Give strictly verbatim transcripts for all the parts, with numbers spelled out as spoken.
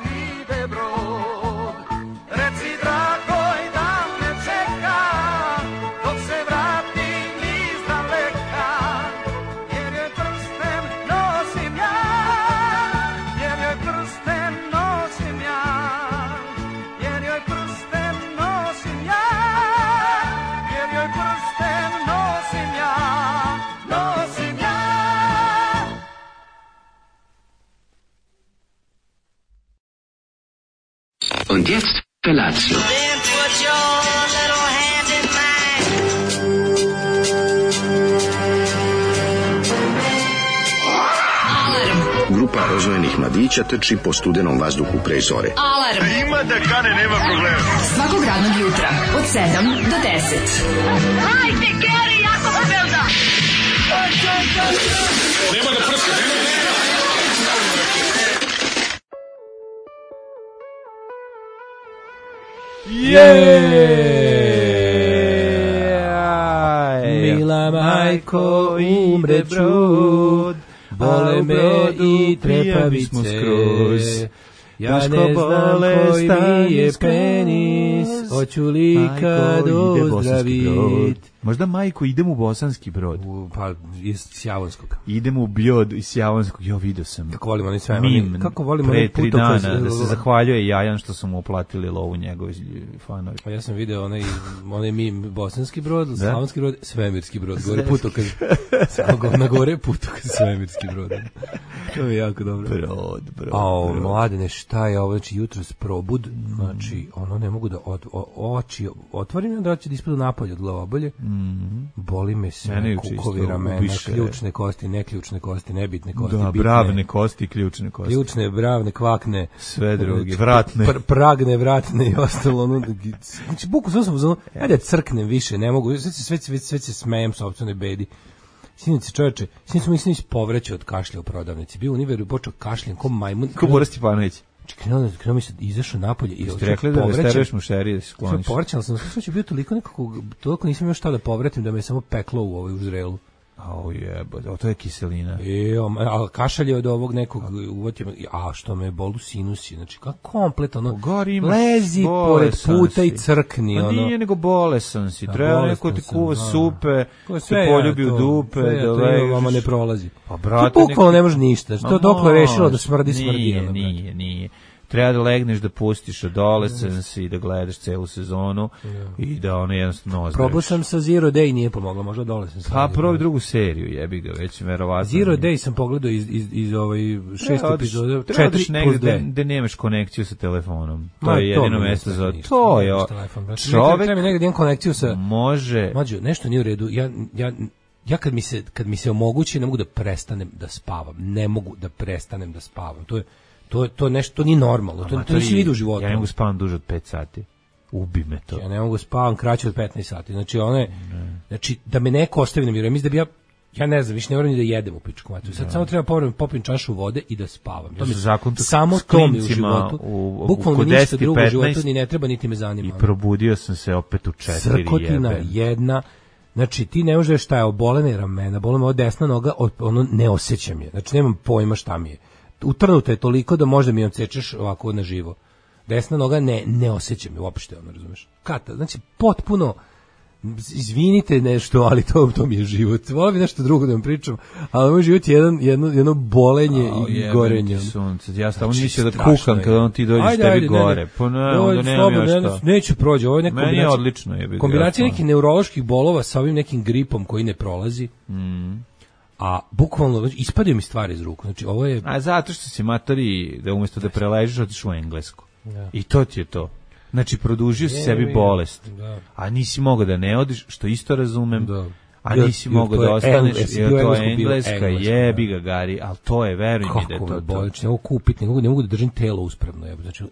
ide brod. Reci dragoj da me čeka, dok se vratim iz daleka, jer joj prsten nosim ja, jer joj prsten nosim ja, jer joj prsten nosim ja, jer joj prsten nosim ja, nosim ja. Und jetzt Felatio. Then put your little hand in mine. Grupa rozvojenih mladića trči po studenom vazduhu pre zore. Alarm. Ima da kane, nema problema. Svakog radnog jutra od sedam do deset. Hajde, Geri, jako se velda. Nema da prska, nema da prska. Mila majko, umre brod, bole me i trepavice. Ja ne znam koji mi je penis, hoću li kad ozdravit. Možda majko, idem u Bosanski Brod. U, pa iz Sjavonskog. Idem u Bljod iz Sjavonskog. Jo, vidio sam. Kako volimo oni sve. Mim, kako volimo pre onaj tri putokaz. dana, da se zahvaljuje Jajan što su mu uplatili lovu njegovi fanovi. Pa ja sam video onaj, onaj mim Bosanski Brod, Slavonski Brod, Svemirski Brod. Gore putokaz. Na gore putokaz Svemirski Brod. To je jako dobro. Brod, brod. A mladene, šta je ovo? Znači, jutros probud, znači, ono ne mogu da od, o, oči otvorim, onda će da ispadu napolje od glavobolje. Mm. Boli me sve, kukovi, ramena, ubiše. Ključne kosti, neključne kosti, nebitne kosti, da, bitne. bravne kosti, ključne kosti. Ključne, bravne, kvakne. Sve drugi, vratne. Pr, pragne, vratne i ostalo. Ono, znači, buku sam sam uzmano, ajde crknem više, ne mogu, sve, sve, sve, sve se smejem sopstvenoj bedi. Sinice čoveče, sinice smo mislim povreće od kašlja u prodavnici. Bio u Univeru i počeo kašljem ko majmun. Ko Boris Stipanović. Krenuo, krenuo mi se, izašao napolje i ste rekli da vestereš mušerije da se skloniš. Povraćala sam, sve će bio toliko nekako, toliko nisam još šta da povratim da me samo peklo u ovoj uzrelu. Au jebote, to je kiselina. E, a kašalj je od ovog nekog uvotio, a što me bolu sinusi, znači kako komplet ono, Gori lezi pored puta i crkni. A ono. nije nego bolesan si, treba neko ti kuva supe, se poljubi u dupe, da ležiš. Vama ne prolazi. Pa brate, to bukvalno ne može ništa, to dokle rešilo da smrdi smrdi. Nije, nije, nije. Treba da legneš, da pustiš Adolescence i da gledaš celu sezonu i da ono jednostavno ozdraviš. Probao sam sa Zero Day, nije pomoglo, možda Adolescence. Pa probaj drugu seriju, jebi ga, već verovatno. Zero Day sam pogledao iz, iz, iz ovaj šest epizoda, četiri plus dva. Da nemaš konekciju sa telefonom. To je jedino mesto za to. Je čovek treba mi negdje imam konekciju sa... Može... Mlađo, nešto nije u redu, ja... ja Ja kad mi se kad mi se omogući ne mogu da prestanem da spavam. Ne mogu da prestanem da spavam. To je to je to nešto to nije normalno. To to nisi vidio u životu. Ja ne mogu spavam duže od pet sati. Ubi me to. Ja ne mogu spavam kraće od petnaest sati. Znači one ne. Znači da me neko ostavi na miru. Ja mislim da bi ja ja ne znam, više ne moram ni da jedem u pičku materiju. Sad ne. Samo treba povremeno popim čašu vode i da spavam. To mi samo to mi u životu. U, u, Bukvalno mi ništa drugo u životu ni ne treba niti me zanima. I probudio sam se opet u četiri. Srkotina jedna. Znači, ti ne možeš šta je obolene ramena, bole me od desna noga, ono ne osjećam je. Znači, nemam pojma šta mi je. Utrnuta je toliko da možda mi odsečeš ovako na živo. Desna noga ne, ne osjećam je uopšte, ono, razumeš? Kata, znači, potpuno, izvinite nešto, ali to, to mi je život. Volim bi nešto drugo da vam pričam, ali moj život je jedan, jedno, jedno bolenje oh, i gorenje. Sunce. Ja stavno znači, mislio da kukam kada on ti dođeš ajde, tebi ajde, gore. Ne, pa ne, onda nemam još šta. Neću prođe, ovo je neka kombinacija. Meni je odlično. Je kombinacija nekih neuroloških bolova sa ovim nekim gripom koji ne prolazi. Mm. A bukvalno ispadaju mi stvari iz ruku. Znači, ovo je... A zato što si matori da umjesto da preležiš otiš u Englesku. Ja. I to ti je to. Znači, produžio si sebi bolest. Da. A nisi mogao da ne odiš, što isto razumem. Da. A nisi mogao da ostaneš, jer to je Engleska, jebi ga Gari, ali to je, veruj mi da je to. Kako me bolič, ne mogu kupiti, ne mogu, ne mogu da držim telo uspravno. Jeb. Znači, uh,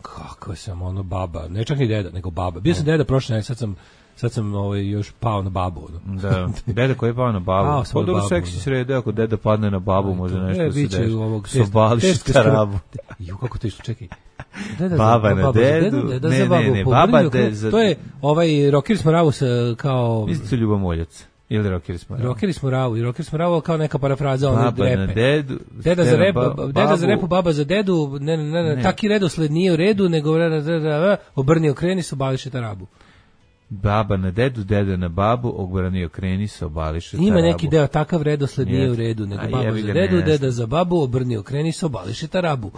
kako sam ono baba, ne čak ni deda, nego baba. Bio sam deda prošle, sad sam sad sam ovaj, još pao na babu. No. Da, deda koji je pao na babu. Pa dobro seksi srede, ako deda padne na babu, no, može nešto da se deši. Sobališ tarabu. Ju, kako to išlo, čekaj. Deda, baba na dedu, deda, deda ne, za babu, ne, ne, baba de, za... To je ovaj Rocker Smoravus kao... Mislim se Ljubomoljac. Ili Rokeri smo ravu? Rokeri smo ravu. I Rokeri smo ravu kao neka parafraza ono Baba repe. na dedu. Deda za rep, ba, deda za repu, baba za dedu. Ne, ne, ne, ne. Taki redosled nije u redu, nego obrni okreni se, obališe tarabu. Baba na dedu, deda na babu, obrani okreni se, obališe tarabu. Ima neki deo, takav redosled nije u redu, nego A baba jebi za ga, dedu, ne deda za babu, obrni okreni se, obališe tarabu.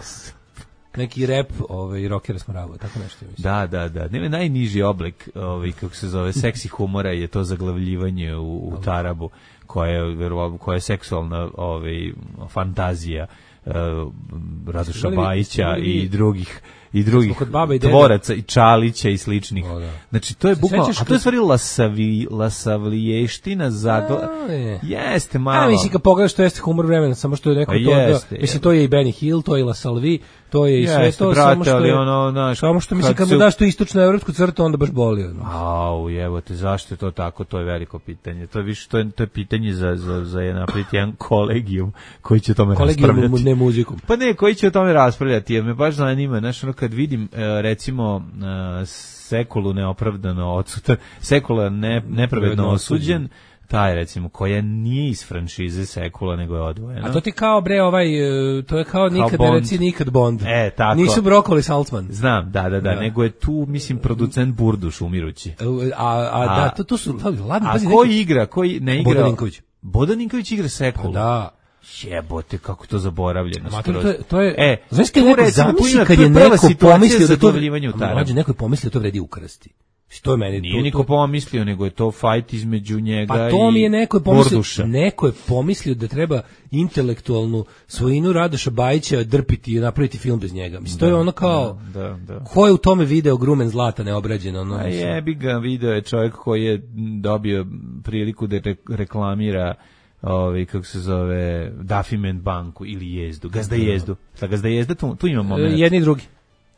Neki rep, ovaj Rokera smo ravu, tako nešto mislim. Da, da, da. Nema najniži oblik, ovaj kako se zove, seksi humora je to zaglavljivanje u, u tarabu, koja je verovatno koja je seksualna ovaj fantazija uh, Radoša Bajića i drugih i drugih i tvoraca i Čalića i sličnih. O, da. Znači to je bukvalno, a to je stvari lasavi, lasavliještina zagla. Jeste malo. A mislim kad pogledaš to jeste humor vremena, samo što je neko to, jeste, da, mislim to je i Benny Hill, to je i La Salvi, to je i jeste, sve to, brate, samo što ali je, ono, naš, samo što mislim kad mu su... daš tu istočno evropsku crtu, onda baš boli. Ono. Au, evo te, zašto je to tako, to je veliko pitanje. To je više, to je, to je pitanje za, za, za jedan, jedan kolegijum koji će o tome kolegijum raspravljati. Ne muzikom. Pa ne, koji će o tome raspravljati, jer me baš zanima, znaš, ono kad vidim, recimo, Sekulu neopravdano odsutan, Sekula ne, nepravedno osuđen, taj recimo koja nije iz franšize Sekula nego je odvojena. A to ti kao bre ovaj to je kao, kao nikad ne reci nikad Bond. E, tako. Nisu Brokoli Saltzman. Znam, da, da, da, da, nego je tu mislim producent Burduš umirući. A a, a da, to to su ladno. A ko igra, koji ne igra? Bodaninković. Bodaninković igra Sekulu. Da. Jebote, kako to zaboravljeno. Ma, to, to, je, to je, e, znaš kad neko zamisli kad je neko pomislio da to mlađe neko je pomislio da to vredi ukrasti. To je meni nije niko pomislio, nego je to fight između njega i Pa to mi je neko je pomislio, Borduša. neko je pomislio da treba intelektualnu svojinu Radoša Bajića drpiti i napraviti film bez njega. Mislim, da, to je ono kao, da, da, da. Ko je u tome video grumen zlata neobrađeno? Ono, A jebi ga, video je čovjek koji je dobio priliku da reklamira ovaj kako se zove Dafiment banku ili Jezdu, Gazda Jezdu. Sa Gazda Jezda tu, tu ima moment. Jedni i drugi.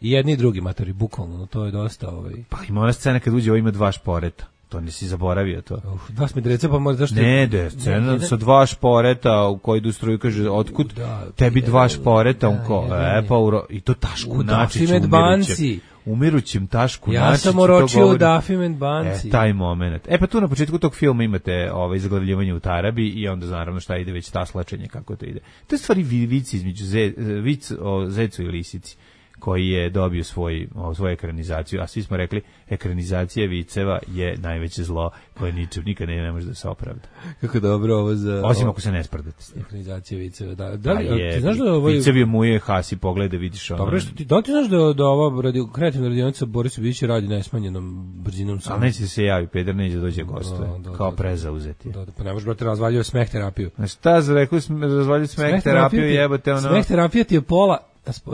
Jedni i drugi matori, bukvalno, no to je dosta ovaj. Pa ima ona scena kad uđe, ovo ima dva šporeta. To nisi zaboravio to. Uf, dva smedreca, pa možda zašto... Ne, da, scena ne, sa dva šporeta u koji idu struju, kaže, otkud da, tebi dva šporeta, da, on ko, e, pa uro, i to Tašku Načić umirućem. Umirućem Tašku ja Načić. Ja sam oročio u Dafiment banci. E, taj moment. E, pa tu na početku tog filma imate ovaj, zaglavljivanje u tarabi i onda naravno šta ide, već taslačenje, kako to ide. To je stvari vici između ze, vic o Zecu i Lisici, koji je dobio svoj, svoju ekranizaciju, a svi smo rekli ekranizacija viceva je najveće zlo koje ničem nikad ne, ne može da se opravda. Kako dobro ovo za... Osim ako se ne sprdate s njim. Ekranizacija viceva, da. Da li, je, ti znaš da ovo... Vicevi muje Hasi, pogleda, vidiš ono... Dobro, što ti, da ti znaš da, da ova radio, kreativna radionica Borisa Bića radi najsmanjenom brzinom sam. Ali neće se javi, Peder neće da dođe gostuje, da, da, kao prezauzeti. Da, da, pa ne možeš brate razvaljuje smeh terapiju. Znaš, šta za rekli, razvaljuje smeh, smeh terapiju, jebate ono... Smeh terapija ti je pola... Uh,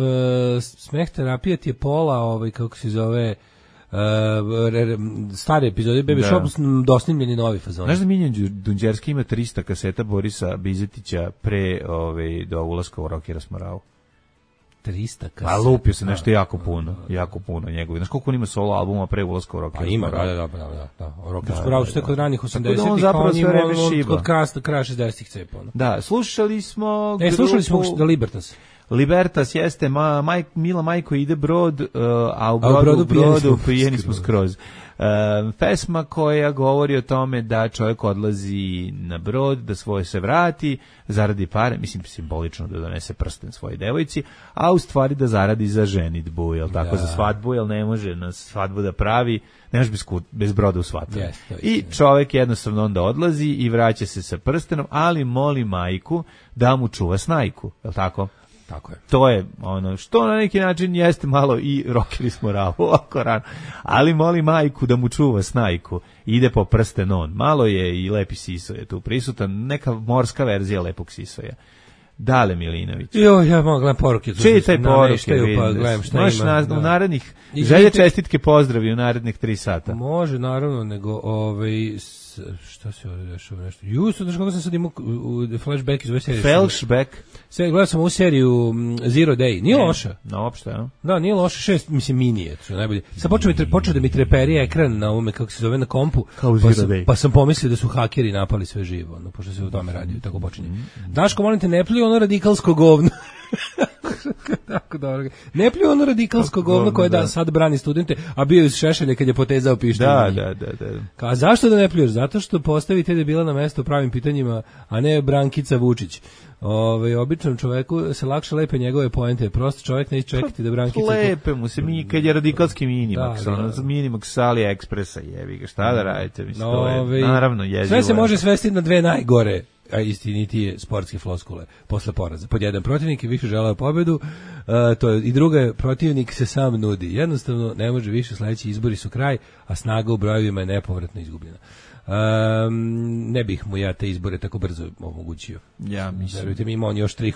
smeh terapija ti je pola, ovaj, kako se zove, uh, stare epizode Baby da. Shop, dosnimljeni novi fazon. Znaš da Miljan Dunđerski ima trista kaseta Borisa Bizetića pre ovaj, do ulaska u Rokera Smorao? trista kaseta? A lupio se nešto jako puno, jako puno njegovi. Znaš koliko on ima solo albuma pre ulaska u Rokera Smorao? Pa ima, da, da, da, da, da. Rokera Smorao što je kod ranih osamdesetih, on zapravo sve vreme šiba. Kod krasta, kraja šezdesetih cepa. Da, slušali smo... E, slušali smo da Libertas. Libertas jeste, ma, maj, Mila Majko ide brod, uh, a u brodu, a u brodu, brodu pijeni smo skroz. Uh, pesma koja govori o tome da čovjek odlazi na brod, da svoje se vrati, zaradi pare, mislim simbolično da donese prsten svojoj devojci, a u stvari da zaradi za ženidbu, jel tako, da. Za svadbu, jel ne može na svadbu da pravi, ne može bez, bez broda u svadbu. Yes, I čovjek jednostavno onda odlazi i vraća se sa prstenom, ali moli majku da mu čuva snajku, jel tako? Tako je. To je ono što na neki način jeste malo i Rokeri Smorao ovako rano. Ali moli majku da mu čuva snajku. Ide po prsten on. Malo je i Lepi Sisoje tu prisutan. Neka morska verzija Lepog Sisoja. Dale Milinović. Jo, ja mogu gledam poruke. Čitaj poruke. Pa gledam šta Možeš ima. Na, da. U narednih, želje čestitke pozdravi u narednih tri sata. Može, naravno, nego ovaj... Šta se ovdje dešava nešto? Ju, znaš kako sam sad imao u flashback iz ove serije. Flashback? Sve, gledao sam ovu seriju Zero Day. Nije ne, loša. No, uopšte, ja. Da, nije loša. Šest, mislim, mini je. To je najbolje. Sad počeo, mi, počeo da mi treperi ekran na ovome, kako se zove, na kompu. Kao pa, sam, pa sam pomislio da su hakeri napali sve živo. No, pošto se u tome radi. Tako počinje. Mm -hmm. Daško, molim te, ne pliju ono radikalsko govno. Tako dobro. Ne pljuju ono radikalsko govno koje da sad brani studente, a bio iz Šešelja kad je potezao pištolj. Da, da, da, da. Ka zašto da ne pljuješ? Zato što postavite debila na mesto pravim pitanjima, a ne Brankica Vučić. Ovaj običnom čoveku se lakše lepe njegove poente. Prosto čovjek neće čekati da Brankica lepe mu se mi kad je radikalski Minimax, da, ono da. Minimax s AliExpressa, jebi ga, šta da radite, mislim, to je Ove, naravno jezivo. Sve se može svesti na dve najgore, a istinitije sportske floskule posle poraza. Pod jedan, protivnik je više želeo pobedu, uh, to je, i druga je, protivnik se sam nudi. Jednostavno ne može više, sledeći izbori su kraj, a snaga u brojevima je nepovratno izgubljena. Um, ne bih mu ja te izbore tako brzo omogućio. Ja mislim. Verujte mi, ima on još tri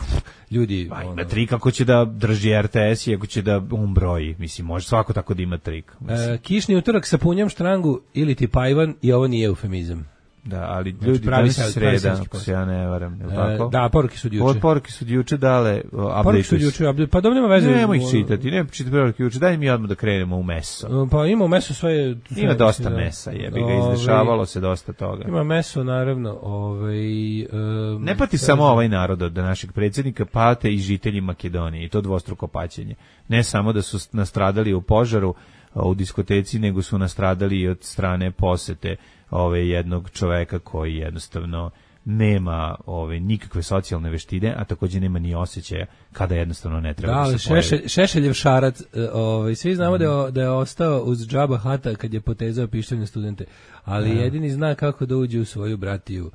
ljudi. Pa ima ono, tri kako će da drži R T S i ako će da um broji. Mislim, može svako tako da ima trik. Uh, kišni utorak sa punjom štrangu ili ti pajvan i ovo nije eufemizam. Da, ali Znači, ljudi pravi danas se- je pravi sreda, se- ako se ja ne varam, je li E, tako? da, poruke su od juče. Od poruke su od juče dale, Poruke su od update juče, update- pa dobro nema veze. Nemo ih čitati, ne čitati poruke juče, daj mi odmah da krenemo u meso. Pa ima u mesu sve... sve Ima dosta mislim, da. mesa, jebi ga, Ovaj, izdešavalo se dosta toga. Ima meso, naravno. Ovaj, um, Ne pati samo ovaj narod od našeg predsjednika, pate i žitelji Makedonije, i to dvostruko paćenje. Ne samo da su nastradali u požaru u diskoteci, nego su nastradali i od strane posete ove jednog čoveka koji jednostavno nema ove nikakve socijalne veštine, a takođe nema ni osjećaja kada jednostavno ne treba Da, da, ali se pojavi. Šešelj, Šešeljev šarac, e, ovaj, svi znamo da, je, da je ostao uz džaba hata kad je potezao pištolj na studente, ali Da. jedini zna kako da uđe u svoju bratiju.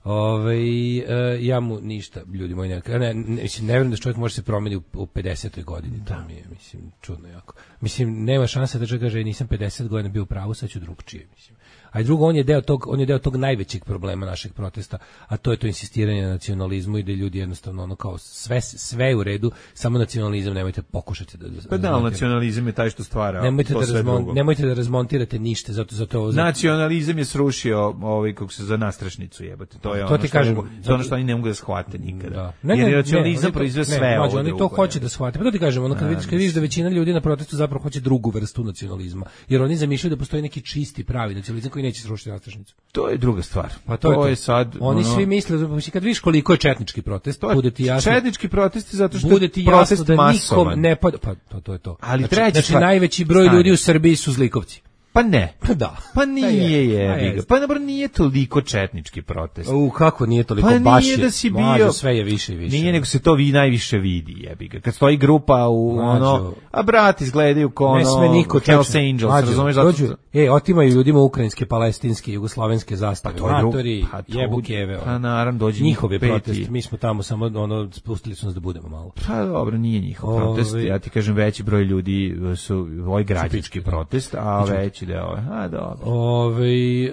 Ove, e, ja mu ništa, ljudi moji, ne, ne, ne, mislim, ne vjerujem da čovjek može se promeniti u, u pedesetoj godini, to mi je, mislim, čudno jako. Mislim, nema šanse da čovjek kaže, nisam pedeset godina bio u pravu, sad ću drugčije, mislim. A i drugo, on je deo tog, on je deo tog najvećeg problema našeg protesta, a to je to insistiranje na nacionalizmu i da ljudi jednostavno ono kao sve sve je u redu, samo nacionalizam nemojte pokušati da Pa da, ali nacionalizam je taj što stvara nemojte to da sve razmon, drugo. nemojte da razmontirate ništa, zato zato ovo Nacionalizam je srušio ovaj kako se za nastrešnicu jebote. To je To ono ti što kažem, mogu, to je ono što oni ne mogu da shvate nikada. Da. Jer nacionalizam oni to- proizveo ne, sve mlađe, ovo. oni to drugo, hoće ne. da shvate. Pa to ti kažem, ono kad vidiš, kad vidiš da većina ljudi na protestu zapravo hoće drugu vrstu nacionalizma. Jer oni zamišljaju da postoji neki čisti pravi nacionalizam koji neće srušiti nastrešnicu. To je druga stvar. Pa to, to je, je to. sad Oni ono- svi misle, znači, kad vidiš koliko je četnički protest, To je bude ti jasno. četnički protesti zato što Bude je ti jasno protest da masovan. nikom ne pada, pa to, to je to. Ali znači, treća znači stvar- najveći broj Stani. ljudi u Srbiji su zlikovci. Pa ne. Pa da. Pa nije je, pa jebi ga. jest. Pa dobro nije toliko četnički protest. U kako nije toliko, Pa baš nije je, da si mlađo, bio- sve je više i više. Nije, nego se to vi najviše vidi, jebi ga. Kad stoji grupa u Mlađo. ono, a brati izgledaju kao ono, Ne sme niko Hells čeče. Angels, Mlađo, razumeš? Zato dođu, što- e, otimaju ljudima ukrajinske, palestinske, jugoslovenske zastave. Pa to je drugo- Matori, pa to- jebu keve. pa naravno, dođe njihov je njih peti. protest, mi smo tamo samo ono, spustili su nas da budemo malo. Pa dobro, nije njihov Ove- protest. Ja ti kažem, veći broj ljudi su ovaj građanski da. protest, a veći deo je, a dobro. Ove, e,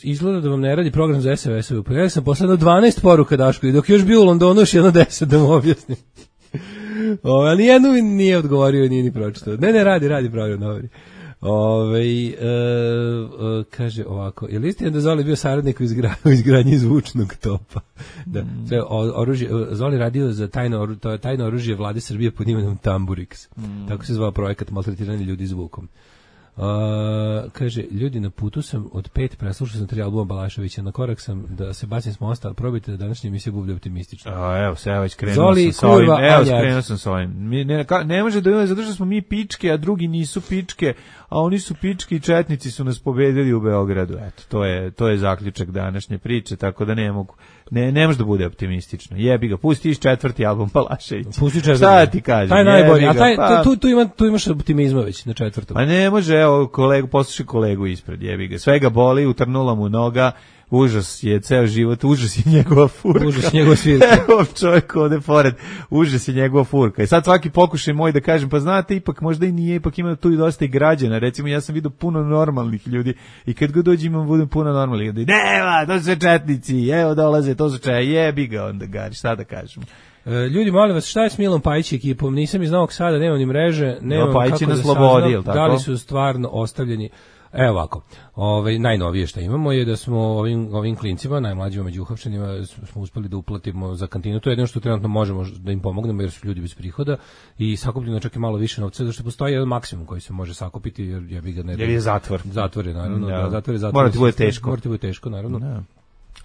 izgleda da vam ne radi program za S M S-ove. Pa ja sam posledno dvanaest poruka Daško i dok je još bio u Londonu još jedno deset da mu objasnim. Ove, ali nijednu mi nije odgovorio i nije ni pročitao. Ne, ne, radi, radi program, dobri. Ove, e, e, kaže ovako, je li istina da Zoli bio saradnik u, izgra, u izgradnji zvučnog topa? Da, Mm. sve, o, oružje, Zoli radio za tajno, oru- to je tajno oružje vlade Srbije pod imenom Tamburix. Mm. Tako se zvao projekat maltretiranja ljudi zvukom. Uh, kaže, ljudi, na putu sam od pet, preslušao sam tri albuma Balaševića, na korak sam da se bacim s mosta, ali probajte da današnja emisija bude optimistična. A, evo, se ja već krenuo Zoli, sam sa ovim. kurva, Evo, Anja. krenuo sam sa ovim. Mi, ne, ka- ne može da ima, zato što smo mi pičke, a drugi nisu pičke, a oni su pičke i četnici su nas pobedili u Beogradu. Eto, to je, to je zaključak današnje priče, tako da ne mogu. Ne, ne može da bude optimistično. Jebi ga, pusti iz četvrti album Balaševića. Pusti četvrti. Šta ti kažem? Taj najbolji, jebi a ga, taj, pa- tu, tu, ima, tu imaš optimizma već na četvrtom. Pa ne može, evo, kolegu, poslušaj kolegu ispred, jebi ga. Sve ga boli, utrnula mu noga, užas je ceo život, užas je njegova furka. Užas je njegova svirka. Evo čovjek ovde pored, užas je njegova furka. I sad svaki pokušaj moj da kažem, pa znate, ipak možda i nije, ipak ima tu i dosta i građana. Recimo, ja sam vidio puno normalnih ljudi i kad god dođem imam budem puno normalnih ljudi. Nema, to su sve četnici, evo dolaze, to su čaj, jebi ga onda, Gari, šta da kažem. E, ljudi, molim vas, šta je s Milom Pajić ekipom? Nisam iz Novog Sada, nemam ni mreže, nemam Pajić kako je na da slobodi, saznam jel tako? da li su stvarno ostavljeni. Evo ovako, ovaj, najnovije što imamo je da smo ovim, ovim klincima, najmlađima među uhapšenima, smo uspeli da uplatimo za kantinu. To je jedno što trenutno možemo da im pomognemo jer su ljudi bez prihoda i sakupljeno čak i malo više novca, zato što postoji jedan maksimum koji se može sakupiti jer ja bih ga ne... Jer je zatvor. Zatvor je, naravno. Da. Da, zatvor je zatvor. Mora ti bude teško. Mora ti bude teško, naravno. Da.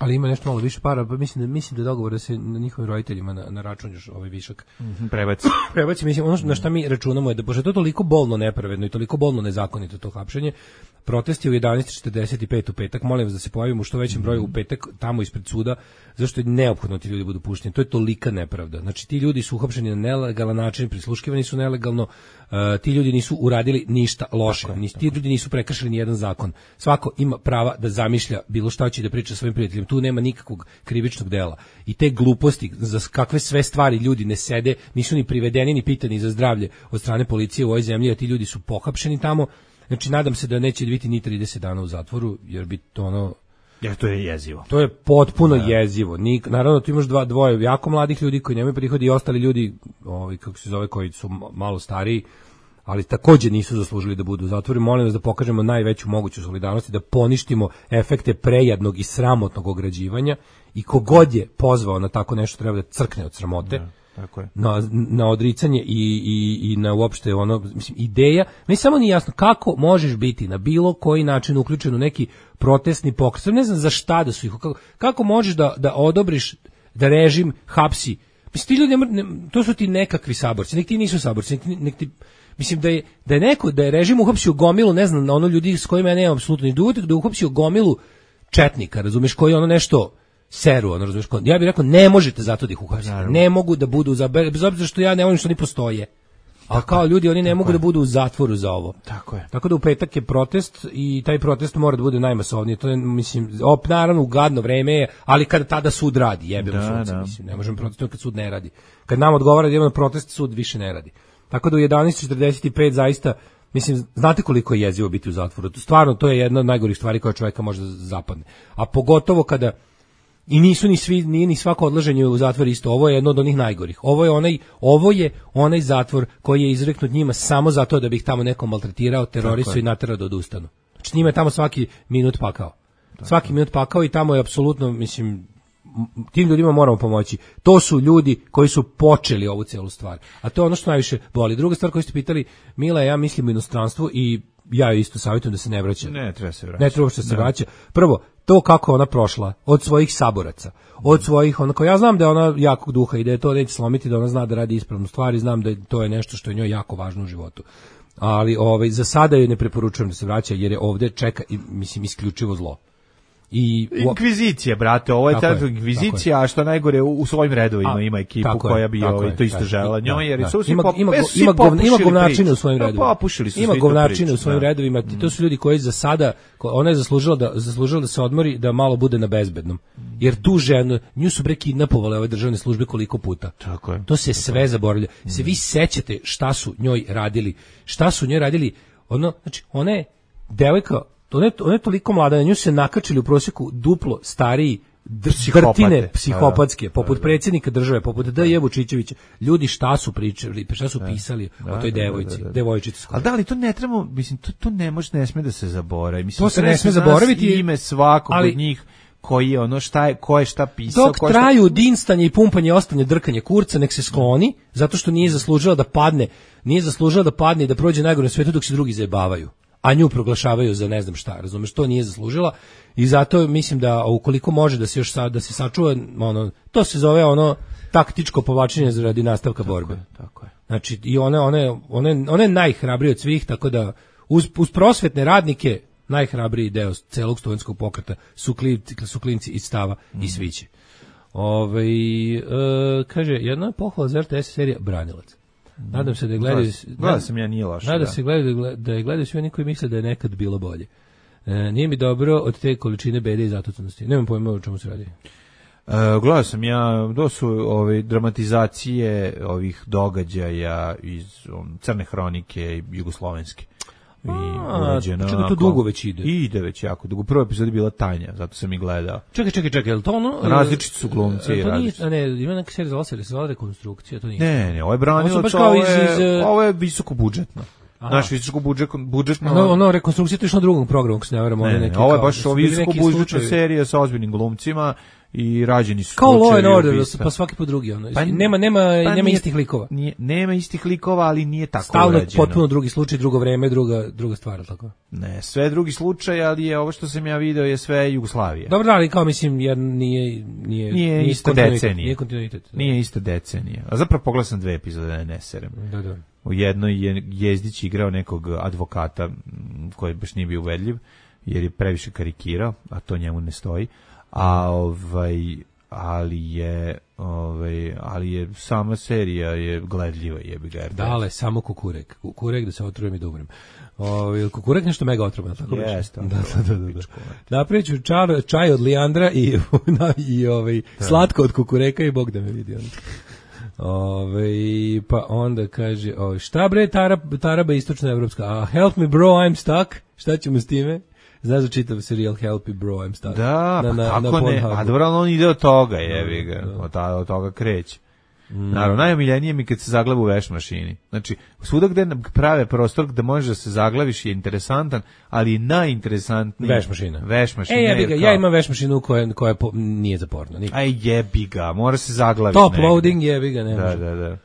Ali ima nešto malo više para, pa mislim da mislim da je dogovor da se na njihovim roditeljima na, na račun još ovaj višak mm-hmm, prebaci. prebaci, mislim, ono na šta mi računamo je da, pošto je to toliko bolno nepravedno i toliko bolno nezakonito to hapšenje, protest je u jedanaest četrdeset pet u petak, molim vas da se pojavimo u što većem broju u petak tamo ispred suda, zašto je neophodno ti ljudi budu pušteni, to je tolika nepravda. Znači, ti ljudi su uhapšeni na nelegalan način, prisluškivani su nelegalno, uh, ti ljudi nisu uradili ništa loše, tako, Nis, ti ljudi nisu prekršili ni jedan zakon. Svako ima prava da zamišlja bilo šta će da priča svojim prijateljima, tu nema nikakvog krivičnog dela. I te gluposti, za kakve sve stvari ljudi ne sede, nisu ni privedeni ni pitani za zdravlje od strane policije u ovoj zemlji, a ti ljudi su pohapšeni tamo. Znači, nadam se da neće biti ni trideset dana u zatvoru, jer bi to ono... Jer to je jezivo. To je potpuno da. jezivo. Nik, naravno, tu imaš dva, dvoje jako mladih ljudi koji nemaju prihodi i ostali ljudi, ovi, kako se zove, koji su malo stariji, ali takođe nisu zaslužili da budu u zatvoru. Molim vas da pokažemo najveću moguću solidarnost i da poništimo efekte prejadnog i sramotnog ograđivanja i kogod je pozvao na tako nešto treba da crkne od sramote. Da. Tako je. Na, na odricanje i, i, i na uopšte ono, mislim, ideja, meni samo nije jasno kako možeš biti na bilo koji način uključen u neki protestni pokret, ne znam za šta da su ih, kako, kako možeš da, da odobriš da režim hapsi, mislim, ti ljudi, ne, ne, to su ti nekakvi saborci, nek ti nisu saborci, nek, nek ti, mislim da je, da je neko, da je režim uhapsio gomilu, ne znam, na ono ljudi s kojima ja nemam apsolutno ni dugotek, da je uhapsio gomilu četnika, razumeš, koji ono nešto seru, ono, razumiješ, ja bih rekao, ne možete zato da ih uhapsite, ne mogu da budu, za, bez obzira što ja ne volim što oni postoje, a kao ljudi, oni ne mogu je. da budu u zatvoru za ovo. Tako je. Tako da u petak je protest i taj protest mora da bude najmasovniji, to je, mislim, op, naravno, u gadno vreme je, ali kada tada sud radi, jebemo da, sunce, da. mislim, ne možemo protestovati kad sud ne radi. Kad nam odgovara da idemo na protest, sud više ne radi. Tako da u jedanaest četrdeset pet zaista, mislim, znate koliko je jezivo biti u zatvoru, stvarno, to je jedna od najgorih stvari koja čovjeka može da zapadne. A pogotovo kada i nisu ni svi, nije ni svako odlaženje u zatvor isto. Ovo je jedno od onih najgorih. Ovo je onaj, ovo je onaj zatvor koji je izreknut njima samo zato da bi ih tamo neko maltretirao, terorisao i naterao da odustanu. Znači njima je tamo svaki minut pakao. Tako. Svaki minut pakao i tamo je apsolutno, mislim, tim ljudima moramo pomoći. To su ljudi koji su počeli ovu celu stvar. A to je ono što najviše boli. Druga stvar koju ste pitali, Mila, ja mislim u inostranstvu i ja isto savjetujem da se ne vraća. Ne, treba se vraća. Ne treba što se vraća. Prvo, to kako ona prošla od svojih saboraca, od svojih, onako, ja znam da je ona jakog duha i da je to neće slomiti, da ona zna da radi ispravnu stvar i znam da je, to je nešto što je njoj jako važno u životu. Ali ovaj, za sada joj ne preporučujem da se vraća jer je ovde čeka, mislim, isključivo zlo. I inkvizicija, brate, ovo je ta inkvizicija, a što najgore u, u svojim redovima a, ima ekipu koja bi ovaj to isto želela njoj, jer su svi ima pop, ima svi ima, govna, ima govnačine u svojim redovima. Popušili su ima govnačine u svojim da. redovima. To su ljudi koji za sada, ona je zaslužila da zaslužila da se odmori, da malo bude na bezbednom. Jer tu ženu, nju su bre kidnapovale ove državne službe koliko puta. Tako je. To se tako sve zaboravlja. Se vi sećate šta su njoj radili? Šta su njoj radili? Ono, znači, ona je devojka. Ona je, ona je toliko mlada, na nju se nakačili u prosjeku duplo stariji vrtine psihopatske, da, poput da, da. predsjednika države, poput D J Vučićevića. Ljudi šta su pričali, šta su pisali da, o toj devojci, da, da, da. devojčici. Ali da li to ne treba, mislim, to, to ne može, ne sme da se zaboravi. Mislim, to se ne sme zaboraviti. Ime svakog ali, od njih koji je ono šta je, ko je šta pisao. Dok ko traju šta... dinstanje i pumpanje, ostanje drkanje kurca, nek se skloni, zato što nije zaslužila da padne, nije zaslužila da padne i da prođe najgore na svetu dok se drugi zajebavaju. A nju proglašavaju za ne znam šta, razumeš, to nije zaslužila i zato mislim da ukoliko može da se još sa, da se sačuva, ono, to se zove ono taktičko povlačenje radi nastavka tako borbe. Je, tako je. Znači i one one one one najhrabrije od svih, tako da uz, uz prosvetne radnike najhrabriji deo celog studentskog pokreta su klinci, su klinci iz Stava mm. i Sviće. Ovaj e, kaže jedna je pohvala za R T S serija Branilac. Nadam se da je gledaju, gledao sam ja, nije loše. Nadam da. se gledaju, da je gledaju svi oni koji misle da je nekad bilo bolje. E, nije mi dobro od te količine bede i zatucanosti. Nemam pojma o čemu se radi. E, gledao sam ja, to su ove dramatizacije ovih događaja iz um, Crne hronike jugoslovenske. I uređeno. Čekaj, to dugo već ide. Ide već jako dugo. Prva epizoda je bila Tanja, zato sam i gledao. Čekaj, čekaj, čekaj, je li to ono? Različiti su glumci i različiti. Ne, ima neka serija zvala se, se zvala Rekonstrukcija, to nije. Ne, ne, ovo je Branilac, ovo je, ovo je visoko budžetno. Naš visoko budžetno. No, ono, Rekonstrukcija to je išlo na drugom programu, ako se ne varam. Ne, ne, ovo je baš visoko budžetna serija sa ozbiljnim glumcima i rađeni su kao Law and slučajevi Order, ubistva. pa svaki po drugi. Ono. Pa, nema nema, pa nema nije, istih likova. Nije, nema istih likova, ali nije tako stalno urađeno. Potpuno drugi slučaj, drugo vreme, druga, druga stvar, tako? Ne, sve drugi slučaj, ali je ovo što sam ja video je sve Jugoslavija. Dobro, ali kao mislim, jer nije... Nije, nije, nije ista decenija. Nije kontinuitet. Da. Nije ista decenija. A zapravo pogledao sam dve epizode, da ne serem. Da, da. U jednoj je Jezdić igrao nekog advokata koji baš nije bio uvedljiv, jer je previše karikirao, a to njemu ne stoji. A ovaj... ali je ovaj ali je sama serija je gledljiva, jebi ga. Dale samo kukurek. Kukurek da se otrujem i da umrem. Ovaj kukurek nešto mega otrovan, tako baš. Jeste. Da, da, da, da. Napraviću čar, čaj od lijandra i na, i ovaj da. Slatko od kukureka i Bog da me vidi on. Ove, pa onda kaže, o, šta bre tarab, taraba istočna evropska? A help me bro, I'm stuck. Šta ćemo s time? Znaš da čitav serijal Help Me Bro, I'm stuck. Da, na, pa na, kako na ne, a dobro, on ide od toga, jebi ga, da. od, od toga kreće. Mm. Naravno, najomiljenije mi kad se zagleba u veš mašini. Znači, svuda gde prave prostor gde možeš da se zaglaviš je interesantan, ali najinteresantniji veš mašina. Veš mašina. E, jebi ga, ja imam veš mašinu koja, koja po, nije za porno. Nikad. Aj, jebi ga, mora se zaglaviti. Top negde. Loading, jebi ga, ne da, može. Da, da, da.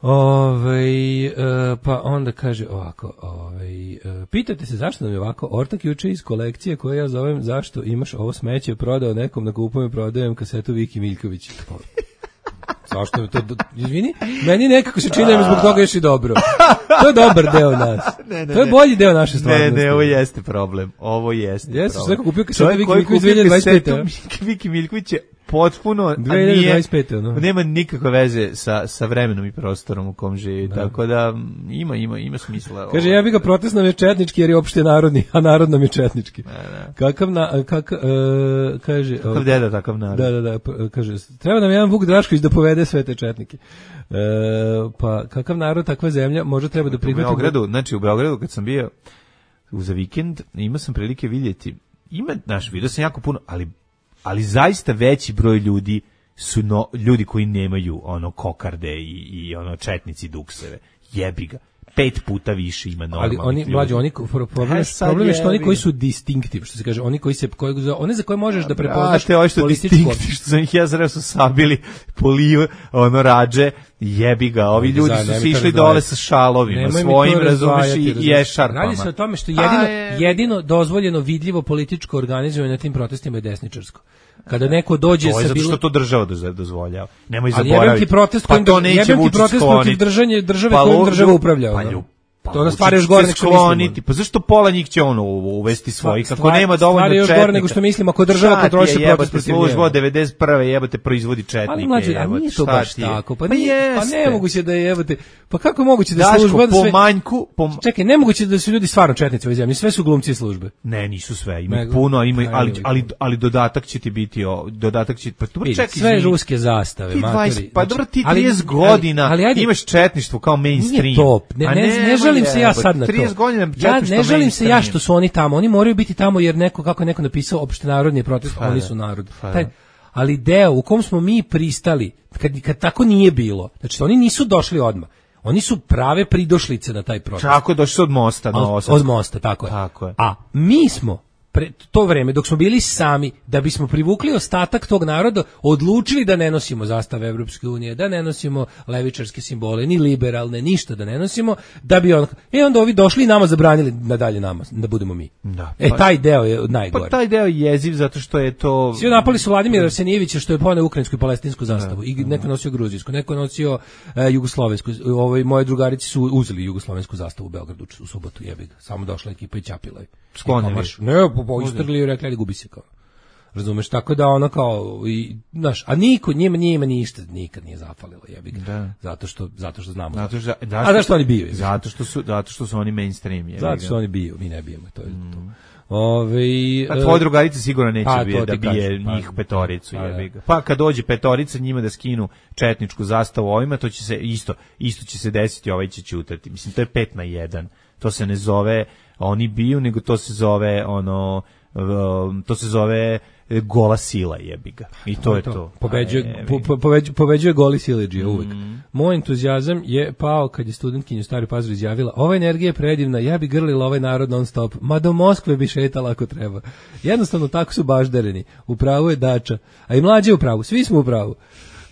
Ove, uh, pa onda kaže ovako, ove, uh, pitate se zašto nam je ovako ortak juče iz kolekcije koje ja zovem zašto imaš ovo smeće prodao nekom na kupujem i prodajem kasetu Viki Miljković. Zašto je to, izvini, meni nekako se čini da mi zbog toga još i dobro. To je dobar deo nas. Ne, ne, to je bolji deo naše stvarnosti. Ne, ne, ovo jeste problem. Ovo jeste Jeste, problem. Jeste, neko kupio kasetu Viki Miljković dve hiljade dvadeset pete. Viki Miljković je potpuno dve hiljade dvadeset pete No. Nema nikakve veze sa sa vremenom i prostorom u kom živi, da. Tako da ima ima ima smisla. Kaže ovo. Ja bih ga protest nam je četnički jer je opšte narodni, a narod nam je četnički. Da, da. Kakav na kak, uh, kaže kakav deda takav narod. Da, da, da, kaže treba nam jedan Vuk Drašković da povede sve te četnike. Uh, pa kakav narod takva zemlja može treba da prihvati. U Beogradu, znači u Beogradu kad sam bio za vikend, imao sam prilike vidjeti. Ima, znaš, vidio sam jako puno, ali ali zaista veći broj ljudi su no, ljudi koji nemaju ono kokarde i, i ono četnici dukseve. Jebi ga. Pet puta više ima normalnih ali oni, ljudi. Mlađe, oni, problem, je, problem je što oni koji su distinktiv, što se kaže, oni koji se, koji, one za koje možeš da prepoznaš političko. Što sam ih ja zreo su sabili poliju, ono rađe, jebi ga, ovi ljudi su se išli dole sa šalovima, svojim, razumeš, i ješarpama. Radi se o tome što jedino, jedino dozvoljeno vidljivo političko organizovanje na tim protestima je desničarsko. Kada neko dođe to je sa zato bilo... što to država dozvoljava. Nemoj ali zaboraviti. Ali jebem ti protest pa to neće Vučić protest protiv držanje države pa kojom država upravlja. Pa ljup. Pa to nas stvari još gore nego što mislimo. Pa zašto pola njih će ono uvesti svojih? Kako nema dovoljno četnika. Stvari još gore nego što mislimo, ako država kontroliše protest protiv njega. Služba od devedeset prve jebote proizvodi četnike. Ali mlađe, a nije to baš tako. Pa nije, pa nemoguće da je jebote. Pa kako je moguće da služba da sve... po manjku... Po... Čekaj, nemoguće da su ljudi stvarno četnici u ovoj zemlji, sve su glumci službe. Ne, nisu sve, ima puno, ima, ali, ali, ali dodatak će ti biti, o, dodatak će... Pa dobro, čekaj, sve ruske zastave, matori. Pa dobro, ti trideset godina imaš četništvo kao mainstream. Nije to, ne želim se ja sad na trideset godina ja ne želim se ja što su oni tamo, oni moraju biti tamo jer neko, kako je neko napisao, opštenarodni protest, Fada. Oni su narod. Taj, ali deo u kom smo mi pristali, kad, kad tako nije bilo, znači oni nisu došli odmah, oni su prave pridošlice na taj protest. Tako došli su od mosta. Od, od mosta, tako je. Tako je. A mi smo pre to vreme dok smo bili sami, da bismo privukli ostatak tog naroda, odlučili da ne nosimo zastave Evropske unije, da ne nosimo levičarske simbole, ni liberalne, ništa da ne nosimo, da bi on, e onda ovi došli i nama zabranili da dalje nama, da budemo mi. Da, e, taj deo je najgore. Pa taj deo je jeziv zato što je to... Svi napali su Vladimira Arsenijevića što je poneo ukrajinsku i palestinsku zastavu, da, i neko nosio gruzijsku, neko nosio e, jugoslovensku, ovaj, moje drugarici su uzeli jugoslovensku zastavu u Beogradu u subotu, jebi ga, samo došla ekipa i ćapila je. Sklonili. Ne, po istrli i rekli da gubi se kao. Razumeš, tako da ono kao i znaš, a niko njima njima ništa nikad nije zafalilo, jebi ga. Da. Zato što zato što znamo. Zato što, da, a zašto oni biju? Zato što su zato što su oni mainstream, jebi ga. Zato što oni biju, mi ne bijemo, to je mm. to. Ove, a tvoje drugarice sigurno neće a, bije, da bije kažem, njih pa, petoricu, pa, jebi ga. Pa kad dođe petorica njima da skinu četničku zastavu ovima, to će se isto isto će se desiti, ovaj će ćutati. Mislim to je pet na jedan. To se ne zove oni biju, nego to se zove ono to se zove gola sila, jebi ga. I to, to je to. to. Pobeđuje, po, po, pobeđuje, pobeđuje goli siledžija uvek. Mm. Moj entuzijazam je pao kad je studentkinja u Stari Pazar izjavila: ova energija je predivna, ja bi grlila ovaj narod non stop, ma do Moskve bi šetala ako treba. Jednostavno tako su baždareni. U pravu je Dača, a i mlađe u pravu, svi smo u pravu.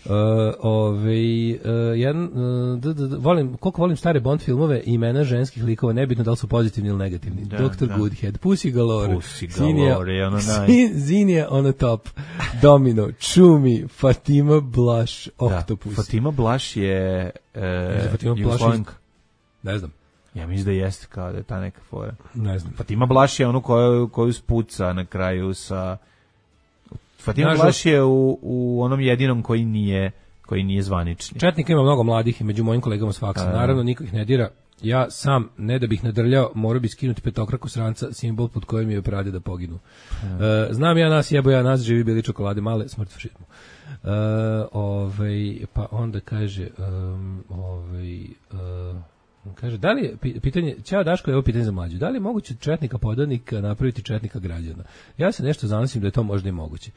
Uh, ovaj uh, jedan uh, d, d, d, volim koliko volim stare Bond filmove i imena ženskih likova, nebitno da li su pozitivni ili negativni. Da, doktor da. Goodhead, Pussy Galore, Pussy Galore, ono Zinija, Zinija on the top, Domino, Čumi, Fatima Blush, Octopus. Da, Fatima Blush je e, Fatima Blush iz... ne znam. Ja mislim da jeste kao da je ta neka fora. Ne znam. Fatima Blush je onu koju, koju spuca na kraju sa Fatima Blush je u, u onom jedinom koji nije koji nije zvanični. Četnika ima mnogo mladih i među mojim kolegama s faksa. Naravno, niko ih ne dira. Ja sam, ne da bih nadrljao, morao bi skinuti petokraku sranca, simbol pod kojim je prade da poginu. Uh, znam ja nas, jebo ja nas, živi bili čokolade male, smrt fašizmu. Uh, ovaj, pa onda kaže um, ovaj, uh, kaže, da li je, pitanje, ćao Daško, evo pitanje za mlađu, da li je moguće četnika podanika napraviti četnika građana? Ja se nešto zanosim da je to možda i moguće.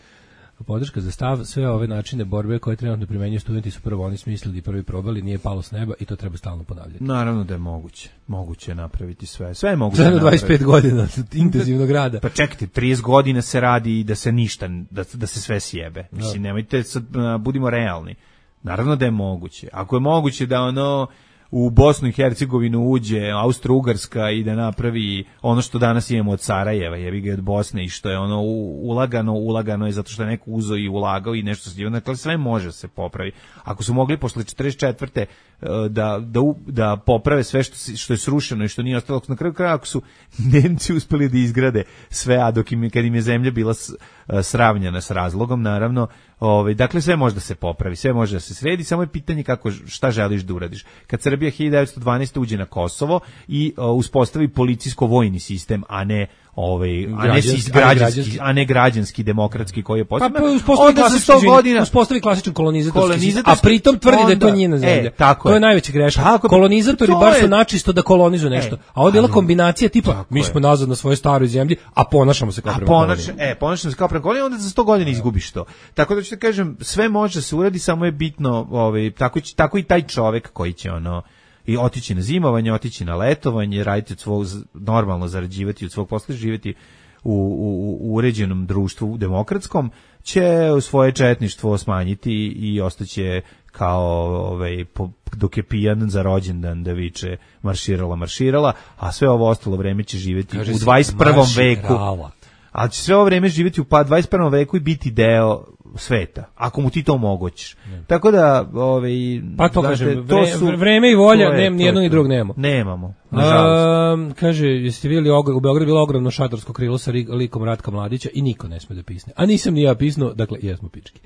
Podrška za stav, sve ove načine borbe koje trenutno primenjuju studenti su prvo oni smislili i prvi probali, nije palo s neba i to treba stalno ponavljati. Naravno da je moguće. Moguće je napraviti sve. Sve je moguće napraviti. dvadeset pet godina intenzivnog rada. Pa čekajte, trideset godina se radi i da se ništa, da, da se sve sjebe. Mislim, nemojte, sad, budimo realni. Naravno da je moguće. Ako je moguće da ono u Bosnu i Hercegovinu uđe Austro-Ugarska i da napravi ono što danas imamo od Sarajeva, jebi ga od Bosne, i što je ono ulagano, ulagano je zato što je neko uzeo i ulagao i nešto se divno, dakle sve može se popravi. Ako su mogli posle četrdeset četvrte da, da, da poprave sve što, što je srušeno i što nije ostalo, na kraju kraja ako su Nemci uspeli da izgrade sve, a dok im, kad im je zemlja bila sravnjena s razlogom, naravno, ovaj, dakle sve može da se popravi, sve može da se sredi, samo je pitanje kako, šta želiš da uradiš. Kad Srbija hiljadu devetsto dvanaeste. uđe na Kosovo i uh, uspostavi policijsko-vojni sistem, a ne ovaj, a ne građanski, građanski, a ne građanski demokratski koji je postavljen. Pa, pa onda za sto godina uspostavi klasičan kolonizatorski sistem, a pritom tvrdi onda, da je to njena zemlja. E, tako to je, je najveća greška. Tako, kolonizatori bar su načisto da kolonizuju nešto, e, a ovdje je bila kombinacija tipa mi smo nazad na svojoj staroj zemlji, a ponašamo se kao prema koloniji. E, ponašamo se kao prema koloniji, onda za sto godina izgubiš to. Tako da ću te kažem, sve može da se uradi, samo je bitno, ovaj, tako, tako i taj čovek koji će ono i otići na zimovanje, otići na letovanje, raditi od svog, normalno zarađivati od svog posla, živjeti u, u, u uređenom društvu demokratskom, će svoje četništvo smanjiti i ostaće kao ovaj, po, dok je pijan za rođendan da viče marširala, marširala, a sve ovo ostalo vreme će živjeti kaže u dvadeset prvom veku. Ali će sve ovo vreme živjeti u pa dvadeset prvom veku i biti deo sveta, ako mu ti to omogućiš. Ne. Tako da, ovaj, pa to znate, kažem, to su, vreme i volja, je, nem, nijedno ni drugog nemamo. Nemamo, nažalost. Kaže, jeste vidjeli, u Beogradu bilo ogromno šatorsko krilo sa likom Ratka Mladića i niko ne sme da pisne. A nisam ni ja pisnuo, dakle, jesmo pički.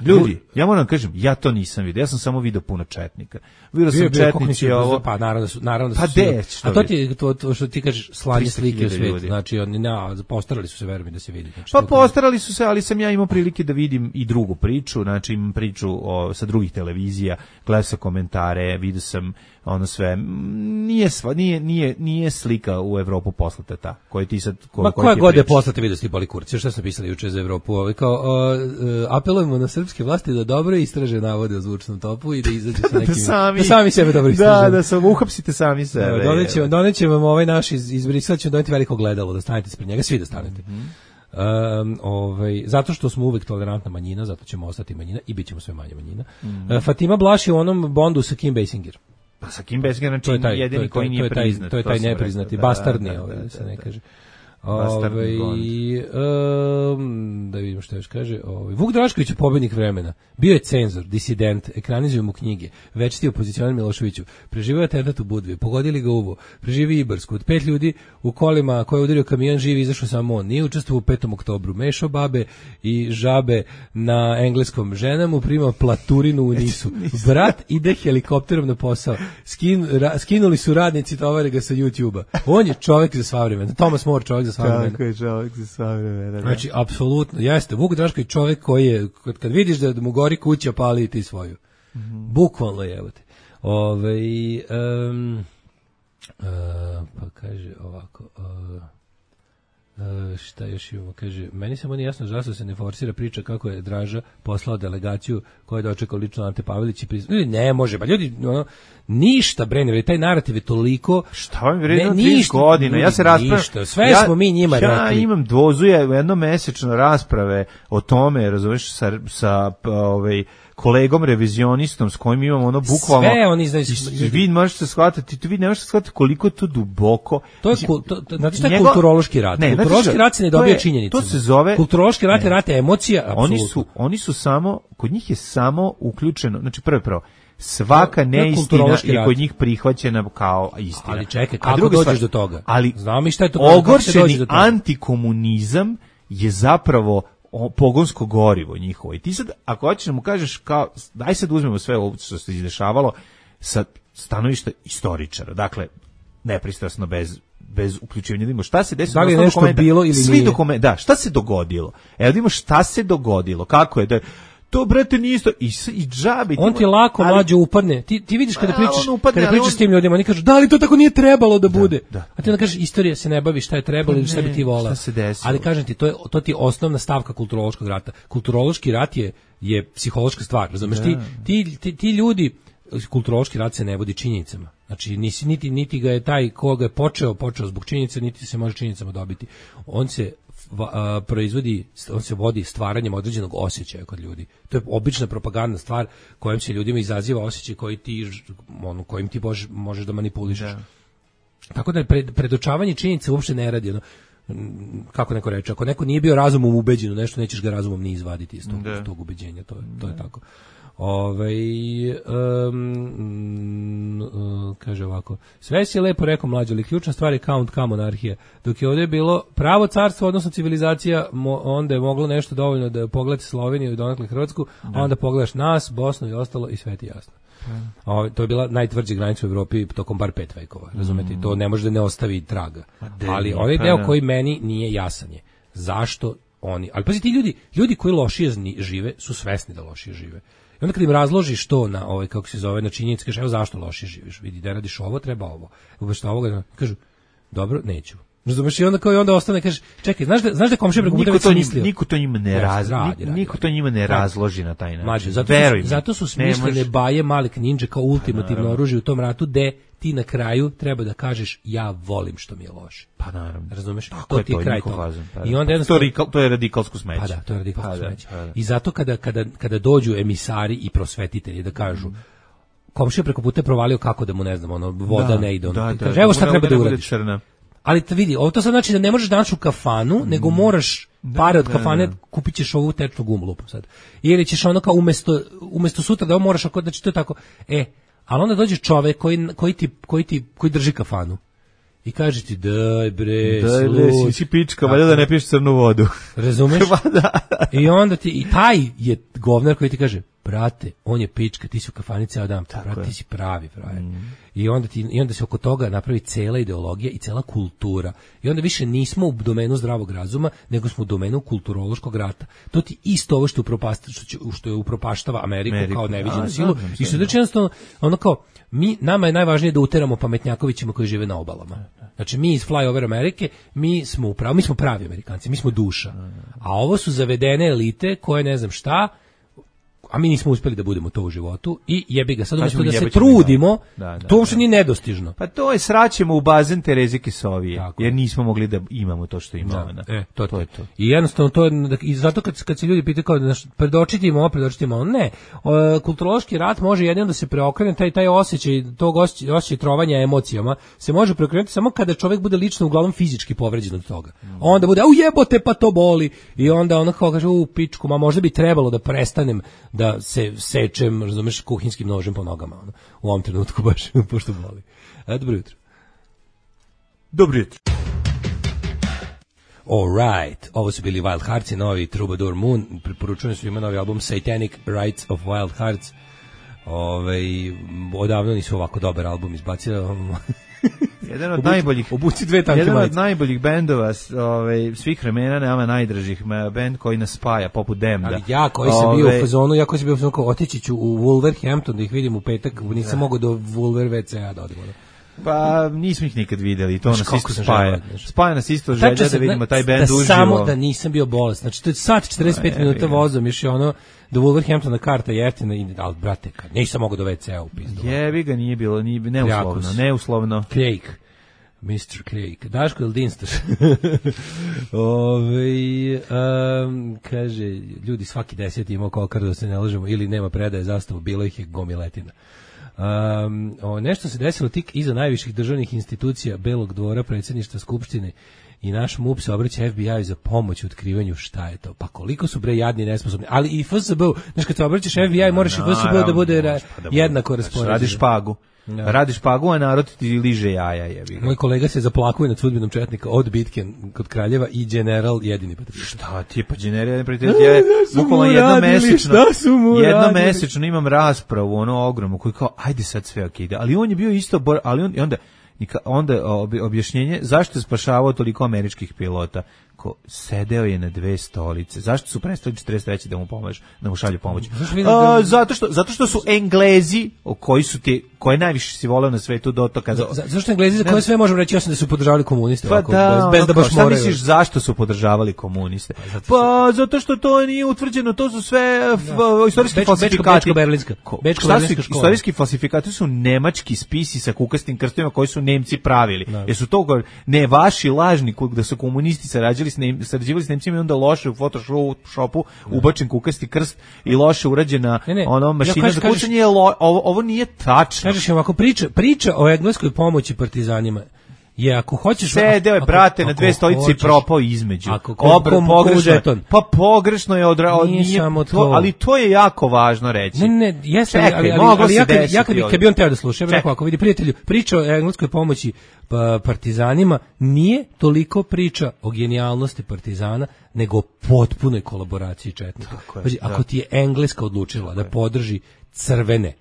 Ljudi, ja moram kažem, ja to nisam vidio, ja sam samo video puno četnika. Vidio sam četnici ovo. Pa naravno da su, naravno da pa su. De, a to ti to, to što ti kažeš slanje slike u svijet, znači oni na postarali su se, verujem da se vidi. Znači, pa postarali su se, ali sam ja imao prilike da vidim i drugu priču, znači imam priču o, sa drugih televizija, gledao sam komentare, vidio sam ono sve, nije sva, nije nije nije slika u Evropu poslata ta, koju ti sad ko, ma koja god je poslata, vidio si boli kurci, šta sam pisali juče za Evropu, ovaj kao uh, apelujemo na srpske vlasti da dobro istraže navode o zvučnom topu i da izađu sa nekim da, sami, da sami sebe dobro istraže. Da, da se uhapsite sami sebe. Donećemo donećemo vam ovaj naš iz izbrisat ćemo doneti veliko gledalo da stanete ispred njega, svi da stanete. Mm -hmm. Um, ovaj, zato što smo uvek tolerantna manjina, zato ćemo ostati manjina i bit ćemo sve manje manjina. Mm -hmm. uh, Fatima Blush je u onom Bondu sa Kim Basinger. Pa sa Kim Basinger, znači je jedini to, koji nije priznat. To je taj nepriznati, bastardni, da, ovaj, da, da, se ne kaže. Ove, um, da vidimo što još kaže. Ove, Vuk Drašković je pobednik vremena. Bio je cenzor, disident, ekranizuju mu knjige. Večiti opozicionar Miloševiću. Preživio je atentat u Budvi, pogodili ga uvo. Preživi Ibarsku. Od pet ljudi u kolima koje je udario kamion živi, izašao samo on. Nije učestvovao u petom oktobru. Mešao babe i žabe na engleskom. Žena mu prima platurinu u Nisu. Brat ide helikopterom na posao. Skin, ra, skinuli su radnici, tovare ga sa YouTube-a. On je čovjek za sva vremena. Thomas More, čovjek za sva vremena. Tako je čovjek za sva vremena. Znači, apsolutno, jeste. Vuk Drašković čovjek koji je, kad, kad vidiš da mu gori kuća, pali ti svoju. Mm -hmm. Bukvalno je, evo te. Ove, um, uh, pa kaže ovako, uh, Uh, šta još imamo, kaže, meni samo nije jasno zašto se ne forsira priča kako je Draža poslao delegaciju koja je dočekao lično Ante Pavelić i priznao. Ne može, ba ljudi, ono, ništa bre, ne, taj narativ je toliko... Šta vam vredno trideset godina, ja se raspravljam... Sve ja, smo mi njima ja rekli. Ja imam dvozuje jednomesečno rasprave o tome, razumeš, sa, sa ovaj, kolegom revizionistom s kojim imamo ono bukvalno... Sve oni znaju... Vi možete shvatiti, vi ne možete shvatiti koliko to duboko... To je, to, to, znači, to je kulturološki rat. Ne, kulturološki znači, rat se ne dobija činjenicama. To se zove... Kulturološki rat je rat emocija, apsolutno. Oni su, oni su samo, kod njih je samo uključeno, znači prvo prvo, svaka neistina je kod njih prihvaćena kao istina. Ali čekaj, kako dođeš stvar, do toga? Ali znamo mi šta je to? Ogorčeni antikomunizam je zapravo pogonsko gorivo njihovo. I ti sad, ako hoćeš da mu kažeš kao, daj sad uzmemo sve ovo što se izdešavalo sa stanovišta istoričara. Dakle, nepristrasno, bez bez uključivanja, da vidimo šta se desilo. Da li je nešto dokumenta, bilo ili svi nije? Dokument, da, šta se dogodilo? Evo vidimo šta se dogodilo, kako je da to brate nije isto i i džabi. On ti lako ali, mlađe upadne. Ti ti vidiš kada pričaš, upadne, kada pričaš on... s tim ljudima, oni kažu da li to tako nije trebalo da bude. Da, da, a ti onda kažeš istorija se ne bavi šta je trebalo ili šta bi ti volao. Ali kažem ti to je to ti je osnovna stavka kulturološkog rata. Kulturološki rat je je psihološka stvar, razumeš? Ti, ti ti ti ljudi kulturološki rat se ne vodi činjenicama. Znači nisi niti niti ga je taj koga je počeo počeo zbog činjenica, niti se može činjenicama dobiti. On se a, proizvodi, on se vodi stvaranjem određenog osjećaja kod ljudi. To je obična propagandna stvar kojom se ljudima izaziva osjećaj koji ti ono kojim ti možeš, možeš da manipulišeš. Da. Tako da pred, predočavanje činjenica uopšte ne radi ono, kako neko reče, ako neko nije bio razumom ubeđen u nešto, nećeš ga razumom ni izvaditi iz tog, iz tog ubeđenja, to je, to je tako. Ove, um, um, kaže ovako, sve si lepo rekao mlađe, ali ključna stvar je count ka monarhija. Dok je ovdje bilo pravo carstvo, odnosno civilizacija, mo, onda je moglo nešto dovoljno da pogledati Sloveniju i donekle Hrvatsku, a onda pogledaš nas, Bosnu i ostalo i sve ti jasno. Mm. Ove, to je bila najtvrđa granica u Evropi tokom bar pet vekova, razumete? Mm. To ne može da ne ostavi traga. Ali onaj deo koji meni nije jasan je, zašto oni, ali pazi ti ljudi, ljudi koji lošije žive su svesni da lošije žive. I onda kad im razložiš to na ovaj kako se zove na činjenice, kažeš evo zašto loše živiš, vidi da radiš ovo, treba ovo. Umesto ovoga kažu dobro, neću. Razumeš, i onda kao i onda ostane kaže čekaj, znaš da znaš da komšija preko puta već mislio. Niko to njima ne razloži, niko to njima ne razloži na taj način. Mađo, zato, zato su smišljene baje Malik Ninja kao ultimativno oružje u tom ratu de ti na kraju treba da kažeš ja volim što mi je loše. Pa naravno. Razumeš? To ti je kraj toga. I onda jednostavno to, to je radikalsko smeće. Pa da, to je radikalsko pa smeće. Pa I zato kada, kada, kada dođu emisari i prosvetitelji da kažu komšija preko puta je provalio kako da mu ne znam, ono, voda da, ne ide. Ono, da, da, kaže, evo šta treba da uradiš. Ali te vidi, ovo to sad znači da ne možeš danas u kafanu, mm. nego moraš pare od da, kafane, da, da. kupit ćeš ovu tečnu gumu lupu sad. Ili ćeš ono kao umesto, umesto sutra da ovo moraš, ako, znači to je tako, e, ali onda dođe čovek koji, koji, ti, koji, ti, koji drži kafanu i kaže ti daj bre, daj bre, si, si pička, valjda da ne piješ crnu vodu. Razumeš? da. I onda ti, i taj je govnar koji ti kaže, brate, on je pička, ti si u kafani ceo dan, brate, ti si pravi, pravi. Mm. I onda ti, i onda se oko toga napravi cela ideologija i cela kultura. I onda više nismo u domenu zdravog razuma, nego smo u domenu kulturološkog rata. To ti isto ovo što upropasta, što, što je upropaštava Ameriku, Ameriku. kao neviđenu A, silu. Znam, i što znači jednostavno, ono kao, mi, nama je najvažnije da uteramo pametnjakovićima koji žive na obalama. Znači mi iz Flyover Amerike, mi smo upravo, mi smo pravi Amerikanci, mi smo duša. A ovo su zavedene elite koje ne znam šta, a mi nismo uspjeli da budemo to u životu i jebi ga, sad umjesto da se trudimo, da, da, to uopšte nije nedostižno. Pa to je sraćemo u bazen Tereze Kesovije, jer nismo mogli da imamo to što imamo. Da, e, to, to je to. I jednostavno to je, i zato kad, kad se ljudi pitaju kao da predočiti im ovo, predočiti im ovo, ne. O, kulturološki rat može jedino da se preokrene, taj, taj osjećaj, tog osjećaj, osjećaj trovanja emocijama se može preokrenuti samo kada čovjek bude lično uglavnom fizički povređen od toga. Mm. Onda bude, u jebote, pa to boli. I onda ono kao kaže, u pičku, ma možda bi trebalo da prestanem da se sečem, razumeš, kuhinskim nožem po nogama, ono, u ovom trenutku baš, pošto boli. A, dobro jutro. Dobro jutro. All right. Ovo su bili Wild Hearts i novi Troubadour Moon. Preporučujem svima novi album Satanic Rites of Wild Hearts. Ove, odavno nisu ovako dobar album izbacili. Jedan od najboljih, obuci dve tanke jedan od najboljih bendova ovaj svih vremena, nama najdražih, bend koji nas spaja poput Demda. Ali ja koji sam ove, bio u fazonu, ja koji sam bio u fazonu, otići ću u Wolverhampton da ih vidim u petak, nisam mogao do Wolver ve ce a da odem. Pa nismo ih nikad videli, to nas kako isto sam spaja. želeo, znaš. Spaja nas isto želja Tačno da vidimo taj da bend uživo. Samo da nisam bio bolestan. Znači, to je sat četrdeset pet A, minuta jebi ga. vozom, još je ono do Wolverhamptona karta jeftina, i, ali brate, kad nisam mogao do ve ce a u pizdu. Jebi ga, nije bilo, nije, neuslovno, Ljakus. neuslovno. Cake. mister Cake. Daško ili Dinstaš? Ove, um, kaže, ljudi svaki deseti imao kokar da se ne lažemo, ili nema predaje zastavu, bilo ih je gomiletina. Um, o, nešto se desilo tik iza najviših državnih institucija Belog dvora, predsjedništva Skupštine, i naš MUP se obraća ef bi aju za pomoć u otkrivanju šta je to. Pa koliko su bre jadni i nesposobni. Ali i ef es be u, znaš, kad se obraćaš ef bi aju, moraš i ef es be u da bude ra, pa da bude, jednako znači, raspoređen. radiš špagu. Ja. Radiš špagu, a narod ti liže jaja, jebi ga. Moj kolega se zaplakuje nad sudbinom četnika od bitke kod Kraljeva i general jedini patriot. Šta ti je, pa general prijatelj, ja bukvalno jednomesečno, jednomesečno imam raspravu, ono ogromnu, koji kao, ajde sad sve ok ide, ali on je bio isto, bor, ali on, i onda, onda objašnjenje, zašto je spašavao toliko američkih pilota? Ko sedeo je na dve stolice. Zašto su prestali četrdeset treće da mu pomažu, da mu šalju pomoć? A, zato što zato što su Englezi, o koji su ti, koje najviše si voleo na svetu do to kada. Za, zašto Englezi za koje sve možemo reći osim da su podržavali komuniste, pa ovako, da, bez, bez da baš šta moraju. misliš zašto su podržavali komuniste? Pa zato, pa, zato što to nije utvrđeno, to su sve f, istorijski Bečko, falsifikati. Bečko-berlinska. Bečko-berlinska škola. Istorijski falsifikati su nemački spisi sa kukastim krstovima koji su Nemci pravili. Da. Jer su to ne vaši lažni da su komunisti sarađivali s Nem, sarađivali s Nemcima i onda loše u Photoshopu ubačen kukasti krst i loše urađena ne, ne. ono mašina ja za kucanje. Lo, ovo, ovo nije tačno. Kažeš ovako, priča, priča o engleskoj pomoći partizanima je, ako hoćeš... Sedeo je, brate, na dve stolice i propao između. Ako Obr, pogrešno je, pa pogrešno je odrao, nije, nije samo to, to. Ali to je jako važno reći. Ne, ne, jeste, Čekaj, ali, ali, ali, ali ja, kad, ja kad, bi, ovdje. kad bi on teo da sluša, ja bih rekao, ako vidi prijatelju, priča o engleskoj pomoći pa, partizanima nije toliko priča o genijalnosti partizana, nego o potpunoj kolaboraciji četnika. Pazi, ako ti je Engleska odlučila da podrži crvene,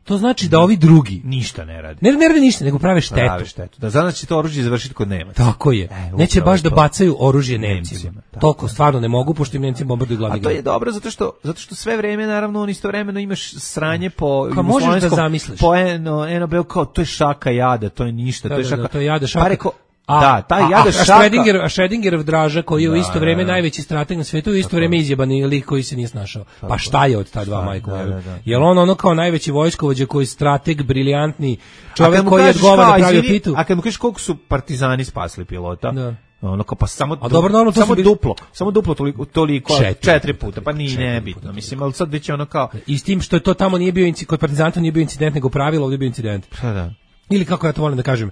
to znači da ovi drugi ništa ne rade. Ne, ne rade ništa, nego prave štetu. Prave štetu. Da znači će to oružje završiti kod Nemaca. Tako je. E, neće baš to. Da bacaju oružje Nemcima. Nemcima Toliko stvarno ne mogu, pošto im Nemci bombarduju glavni grad. A to je dobro zato što zato što sve vreme naravno on istovremeno imaš sranje po kao možeš da zamisliš. Po eno, eno beo kao to je šaka jada, to je ništa, da, to je šaka. Da, to je jada šaka. Pa reko, A, da, taj a, jada a, šaka. A Schrödinger, a Schrödingerov draža koji je u isto vrijeme da, da. najveći strateg na svijetu, u isto vrijeme izjebani lik koji se nije snašao. Tako. Pa šta je od ta dva majko? Da, da, da. Jel on ono kao najveći vojskovođa koji je strateg, briljantni čovjek koji odgovara da pravi pitu? A kad mu kažeš koliko su partizani spasli pilota? Da. Ono kao pa samo a dobro, normalno, samo bili... duplo, samo duplo toliko, toliko četiri, četiri puta, pa nije nebitno, mislim, ali sad već ono kao i s tim što je to tamo nije bio incident, kod partizanta nije bio incident, nego pravilo, ovdje je bio incident. Pa da. Ili kako ja to volim da kažem,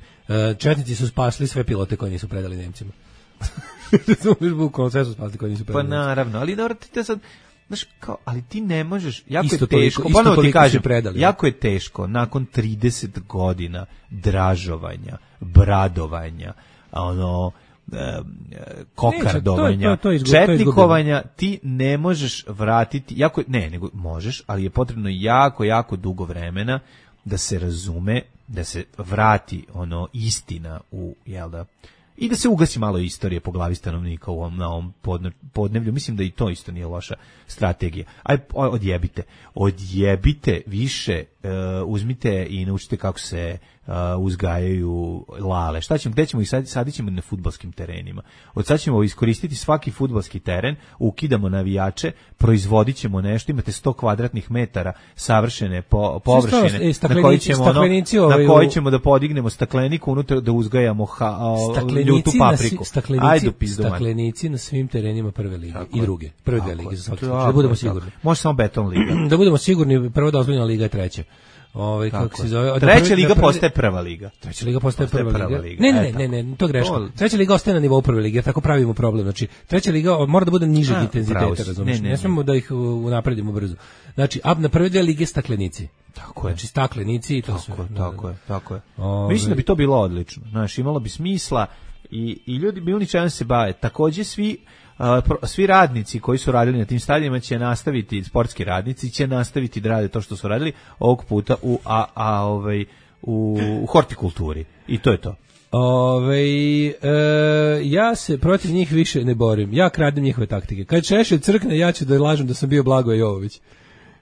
četnici su spasli sve pilote koje nisu predali Nemcima. Bukvalno sve su spasli koje nisu predali. Pa naravno, ali dobro ti te sad, znaš, kao, ali ti ne možeš, jako isto je teško, toliko, ponovo ti kažem, predali, jako je teško nakon trideset godina dražovanja, bradovanja, ono, kokardovanja, ne, to, to, to izgu, četnikovanja, ti ne možeš vratiti, jako, ne, nego možeš, ali je potrebno jako, jako dugo vremena da se razume, da se vrati ono istina u, jel da, i da se ugasi malo istorije po glavi stanovnika u ovom, na ovom podneblju. Mislim da i to isto nije loša strategija. Aj, odjebite. Odjebite više, uh, uzmite i naučite kako se uh, uzgajaju lale. Šta ćemo, gde ćemo ih sad, sadit ćemo na fudbalskim terenima. Od sad ćemo iskoristiti svaki fudbalski teren, ukidamo navijače, proizvodit ćemo nešto, imate sto kvadratnih metara savršene po, površine e, na koji ćemo, ono, na koji ćemo da podignemo stakleniku unutra, da uzgajamo ha, o, ljutu papriku. Staklenici, staklenici na svim terenima prve lige tako i druge. Prve dve lige za svaki. Da budemo sigurni. Može samo beton liga. Da budemo sigurni, prva dozvoljena liga je treća. Ovaj kako se zove? Treća liga postaje prva liga. Treća liga postaje prva liga. Ne, ne, ne, ne, to je greška. Treća liga ostaje na nivou prve lige, tako pravimo problem. Znači, treća liga mora da bude nižeg intenziteta, razumiješ? Ne smemo da ih unapredimo brzo. Znači, ab na prve dve lige staklenici. Tako je. Znači, staklenici i to sve. Tako je, tako je, tako je. Mislim da bi to bilo odlično. Znaš, imalo bi smisla i i ljudi bi oni čemu se bave. Takođe svi Uh, svi radnici koji su radili na tim stadionima će nastaviti, sportski radnici će nastaviti da rade to što su radili ovog puta u a, a ovaj u, u hortikulturi i to je to. Ove, e, ja se protiv njih više ne borim. Ja kradem njihove taktike. Kad Šešelj crkne, ja ću da lažem da sam bio Blagoje Jovović.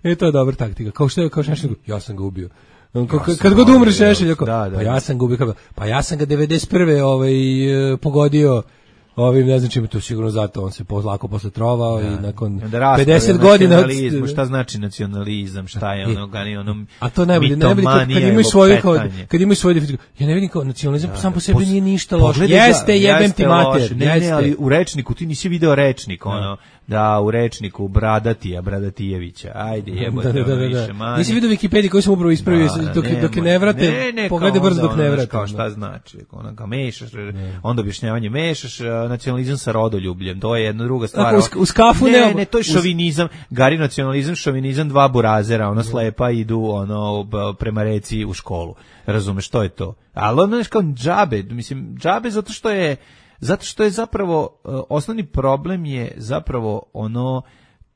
E, to je dobra taktika. Kao što je, kao Šešelj, ja sam ga ubio. Kad, kad god umre Šešelj, da, da, pa ja sam gubio, pa ja sam ga devedeset prve ovaj, pogodio ovim, ne znam čime, to sigurno zato on se lako posle trovao, da, i nakon pedeset godina... Šta znači nacionalizam, šta je ono, gani, ono a to najbolje, najbolje kad, kad imaju svoju, kao, kad imaju svoju definiciju, ja ne vidim kao nacionalizam, da, sam po sebi pos, nije ništa loše, jeste, jebem ti mater, ne, ne, ali u rečniku, ti nisi video rečnik, ono, da, u rečniku Bradatija, Bradatijevića, ajde, jebote, da, da, da, više manje. Nisi vidio Wikipediju koji sam upravo ispravio, dok, dok je ne vrate, ne, ne, pogledaj brzo dok ne vrate. Kao šta znači, ono, ga mešaš, onda objašnjavanje mešaš, nacionalizam sa rodoljubljem, to je jedna druga stvar. Uz, uz kafu ne, ne, ne, to je šovinizam, gari nacionalizam, šovinizam, dva burazera, ono slepa idu ono prema reci u školu. Razumeš, što je to? Ali ono je kao džabe, mislim, džabe zato što je zato što je zapravo osnovni problem je zapravo ono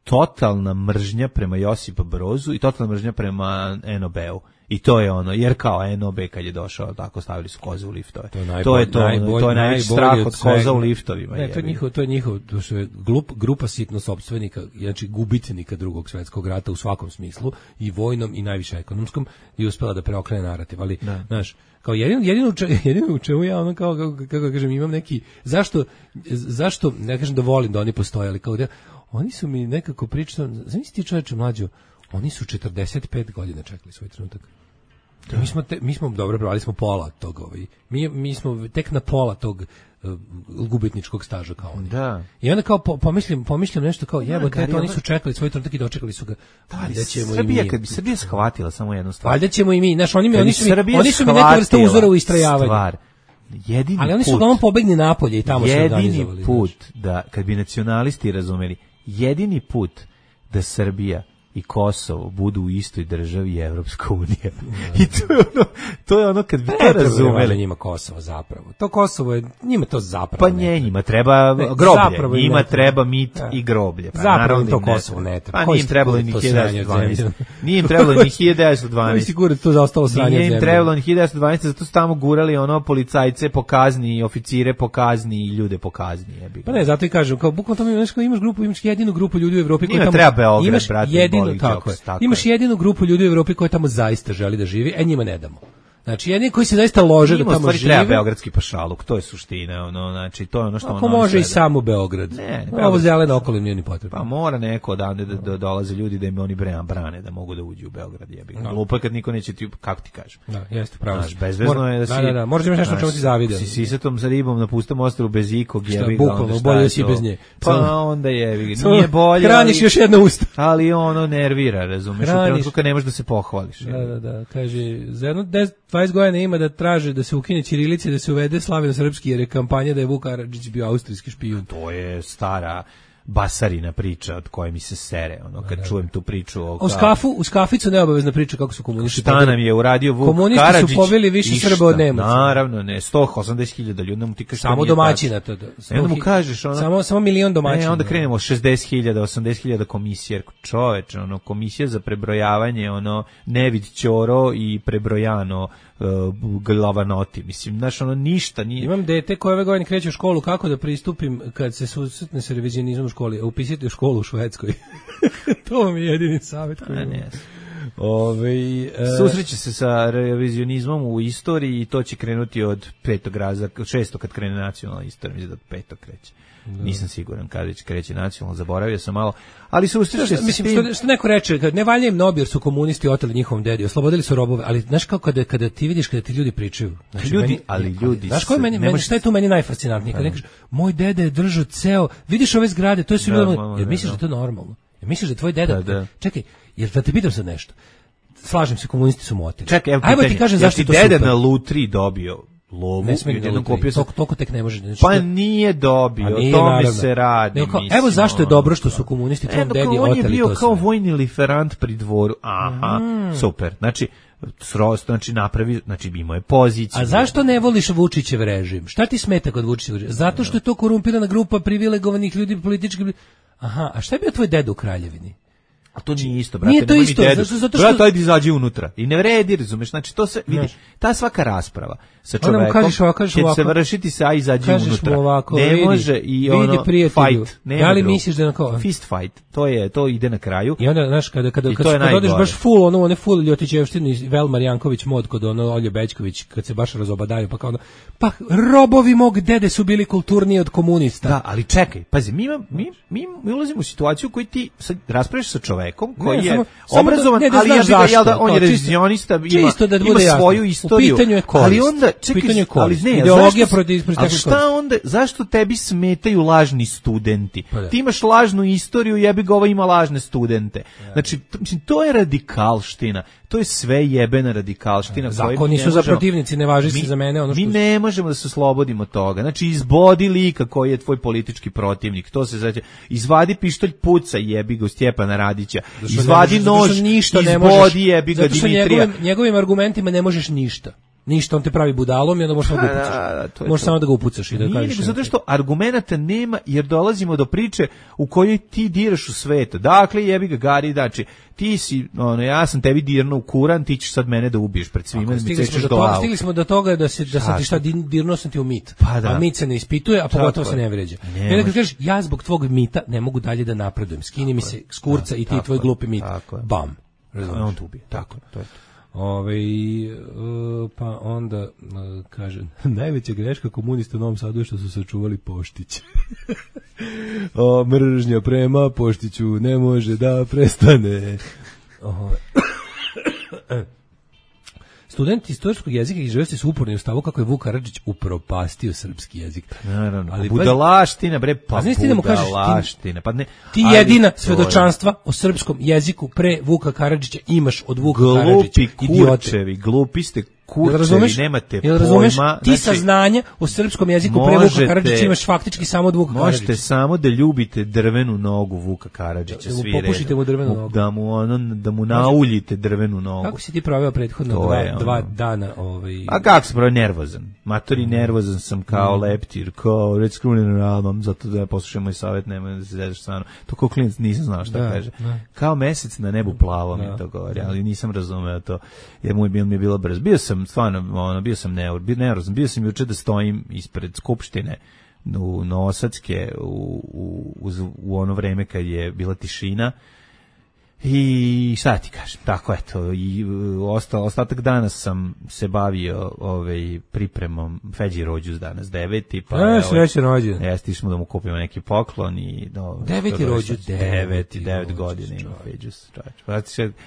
totalna mržnja prema Josipu Brozu i totalna mržnja prema en o be-u. I to je ono, jer kao en o be kad je došao, tako stavili su koze u liftove. To je, najbolj, to je to, najbolj, to je najveći strah od koza u liftovima. Ne, to je njihov, to je njihov, to je glup, grupa sitno sopstvenika, znači gubitnika Drugog svjetskog rata u svakom smislu, i vojnom i najviše ekonomskom, i uspela da preokrene narativ. Ali, znaš, kao jedino, jedino, jedino u čemu ja ono kao, kako, kako kažem, imam neki, zašto, zašto, ne kažem da volim da oni postoje, ali kao da, oni su mi nekako pričali, znaš ti čoveče mlađo, oni su četrdeset pet godina čekali svoj trenutak. Da. Mi smo te, mi smo dobro provali smo pola tog ovaj. Mi mi smo tek na pola tog uh, gubitničkog staža kao oni. Da. I onda kao po, pomislim, pomislim nešto kao jebote, to oni su čekali svoj trenutak i dočekali su ga. Valjda ćemo Srbija, i mi. Kad bi Srbija shvatila samo jednu stvar. Valjda ćemo i mi, znaš, oni mi oni su mi, oni su mi neka vrsta uzora u istrajavanju. Stvar. Jedini ali oni put, su uglavnom pobegli napolje i tamo su organizovali. Jedini put da, kad bi nacionalisti razumeli, jedini put da Srbija i Kosovo budu u istoj državi je Evropska unija. I to je ono, to je ono kad bi to razumeli. Njima Kosovo zapravo. To Kosovo je, njima to zapravo pa nje, njima treba ne, groblje. Njima treba mit da. I groblje. Pa zapravo to Kosovo ne treba. Pa nije im trebalo ni hiljadu devetsto dvanaest. Nije im trebalo ni hiljadu devetsto dvanaest. Sigurno to zaostalo sranje zemlje. Nije im trebalo ni hiljadu devetsto dvanaest, zato su tamo gurali ono policajce po kazni, oficire po kazni i ljude po kazni. Pa ne, zato i kažem, kao bukvalno tamo imaš, imaš grupu, imaš jedinu grupu ljudi u Evropi koji tamo treba Beograd, brate, tako je. Tako imaš jedinu grupu ljudi u Evropi koja tamo zaista želi da živi, e njima ne damo. Znači, jedni koji se zaista lože da tamo žive. Treba beogradski pašaluk, to je suština, ono, znači, to je ono što ako ono može i samo Beograd. Ne, ne ovo zeleno okolino nije ni potrebno. Pa mora neko odande da, da dolaze ljudi da im oni brane, da mogu da uđu u Beograd, jebi. No. Glupo kad niko neće ti, kako ti kažem. Da, jeste, pravo. Znaš, bezvezno je da si... Da, da, da, možda imaš nešto o čemu ti zavidim. Si sisatom sa ribom na pustom ostrvu bez ikog, jebi ga. Bukvalno, bolje da si bez nje. Pa onda jebi ga. Nije bolje, hraniš još jedno usta. Ali ono nervira, razumeš, u trenutku kad ne možeš da se pohvališ. Da, da, da, kaže, za jedno dvadeset godina ima da traže da se ukine ćirilica i da se uvede slaveno-srpski, jer je kampanja da je Vuk Karadžić bio austrijski špijun. To je stara basarina priča od koje mi se sere, ono, kad da, čujem tu priču. O, u skafu, u skaficu neobavezna priča kako su komunisti. Šta nam je uradio Vuk komunisti Karadžić? Komunisti su pobili više Srba od Nemaca. Naravno, ne, sto osamdeset hiljada ljudi, mu ti kažeš samo domaćina to. Da, samo, onda mu kažeš, ono, samo, samo milion domaćina. Ne, onda krenemo šezdeset hiljada, osamdeset hiljada komisija, čoveče, ono, komisija za prebrojavanje, ono, Nevid Ćoro i prebrojano uh, glavanoti, mislim, znaš, ono, ništa nije. Imam dete koje ove godine kreće u školu, kako da pristupim kad se susretne sa revizionizmom u školi, upisite u školu u Švedskoj. To vam je jedini savjet koji imam. Ove, e... susreće se sa revizionizmom u istoriji i to će krenuti od petog razreda, od šestog kad krene nacionalna istorija, mislim da od petog kreće. Da. Nisam siguran kada već kreće nacionalno, zaboravio sam malo, ali susreće se mislim, što, što neko reče, kad ne valja im nobi jer su komunisti oteli njihovom dedi, oslobodili su robove, ali znaš kao kada, kada ti vidiš, kada ti ljudi pričaju. Znači, ljudi, meni, ali ljudi... Znaš koji meni, meni, šta je tu meni najfascinantnije? Kada nekaš, moj dede je držao ceo, vidiš ove zgrade, to je su ljudi, jer misliš da to je normalno? Jer misliš da tvoj deda... Da, da. Čekaj, jer da te pitam sad nešto. Slažem se, komunisti su mu oteli. Čekaj, evo pitanje, ajmo ti kažem zašto je to super. Deda na Lutri dobio lovu, ne smije da kupio sam. Toliko tek ne može. Znači, pa nije dobio, o tome se radi. Nego, evo zašto je dobro što su komunisti tvom dedi oteli to sve. On je bio kao vojni liferant pri dvoru. Aha, mm. super. Znači, srost, znači napravi, znači imao je poziciju. A zašto ne voliš Vučićev režim? Šta ti smeta kod Vučićev režim? Zato što je to korumpirana grupa privilegovanih ljudi, političkih. Aha, a šta je bio tvoj deda u Kraljevini? A to nije isto, brate. Nije to isto, zato, zato što... Brate, ajde izađi unutra. I ne vredi, razumeš, znači to se, vidi, ta svaka rasprava sa čovekom kažeš ovako, kažeš će ovako, se vršiti sa aj izađi unutra. Ovako, ne vidi, može i vidi ono fight. Da li misliš da na kao... Fist fight, to je, to ide na kraju. I onda, znaš, kada, kada, kada, kada odeš baš full, ono, one full Ljotićevštinu i Velmar Janković mod kod ono Olje Bećković, kad se baš razobadaju, pa kao ono, pa robovi mog dede su bili kulturniji od komunista. Da, ali čekaj, pazi, mi, mi, mi, mi ulazimo u situaciju koju ti sad raspravljaš sa čovekom koji ne, je samo, obrazovan, samo da, ali ja bih ga, da, on je revizionista, ima, da ima svoju istoriju, je korist, ali onda, čekaj, ali ne, ideologija protiv a šta onda, zašto tebi smetaju lažni studenti? Pa ti imaš lažnu istoriju, jebi ga, ova ima lažne studente. Znači, to je radikalština. To je sve jebena radikalština. Zakoni su za protivnici, ne važi se za mene. Ono što... Mi ne možemo da se oslobodimo toga. Znači, izbodi lika koji je tvoj politički protivnik. To se znači, izvadi pištolj, puca, jebi ga u Stjepana Radića. Izvadi nož, izbodi, jebi ga Dimitrija. Njegovim, njegovim argumentima ne možeš ništa. Ništa, on te pravi budalom i onda možeš samo da ga upucaš. Da, da, možeš samo da ga upucaš i da kažeš. Nije, zato što argumenata nema, jer dolazimo do priče u kojoj ti diraš u svetu. Dakle, jebi ga Gari, znači, ti si, ono, ja sam tebi dirno u kuran, ti ćeš sad mene da ubiješ pred svima, da mi cečeš glavu. Stigli smo do toga da, se, da sam ti šta dirno sam ti u mit. Pa da. A mit se ne ispituje, a pogotovo se ne vređa. I onda kad kažeš, ja zbog tvog mita ne mogu dalje da napredujem. Skini mi se s kurca i ti tvoj glupi mit. Bam. On te ubije. Tako, to je to. Ove, pa onda kaže, najveća greška komunista u Novom Sadu je što su sačuvali Poštić. O, mržnja prema Poštiću ne može da prestane. Studenti istorijskog jezika i književnosti su uporni u stavu kako je Vuk Karadžić upropastio srpski jezik. Naravno, ali budalaština, bre, pa budalaština. Pa ne, ti jedina svedočanstva o srpskom jeziku pre Vuka Karadžića imaš od Vuka Karadžića. Glupi kurčevi, glupi ste kurčevi, nemate pojma. Ti saznanja o srpskom jeziku pre Vuka Karadžića imaš faktički samo od Vuka Karadžića. Možete samo da ljubite drvenu nogu Vuka Karadžića, svi redom. Popušite mu drvenu nogu. Da mu, ono, da mu nauljite drvenu nogu. Kako si ti proveo prethodno dva, dva dana? Ovaj... A kako sam proveo? Nervozan. Matori, nervozan sam kao mm. leptir, kao red screwing album, zato da poslušam moj savjet, nema da se zezaš stvarno. To kao klinac nisam znao šta da, kaže. Da. Kao mesec na nebu plavo mi to govori, ali nisam razumeo to, jer moj bil mi je bilo brzo. Bio sam stvarno, ono, bio sam nervozan, bio sam juče da stojim ispred skupštine u Novosadske u, u, u ono vreme kad je bila tišina. I šta ti kažem, tako eto, i osta, ostatak dana sam se bavio ovaj, pripremom Feđi rođus danas, deveti, pa e, srećan rođen. Jeste, smo da mu kupimo neki poklon i... No, deveti rođus, deveti, devet godina ima Feđus.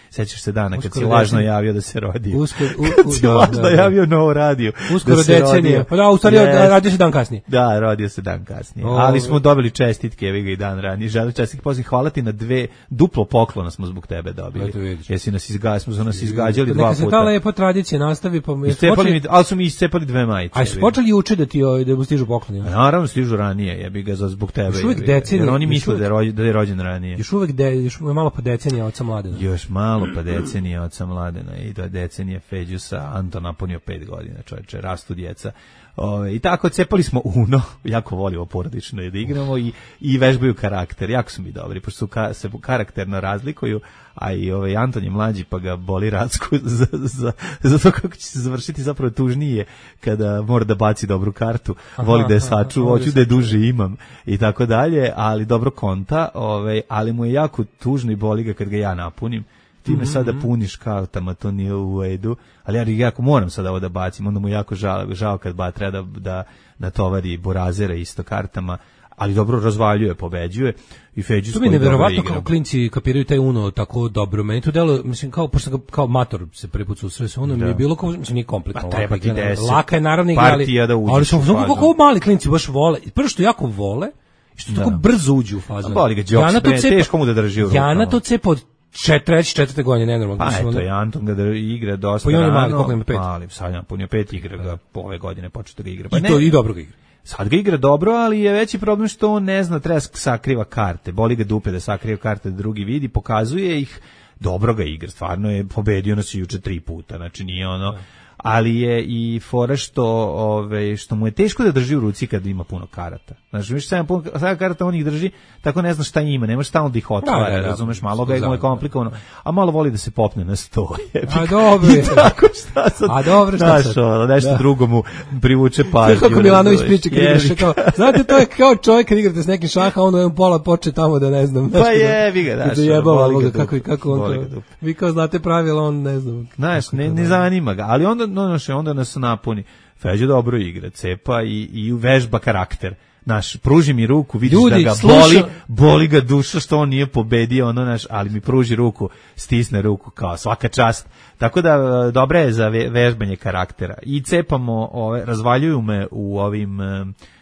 Sećaš se dana kad si lažno javio da se rodio. Uskoro, u, kad si lažno da, da. javio novo radio. Uskoro da decenije. Pa da, u stvari yes. radio se dan kasnije. Da, rodio se dan kasnije. O, ali smo dobili čestitke, evi ga i dan ranije. Želim čestitke, poziv, hvala ti na dve, duplo poklona smo zbog tebe dobili. Jesi nas izgađali, smo nas izgađali dva puta. Neka se ta lepa tradicija nastavi, pa iscepali mi, ali su mi iscepali dve majice. Aj su počeli juče da ti da mu stižu pokloni. Naravno stižu ranije, ja bih ga za zbog tebe. Još uvek decenije, jer oni misle da je rođen, da je rođen ranije. Još uvek de, još malo pa decenija oca Mladena. Još malo pa decenija oca Mladena i do decenije Feđusa Anton napunio pet godina, čoveče, rastu djeca. Ove, i tako cepali smo Uno, jako volimo porodično da igramo i, i vežbaju karakter, jako su mi dobri, pošto su ka, se karakterno razlikuju, a i ovaj Anton je mlađi pa ga boli racku za, za, za to kako će se završiti zapravo tužnije kada mora da baci dobru kartu, aha, voli da je saču, hoću da je duže imam i tako dalje, ali dobro konta, ovaj, ali mu je jako tužno i boli ga kad ga ja napunim. Ti me sada puniš kartama, to nije u redu, ali ja jako moram sada ovo da bacim, onda mu jako žao, žao kad ba treba da, da natovari Borazera isto kartama, ali dobro razvaljuje, pobeđuje i Feđus. To mi je neverovatno kako klinci kapiraju taj Uno tako dobro. Meni to delo, mislim, kao, pošto kao mator se preput susreo sa Uno, mi je bilo kao, mislim, nije kompletno. Pa treba ti deset. Laka je naravno igra, ali, da ali što, kako mali klinci baš vole, prvo što jako vole, što tako brzo uđu u fazu. Boli ga džoks, teško mu da drži u rukama. Ja na to cepa od četiri, četvrte godine, nenormalno. Pa eto, i Anton ga igra dosta rano. Pa mali, koliko ima pet? Mali, sad je punio pet, igra ga ove godine, počeo da ga igra. Pa I, to, I dobro ga igra. Sad ga igra dobro, ali je veći problem što on ne zna, treba sakriva karte. Boli ga dupe da sakriva karte, da drugi vidi, pokazuje ih, dobro ga igra, stvarno je pobedio nas juče tri puta, znači nije ono... ali je i fora što, ove, što mu je teško da drži u ruci kad ima puno karata. Znači, više sedam puno karata, on ih drži, tako ne zna šta ima, ne može stalno da ih otvara, da, da, razumeš, malo ga je komplikovano, a malo voli da se popne na sto. A dobro je. Tako šta sad, a dobro šta sad. Znaš, nešto da. drugo mu privuče pažnju. Kako Milanović priča kad igraš, kao, znate, to je kao čovjek kad igrate s nekim šaha, onda on pola poče tamo da ne znam. Pa je, vi ga daš. Da jebava ovoga, kako, kako on to, vi kao znate pravila, on ne znam. Znaš, ne, ne zanima ga, ali onda, no, onda nas napuni. Feđa dobro igra, cepa i, i vežba karakter. Naš, pruži mi ruku, vidiš Ljudi, da ga sluša... boli, boli ga duša što on nije pobedio, ono naš, ali mi pruži ruku, stisne ruku, kao svaka čast. Tako da, dobra je za vežbanje karaktera. I cepamo, ove, razvaljuju me u ovim...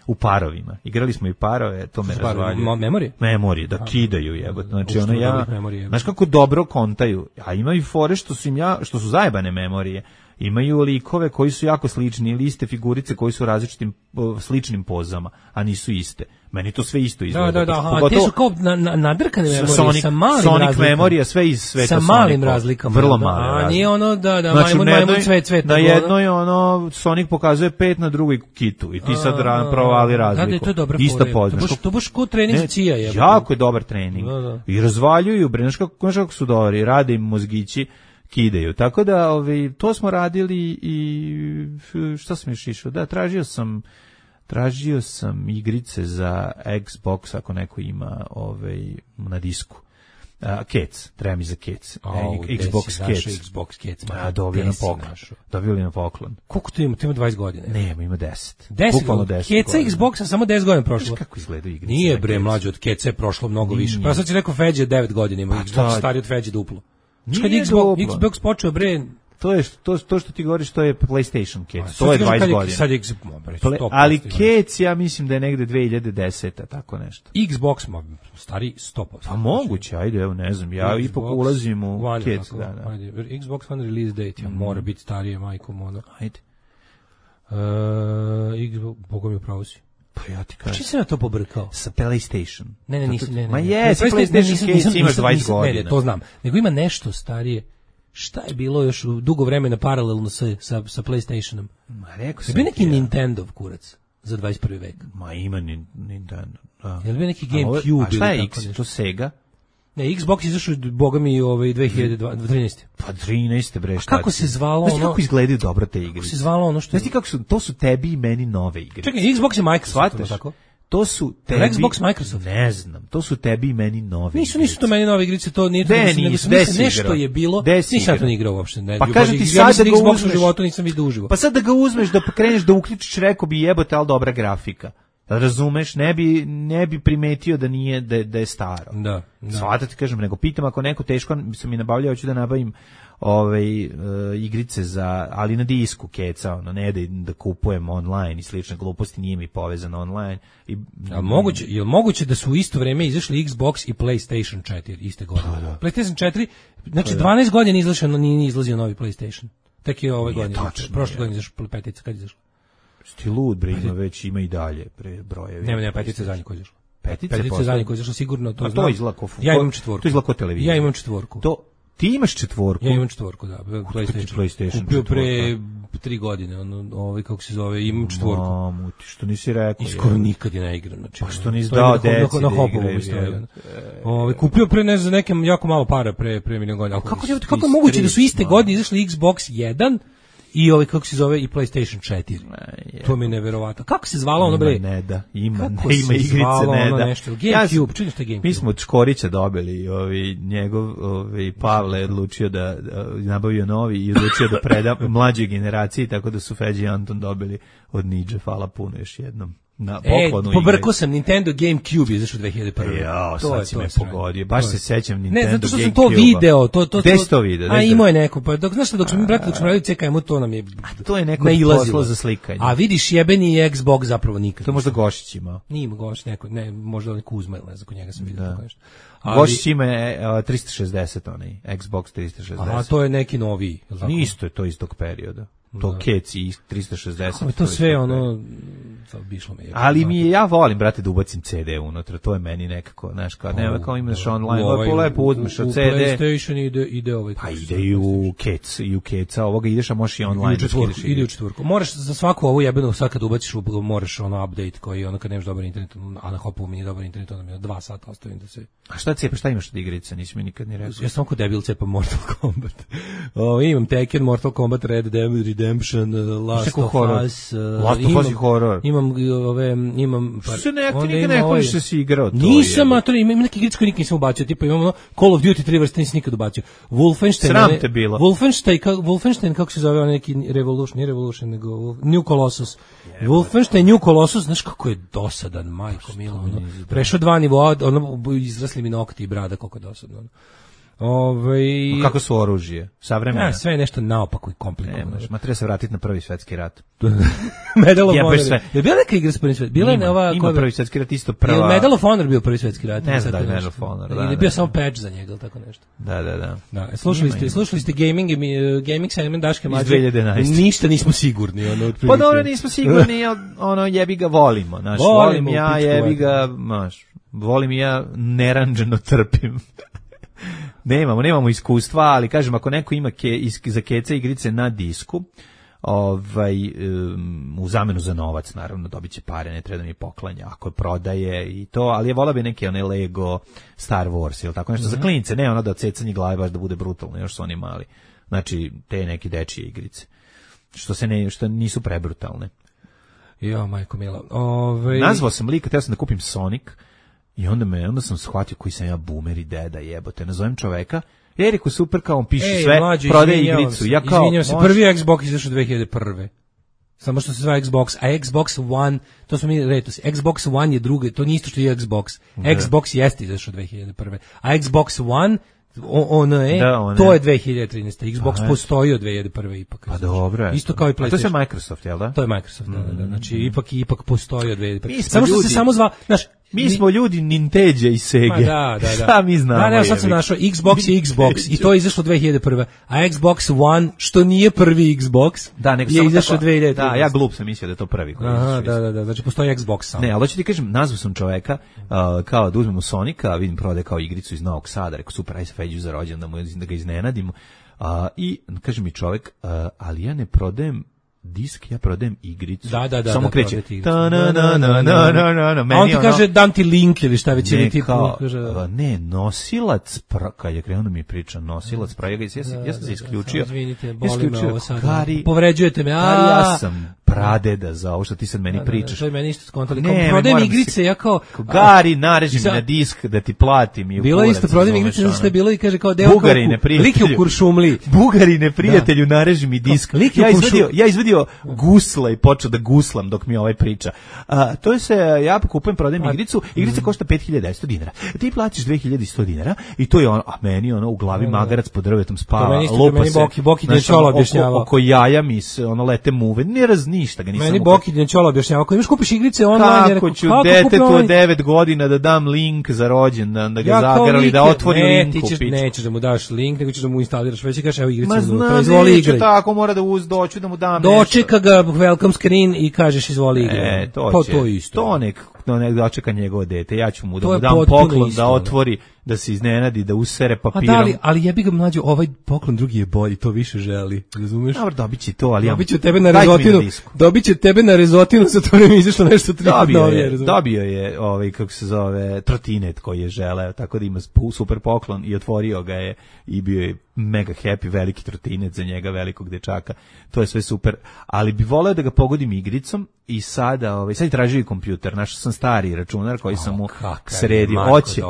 u parovima. Igrali smo i parove, to me razvaljuje. Memorije? Memorije, da kidaju jebote. Znači ono ja, znaš kako dobro kontaju. A imaju fore što su im ja, što su zajebane memorije. Imaju likove koji su jako slični ili iste figurice koji su u različitim sličnim pozama, a nisu iste. Meni to sve isto izgleda. Da, da, da, aha, te su kao na, na, nadrkane memorije Sonic, sa malim Sonic razlikama. Memorija, sve iz sveta sa Sonica. malim razlikama. Vrlo male. A nije ono da, da znači, majmun, majmun, cvet, cvet. Na jednoj ono, Sonic pokazuje pet, na drugoj kitu. I ti sad a, provali razliku. Da, da, to je dobra Ista poznaš. To baš ko trening s cija je. Jako je dobar trening. Da, da. I razvaljuju, bre, znaš kako, kako su dobri, rade im mozgići, kidaju. Tako da, ovi, to smo radili i šta sam još išao? Da, tražio sam tražio sam igrice za Xbox, ako neko ima ovaj, na disku. Uh, Cats, treba mi za Cats. Oh, Xbox Cats. Xbox Cats. A, dobili na poklon. Dobili na poklon. Koliko to ima? To ima dvadeset godina. Ne, ima deset. deset godina. Catsa Xboxa samo deset godina prošlo. Znaš kako izgledaju igrice? Nije bre, mlađe od Catsa je prošlo mnogo Nije. više. Pa sad će rekao Feđe devet godina ima. Xbox stariji od Feđe duplo. Nije Xbox, Xbox počeo bre... To je to, to što ti govoriš, to je PlayStation Cats. To je dvadeset godina. Sad je Xbox, ali Cats ja mislim da je negde dve hiljade deseta, tako nešto. Xbox ma stari sto posto. Pa moguće, ajde, evo ne znam. Ja ipak ulazim u Cats, da, da. Ajde, Xbox One release date, ja, mm. mora biti starije, majko mono. Ajde. Uh, Xbox, Bogom je pravo si. Pa ja ti kažem. Čiji si na to pobrkao? Sa PlayStation. Ne, ne, nisi, ne, ne. Ma jesi, PlayStation Cats imaš dvadeset godina. Ne, ne, to znam. Nego ima nešto starije. Šta je bilo još u dugo vremena paralelno sa, sa, sa PlayStationom? Ma rekao sam. Je bio neki ja. Nintendov kurac za dvadeset prvi vek? Ma ima ni, Nintendo. Da. Je li bio neki GameCube? A, a šta je ili X? To Sega? Ne, Xbox izašao, boga mi, ovaj, dve hiljade trinaeste. Pa trinaeste bre, šta? A kako se zvalo ono? Znaš kako izgledaju dobro te igre? Kako se zvalo ono što... Znaš ti kako su, to su tebi i meni nove igre. Čekaj, Xbox je Microsoft, tako? To su tebi... Xbox Microsoft? Ne znam, to su tebi i meni nove Nisu, nisu to meni nove igrice, to nije... De, nisu, nisu, nešto je bilo, nisam to ne igrao uopšte. Ne, pa kažem ti sad da ga Xbox uzmeš... u životu nisam vidio uživo. Pa sad da ga uzmeš, da kreneš da uključiš, rekao bi jebote, ali dobra grafika. Razumeš, ne bi, ne bi primetio da nije, da, da je staro. Da, da. Svata ti kažem, nego pitam ako neko teško, sam mi nabavljao, hoću da nabavim ovaj, uh, igrice za, ali na disku keca, ono, ne da, da kupujem online i slične gluposti, nije mi povezano online. I, a moguće, je li moguće da su u isto vreme izašli Xbox i PlayStation četiri iste godine? Da, da. PlayStation četiri, znači da, da. dvanaest godina izlašao, nije izlazio novi PlayStation. Tek je ove godine, prošle godine izašao petica, kad izašao? Sti lud, bre, ima već, ima i dalje pre brojevi. Nema, nema, petice zadnje koje izašlo. Petice, petice zadnje koje izašlo, sigurno to znam. To je izlako. Ja imam četvorku. To je izlako televizija. Ja imam četvorku. To, ti imaš četvorku? Ja imam četvorku, da. PlayStation. PlayStation kupio pre tri godine, ono, ovaj, kako se zove, imam četvorku. Mamu, ti što nisi rekao. I skoro nikad je ne igram. Znači, pa što nisi dao deci na hopovu isto. Ovaj, kupio pre, ne znam, nekem jako malo para pre, pre milion godina. Ali kako, kako je moguće da su iste godine izašli Xbox jedan i ovaj kako se zove i PlayStation četiri. To mi je neverovatno. Kako se zvalo ono bre? Ne da, ima, ne, ima igrice ne da. GameCube, čini se GameCube. Mi smo od Škorića dobili, ovaj njegov ovaj Pavle je odlučio da, da nabavio novi i odlučio da preda mlađoj generaciji, tako da su Feđi i Anton dobili od Nidže, hvala puno još jednom. Na poklonu. E, pobrkao sam Nintendo GameCube izašao dve hiljade prve. Ja, sad si me pogodio. Baš se sećam Nintendo GameCube. Ne, zato što sam to video, to to Gde si to video? A imao je neko, pa dok znaš šta, dok smo mi brate, dok smo radili C K M, to nam je a to je neko poslao za slikanje. A vidiš jebeni Xbox zapravo nikad. To možda Gošić imao. Nije ima Gošić neko, ne, možda on Kuzma ili ne znam, kod njega sam vidio tako nešto. Gošić ima trista šezdeset onaj, Xbox trista šezdeset. A to je neki noviji, je li tako? Isto je to iz tog perioda. To Keci i trista šezdeset. To sve ono bišlo me je. Ali mi je, ja volim, brate, da ubacim ce de unutra, to je meni nekako, znaš, kao, nema kao imaš online, ovaj, lepo uzmeš od ce de. U PlayStation ide, ide ovaj. Pa ide i u Kec, i u Keca, ovoga ideš, a možeš i online. Da četvorku, ide u četvorku. Moraš za svaku ovu jebenu, sad kad ubaciš, moraš ono update koji, ono kad nemaš dobar internet, a na Hopu mi nije dobar internet, onda mi je dva sata ostavim da se... A šta cepa, šta imaš od igrice, nisi mi nikad ni rekao. Ja sam ko debil cepam Mortal Kombat. O, imam Tekken, Mortal Kombat, Red Dead Redemption, Last of Us. Last of Us i horror. Imam ove, imam... Što se ne, ti nikad ne hvališ da si igrao to? Nisam, a to imam neke igrice koje nikad nisam ubacio, tipa imam ono Call of Duty tri vrste, nisam nikad ubacio. Wolfenstein... Sram te bilo. Wolfenstein, ka, Wolfenstein, kako se zove, on neki Revolution, nije Revolution, nego New Colossus. Wolfenstein, New Colossus, znaš kako je dosadan, majko milo, ono, prešao dva nivoa, ono, izrasli mi nokti i brada, koliko je dosadno, ono. Ove, kako su oružje? Savremeno. Ja, sve je nešto naopako i komplikovano. Ma treba se vratiti na prvi svetski rat. Medal of Honor. Je bila neka igra s prvim svetskim? Bila je ova ima prvi svetski rat isto prva. Je Medal of Honor bio prvi svetski rat? Ne znam da je Medal of Honor. Ili je bio samo patch za njega ili tako nešto. Da, da, da. Da, slušali ste, slušali ste gaming gaming segment Daške Mlađe. Iz dve hiljade jedanaeste. Ništa nismo sigurni, ono otprilike. Pa dobro, nismo sigurni, ono jebi ga volimo, znaš, volim ja, jebi ga, znaš, volim ja, neranđeno trpim. Nemamo, nemamo iskustva, ali kažem, ako neko ima ke, iz, za keca igrice na disku, ovaj, um, u zamenu za novac, naravno, dobit će pare, ne treba da mi poklanja, ako prodaje i to, ali je vola bi neke one Lego, Star Wars ili tako nešto, mm-hmm. za klince, ne ono da cecanje glave baš da bude brutalno, još su oni mali. Znači, te neke dečije igrice, što se ne, što nisu prebrutalne. Jo, majko mila. Ove... Nazvao sam lika, teo sam da kupim Sonic, i onda me, onda sam shvatio koji sam ja boomer i deda jebote. Nazovem čoveka, Eriku super kao on piše Ej, sve, mlađe, prodaje igricu. Ja kao, izvinjam se, može... prvi Xbox izašao dve hiljade prve. Samo što se zove Xbox, a Xbox One, to smo mi retos, Xbox One je drugi, to nije isto što je Xbox. Da. Xbox jeste izašao dve hiljade prve. A Xbox One, on je, da, on to je dve hiljade trinaeste. Xbox pa, postoji od dve hiljade prve ipak. Pa dobro. Isto kao i PlayStation. A to je Microsoft, jel da? To je Microsoft, da, da, da. Znači, ipak, ipak postoji od dve hiljade prve. Samo što se samo zva, znaš, mi smo ljudi Nintendo i Sega. Da, da, da. Šta mi znamo? Da, ne, sad sam našao Xbox i Xbox i to je izašlo dve hiljade prve. A Xbox One, što nije prvi Xbox, da, nego je izašao dve hiljade trinaeste. Da, ja glup sam mislio da je to prvi. Aha, da, da, da, znači postoji Xbox samo. Ne, ali hoću ti kažem, nazvao sam čoveka uh, kao da uzmemo Sonika, vidim prodaje kao igricu iz Novog Sada, rekao super, aj se Feđu za rođendan da, mu, da ga iznenadimo. Uh, I kaže mi čovek, uh, ali ja ne prodajem disk, ja prodajem igricu. Da, da, da. Samo da, kreće. Ta na na na na na na na. Meni on ti ono, kaže dam ti link ili šta već ili ti kaže. Ne, nosilac, pra, kad je krenuo mi priča, nosilac, pra, ja, ja, ja, ja sam se isključio. Izvinite, boli me ovo sad. Kari, povređujete me. Kari, ja sam pradeda za ovo što ti sad meni pričaš. To je meni isto skontali. Kao prodajem igrice, ja kao Gari, nareži mi na disk da ti platim i u bilo isto prodajem igrice, znači što je bilo i kaže kao deo Bugarine, lik je u Kuršumliji. Bugarine, prijatelju, nareži mi disk. Ja izvadio, ja izvadio gusla i počeo da guslam dok mi ovaj priča. A, to je se, ja kupujem, prodajem igricu, igrica košta pet hiljada sto dinara. Ti platiš dve hiljade sto dinara i to je ono, a meni ono u glavi magarac pod drvetom spava, lupa se. Boki, Boki Dnečola objašnjava. Oko jaja mi se, ono, lete muve, ne raz ništa ga nisam. Meni Boki Dnečola objašnjava, ako imaš kupiš igrice online, kako ću detetu od devet godina da dam link za rođendan, da ga ja, zagrali, da otvori ne, link u pičku. Nećeš da mu daš link, nego ćeš da mu instaliraš, već kažeš evo igrice, to izvoli igraj. Tako mora da uz doću da mu dam. Dočeka ga welcome screen i kažeš izvoli igraj. E, to, će, to isto. To nek, to nek dočeka njegovo dete. Ja ću mu da mu dam poklon isto, da otvori, da se iznenadi, da usere papirom. A da li, ali jebi ga mlađo, ovaj poklon drugi je bolji, to više želi. Razumeš? Dobro, dobit će to, ali ja... Dobit će tebe na rezotinu, dobit će tebe na rezotinu, sa to ne izašlo nešto tri novije. Dobio je, ovaj, kako se zove, trotinet koji je želeo, tako da ima super poklon i otvorio ga je i bio je mega happy, veliki trotinet za njega, velikog dečaka. To je sve super, ali bi voleo da ga pogodim igricom i sada, ovaj, sad je tražio i kompjuter. Našao sam stari računar koji sam mu sredio. Hoće,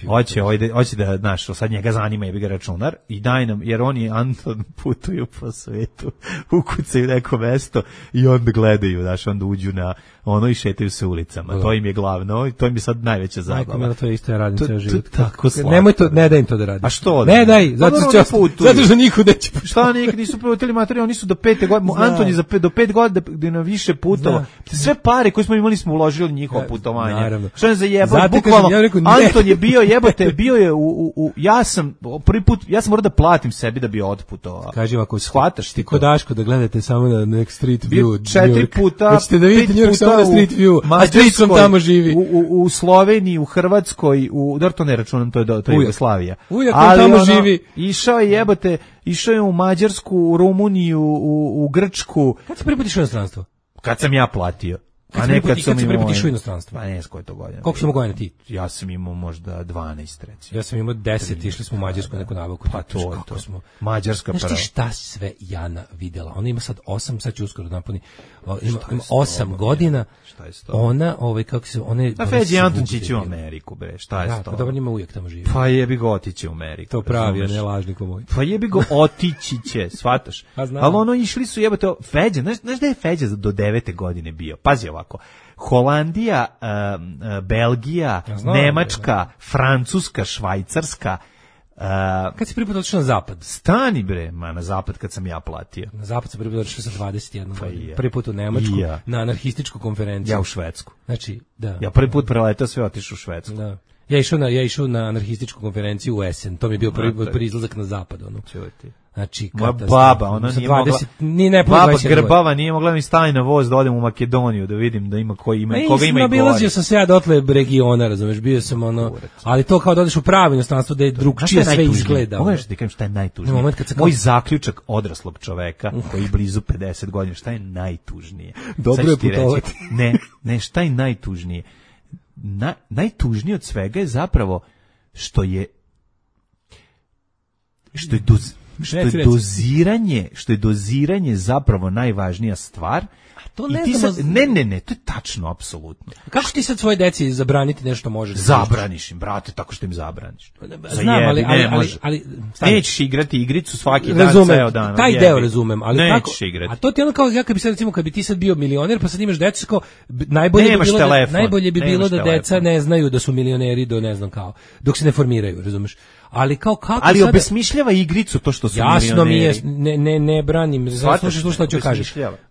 hoće, hoće, hoće da, znaš, sad njega zanima jebi ga računar i daj nam, jer oni Anton putuju po svetu, ukucaju neko mesto i onda gledaju, znaš, onda uđu na ono i šetaju se ulicama. Da. To im je glavno, to im je sad najveća zabava. Majko, to je isto ja radim to, ceo život. Tako slatko. Nemoj to, ne daj im to da radi. A što? Ne daj, zato što putuju? Zato što niko neće putovati. Šta nikad nisu putili materi, oni su do pete godine, Anton je za pet, do pet godina više putovao. Sve pare koje smo imali smo uložili u njihovo putovanje. Naravno. Što je za jebot, bukvalno, ja rekao, Anton je bio jebote, bio je u, u, u, ja sam prvi put, ja sam morao da platim sebi da bi otputovao. Kaži ovako, shvataš ti ko Daško da gledate samo na Next Street View. Četiri puta, hoćete da vidite New York samo na Street View, a Streetsom tamo živi. U, u, u Sloveniji, u Hrvatskoj, u, da to ne računam, to je, to je Jugoslavija. Ujak on tamo ono, živi. Išao je jebote, išao je u Mađarsku, u Rumuniju, u, u Grčku. Kad si prvi put išao u inostranstvo? Kad sam ja platio. Kad a nekad sam imao... Kad si prvi u inostranstvo? Pa ne znam koje to godine. Koliko si imao godina ti? Ja sam imao možda dvanaest, recimo. Ja sam imao deset, išli smo u Mađarsku neku nabavku. Pa to je to. Smo... Mađarska prva. Znaš ti šta sve Jana videla? Ona ima sad osam, sad će uskoro napuni. Ima, ima osam godina. Šta je sto? Ona, ovaj, kako se... One, a Feđi Anton će u Ameriku, bre. Šta je sto? Da, pa dobro njima uvijek tamo živi. Pa jebi ga otići u Ameriku. To pravi, a ne lažniko moj. Pa jebi ga otići će, shvataš? Ali ono išli su jebote, Feđa, znaš, znaš da je Feđa do devete godine bio? Pazi ovako. Holandija, uh, Belgija, znam, Nemačka, ne, ne. Francuska, Švajcarska. Uh, kad si prvi put otišao na zapad? Stani bre, ma na zapad kad sam ja platio. Na zapad sam prvi put otišao sa dvadeset jedna pa godina. Prvi put u Nemačku, ja. Na anarhističku konferenciju. Ja u Švedsku. Znači, da. Ja prvi put preletao sve otišao u Švedsku. Da. Ja išao na ja išao na anarhističku konferenciju u Essen. To mi je bio prvi put izlazak na zapad, ono. Čujte. Znači, moja baba, ona nije dvadeset, mogla, ni ne baba grbava nije mogla mi stani na voz da odem u Makedoniju da vidim da ima koji ima, koga ima i gori. Nabilazio sam se ja dotle regiona, razumeš, bio sam ono, ali to kao da odeš u pravo inostranstvo da je drugčije sve izgleda. Pogledaj što ti kažem šta je najtužnije. Moment kad se moj kao... zaključak odraslog čoveka koji blizu pedeset godina, šta je najtužnije? Dobro je putovati. Ne, ne, šta je najtužnije? Na, najtužnije od svega je zapravo što je što je doz, što je doziranje, što je doziranje zapravo najvažnija stvar. To ne, sad, ne, ne, ne, to je tačno, apsolutno. Kako ti sad svoje deci zabraniti nešto možeš? Zabraniš im, brate, tako što im zabraniš. Znam, ali, ali, ne, ali, ali nećeš igrati igricu svaki razumem, dan, ceo dan. Taj deo razumem, ali nećeš kako, igrati. A to ti ono kao, ja kad bi sad, recimo, kad bi ti sad bio milioner, pa sad imaš decu, kao, najbolje nemaš bi bilo, telefon, da, najbolje bi bilo da telefon. Deca ne znaju da su milioneri do ne znam kao, dok se ne formiraju, razumeš? Ali kao kako ali sada... obesmišljava igricu to što su jasno milioneri. Jasno mi je, ne, ne, ne branim, slušaj što hoću kažem.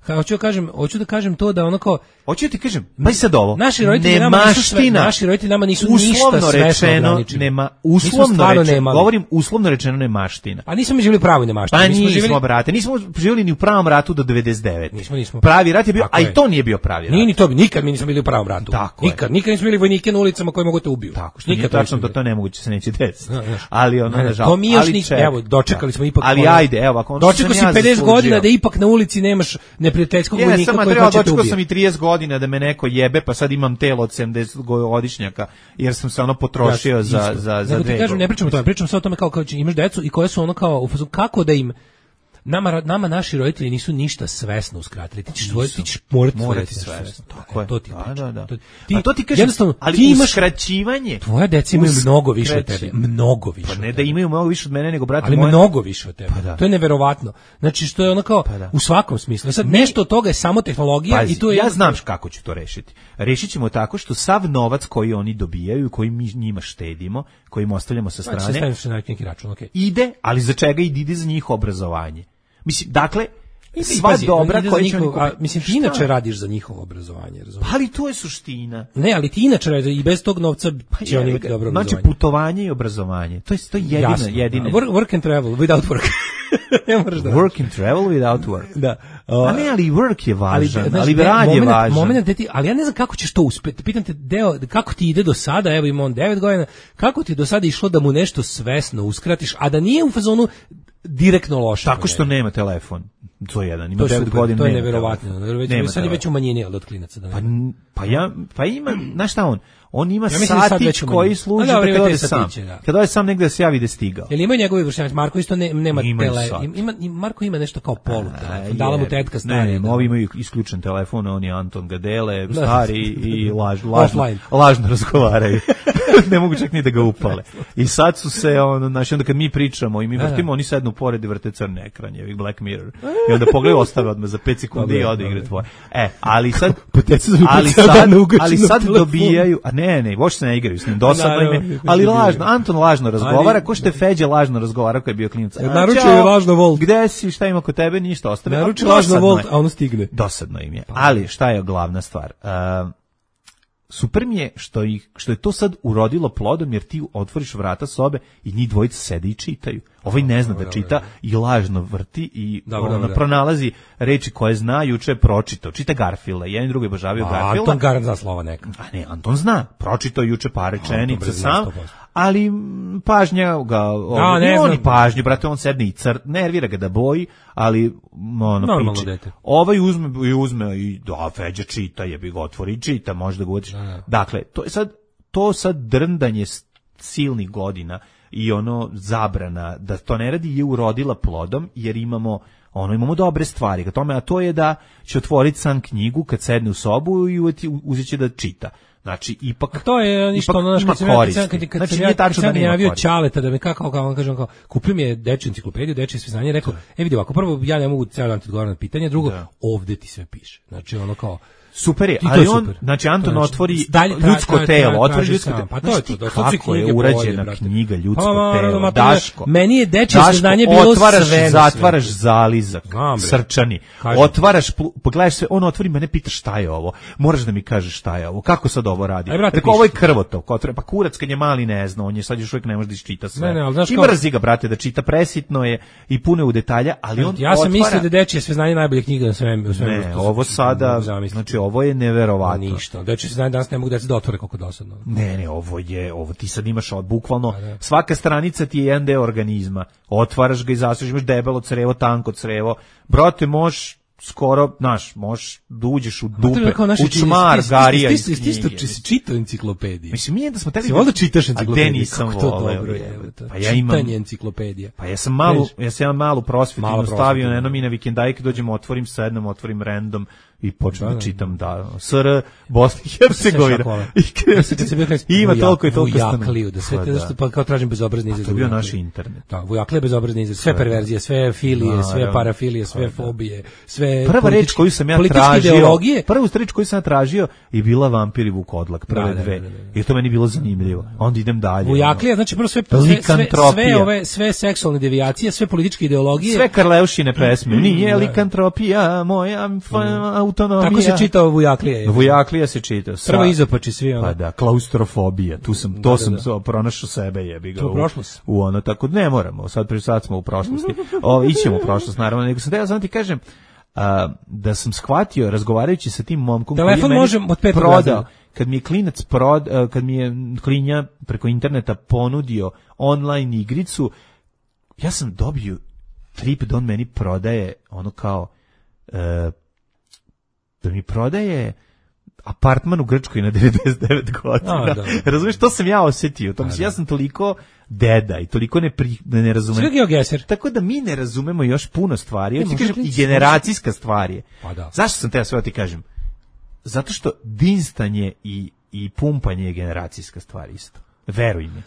Hoću kažem, hoću da kažem to da onako hoću ti kažem, pa i sad ovo. Naši roditelji nama nisu sve, naši roditelji nama nisu ništa svesno ograničeni. Nema uslovno rečeno, govorim uslovno rečeno nemaština. A nismo mi živjeli u pravoj nemaštini. Pa mi smo živjeli, brate, nismo živjeli ni u pravom ratu do devedeset devete. Nismo, nismo. Pravi rat je bio, a i to nije bio pravi rat. Nije ni to, nikad mi nismo bili u pravom ratu. Nikad, nikad nismo bili vojnike na ulicama koji mogu te ubiju. Tako što nikad tačno da to nemoguće se neće desiti. Ali ono nažalost. To mi još nikad, evo, dočekali smo ipak. Ali ajde, evo, ako dočekao si pedeset godina da ipak na ulici nemaš neprijateljskog vojnika koji hoće te ubiti. Dočekao sam i trideset godina da me neko jebe, pa sad imam telo od sedamdeset godišnjaka, jer sam se ono potrošio za za za dve. Ne kažem, ne pričam o tome, pričam samo o tome kao kao imaš decu i koje su ono kao u fazonu kako da im Nama, nama naši roditelji nisu ništa svesno uskratili. Ti ćeš tvoj, ti ćeš morati, morati svesno. Tako je. To ti da, da, da. To ti, a to ti kažem, ali ti imaš uskraćivanje. Tvoja deca imaju mnogo više od tebe. Mnogo više. Pa ne da imaju mnogo više od mene, nego brate ali moje. Ali mnogo više od tebe. Pa da. To je neverovatno. Znači što je ono kao pa u svakom smislu. Sad Mi, nešto od toga je samo tehnologija pazi, i to je ja znam kako ću to rešiti. Rešit ćemo tako što sav novac koji oni dobijaju, koji mi njima štedimo, koji im ostavljamo sa strane. Pa se na neki račun, okej. Ide, ali za čega ide za njih obrazovanje? Mislim, dakle, sva pazi, dobra koja će njihov, a, mislim, ti inače radiš za njihovo obrazovanje, razumiješ? Pa ali to je suština. Ne, ali ti inače radiš i bez tog novca pa će oni imati dobro obrazovanje. Znači, putovanje i obrazovanje, to je, to je jedina, jasno, jedina. Work, work and travel, without work. Ne moraš da work and travel without work. Da. Uh, a ne, ali work je važan, ali, ali rad je važan. Moment da ti, ali ja ne znam kako ćeš to uspeti. Pitam te, deo, kako ti ide do sada, evo ima on devet godina, kako ti do sada išlo da mu nešto svesno uskratiš, a da nije u fazonu direktno loše. Tako što nema telefon. To je jedan, ima devet godina. To je neverovatno. Sad je već umanjenije od klinaca. Da pa, pa, ja, pa ima, znaš šta on? On ima ja satić koji služi da kada ode sam. Da. Kada ode sam negde da se javi da je stigao. Jel imaju njegovi vršnjaci? Marko isto ne, nema tele. Ima, Marko ima nešto kao polu telefon. Dala mu tetka stari. Ne, ne, ovi imaju isključen telefon, on je Anton Gadele, stari i laž, lažno, lažno razgovaraju. Ne mogu čak ni da ga upale. I sad su se, ono, znači, onda kad mi pričamo i mi vrtimo, oni sednu pored i vrte crni ekran, je Black Mirror. I onda pogledaju, ostave odmah za pet sekundi i ode igre tvoje. E, ali sad, ali sad, ali sad dobijaju, a ne, Ne, ne, uopšte se ne igraju s njim, dosadno im je, ali lažno, Anton lažno razgovara, ko što je Feđa lažno razgovara koji je bio klinac. Naručio je lažno Volt. Gde si, šta ima kod tebe, ništa, ostavi. Naručio lažno Volt, a ono stigne. Dosadno im je, ali šta je glavna stvar? Uh, super mi je što, ih, što je to sad urodilo plodom, jer ti otvoriš vrata sobe i njih dvojica sede i čitaju. Ovaj ne zna da čita i lažno vrti i dobro, ono, dobro. pronalazi reči koje zna, juče je pročitao. Čita Garfielda, jedan i drugi obožavaju Garfielda. Anton Garant zna slova neka. A ne, Anton zna, pročitao juče par rečenica sam, ali pažnja ga, A, ne on znam. i pažnju, brate, on sedne i cr, nervira ga da boji, ali ono, Normalno piče. dete. Ovaj uzme i uzme i da, Feđa čita, jebi ga otvori i čita, možda ga uđeš. Dakle, to je sad, to sad drndanje silnih godina i ono zabrana da to ne radi je urodila plodom, jer imamo ono imamo dobre stvari ka tome, a to je da će otvoriti sam knjigu kad sedne u sobu i uzet će da čita. Znači, ipak... A to je ništa ono, ima kad sam ja, koristi. kad, kad, kad Znači, sam nije ja, tačno kad da sam nema javio koristi. Ćaleta da me kako, kako on kažem, kao, kupio mi je dečju enciklopediju, dečje sve znanje, rekao, e vidi ovako, prvo, ja ne mogu cijel dan ti odgovarati na pitanje, drugo, Da. ovde ti sve piše. Znači, ono kao, Super je, I to ali je on, super. znači Anton To je, znači, otvori dalje tra- ljudsko tra- telo, tra- otvori traži ljudsko sam. telo. Pa to Znaš je ti to, to su sve kako je knjige urađena bolje, brate. knjiga ljudsko Pa, telo, ma, Daško. meni je dečje Daško, saznanje bilo otvaraš, sve na zatvaraš svetu. zalizak, Znam, bre. srčani, Kažem. otvaraš, pl- pogledaš se, on otvori, mene pita šta je ovo, moraš da mi kažeš šta je ovo, kako sad ovo radi. Aj, brate, Rekao, ovo je piši. krvotok, otvori, pa kurac kad je mali ne zna, on je sad još uvijek ne može da iščita sve. Ne, ne, ali znaš I kao- mrzi ga, brate, da čita, presitno je i puno u detalja, ali on Ja sam otvara- mislio da dečje sve znanje najbolje knjiga na svem, u svemu. Ne, ovo sada, znači ovo je neverovatno. ništa. Dečje sve znanje danas ne mogu da se da otvore koliko dosadno. Ne, ne, ovo je, ovo ti sad imaš od bukvalno, svaka stranica ti je jedan deo organizma, otvaraš ga i zaslužiš, imaš debelo crevo, tanko crevo, brate, možeš skoro, znaš, možeš da uđeš u dupe, u čmar, garija iz Ti isto knjige. si čitao enciklopedije. Mislim, nije da smo teli... Si volio čitaš A enciklopedije? gde nisam Kako to voleo, dobro je, jebote. evo, Pa ja imam... čitanje enciklopedija. Pa ja sam malu, ja sam imam malu prosvetinu Malo stavio prosvetinu. na jednom i na vikendajke, dođem, otvorim, sednem, otvorim random i počnem da, Da, da. čitam da S R Bosna i Hercegovina. I krenem, Kad se bio i ima toliko i toliko Vujakliju, da sve Pa te da. zašto pa kao tražim bezobrazni izraz. To je bio Vujakliju. naš internet. Da, Vujaklija je bezobrazni izraz, sve perverzije, sve filije, sve Naravno. parafilije, sve fobije, sve Prva reč politički- koju sam ja političke tražio, ideologije. prvu reč koju sam ja tražio je bila Vampir i Vukodlak, prve Da, da, dve. da, da, da. I to meni bilo zanimljivo. Onda idem dalje. Vujaklija, znači prvo sve sve, sve, Likantropija. sve ove sve seksualne devijacije, sve političke ideologije. Sve Karleušine pesme. Nije likantropija moja fa- autonomija. Tako se čitao Vujaklija. je. Vujaklija se čita. Sa- Prvo izopači svi ono. Pa da, klaustrofobija. Tu sam, to Da, sam da, da. pronašao sebe, jebi ga. To je u- prošlost. U ono, tako ne moramo. Sad, pri- sad smo u prošlosti. O, ićemo u prošlost, naravno. Nego sam teo, samo ti kažem, a, da sam shvatio, razgovarajući sa tim momkom, koji je Telefon meni može od petog prodao, razreda. kad mi je klinac prod, a, kad mi je klinja preko interneta ponudio online igricu, ja sam dobio trip da on meni prodaje ono kao e, da mi prodaje apartman u Grčkoj na devedeset devet godina. A, da. Razumiješ, to sam ja osjetio. To mislim, ja sam toliko deda i toliko ne, pri, ne, ne razumem. Sve geogeser. Tako da mi ne razumemo još puno stvari. Ja ti može kažem, i klinac- generacijska stvar je. Pa da. Zašto sam te ja sve ti kažem? Zato što dinstanje i, i pumpanje je generacijska stvar isto. Veruj mi.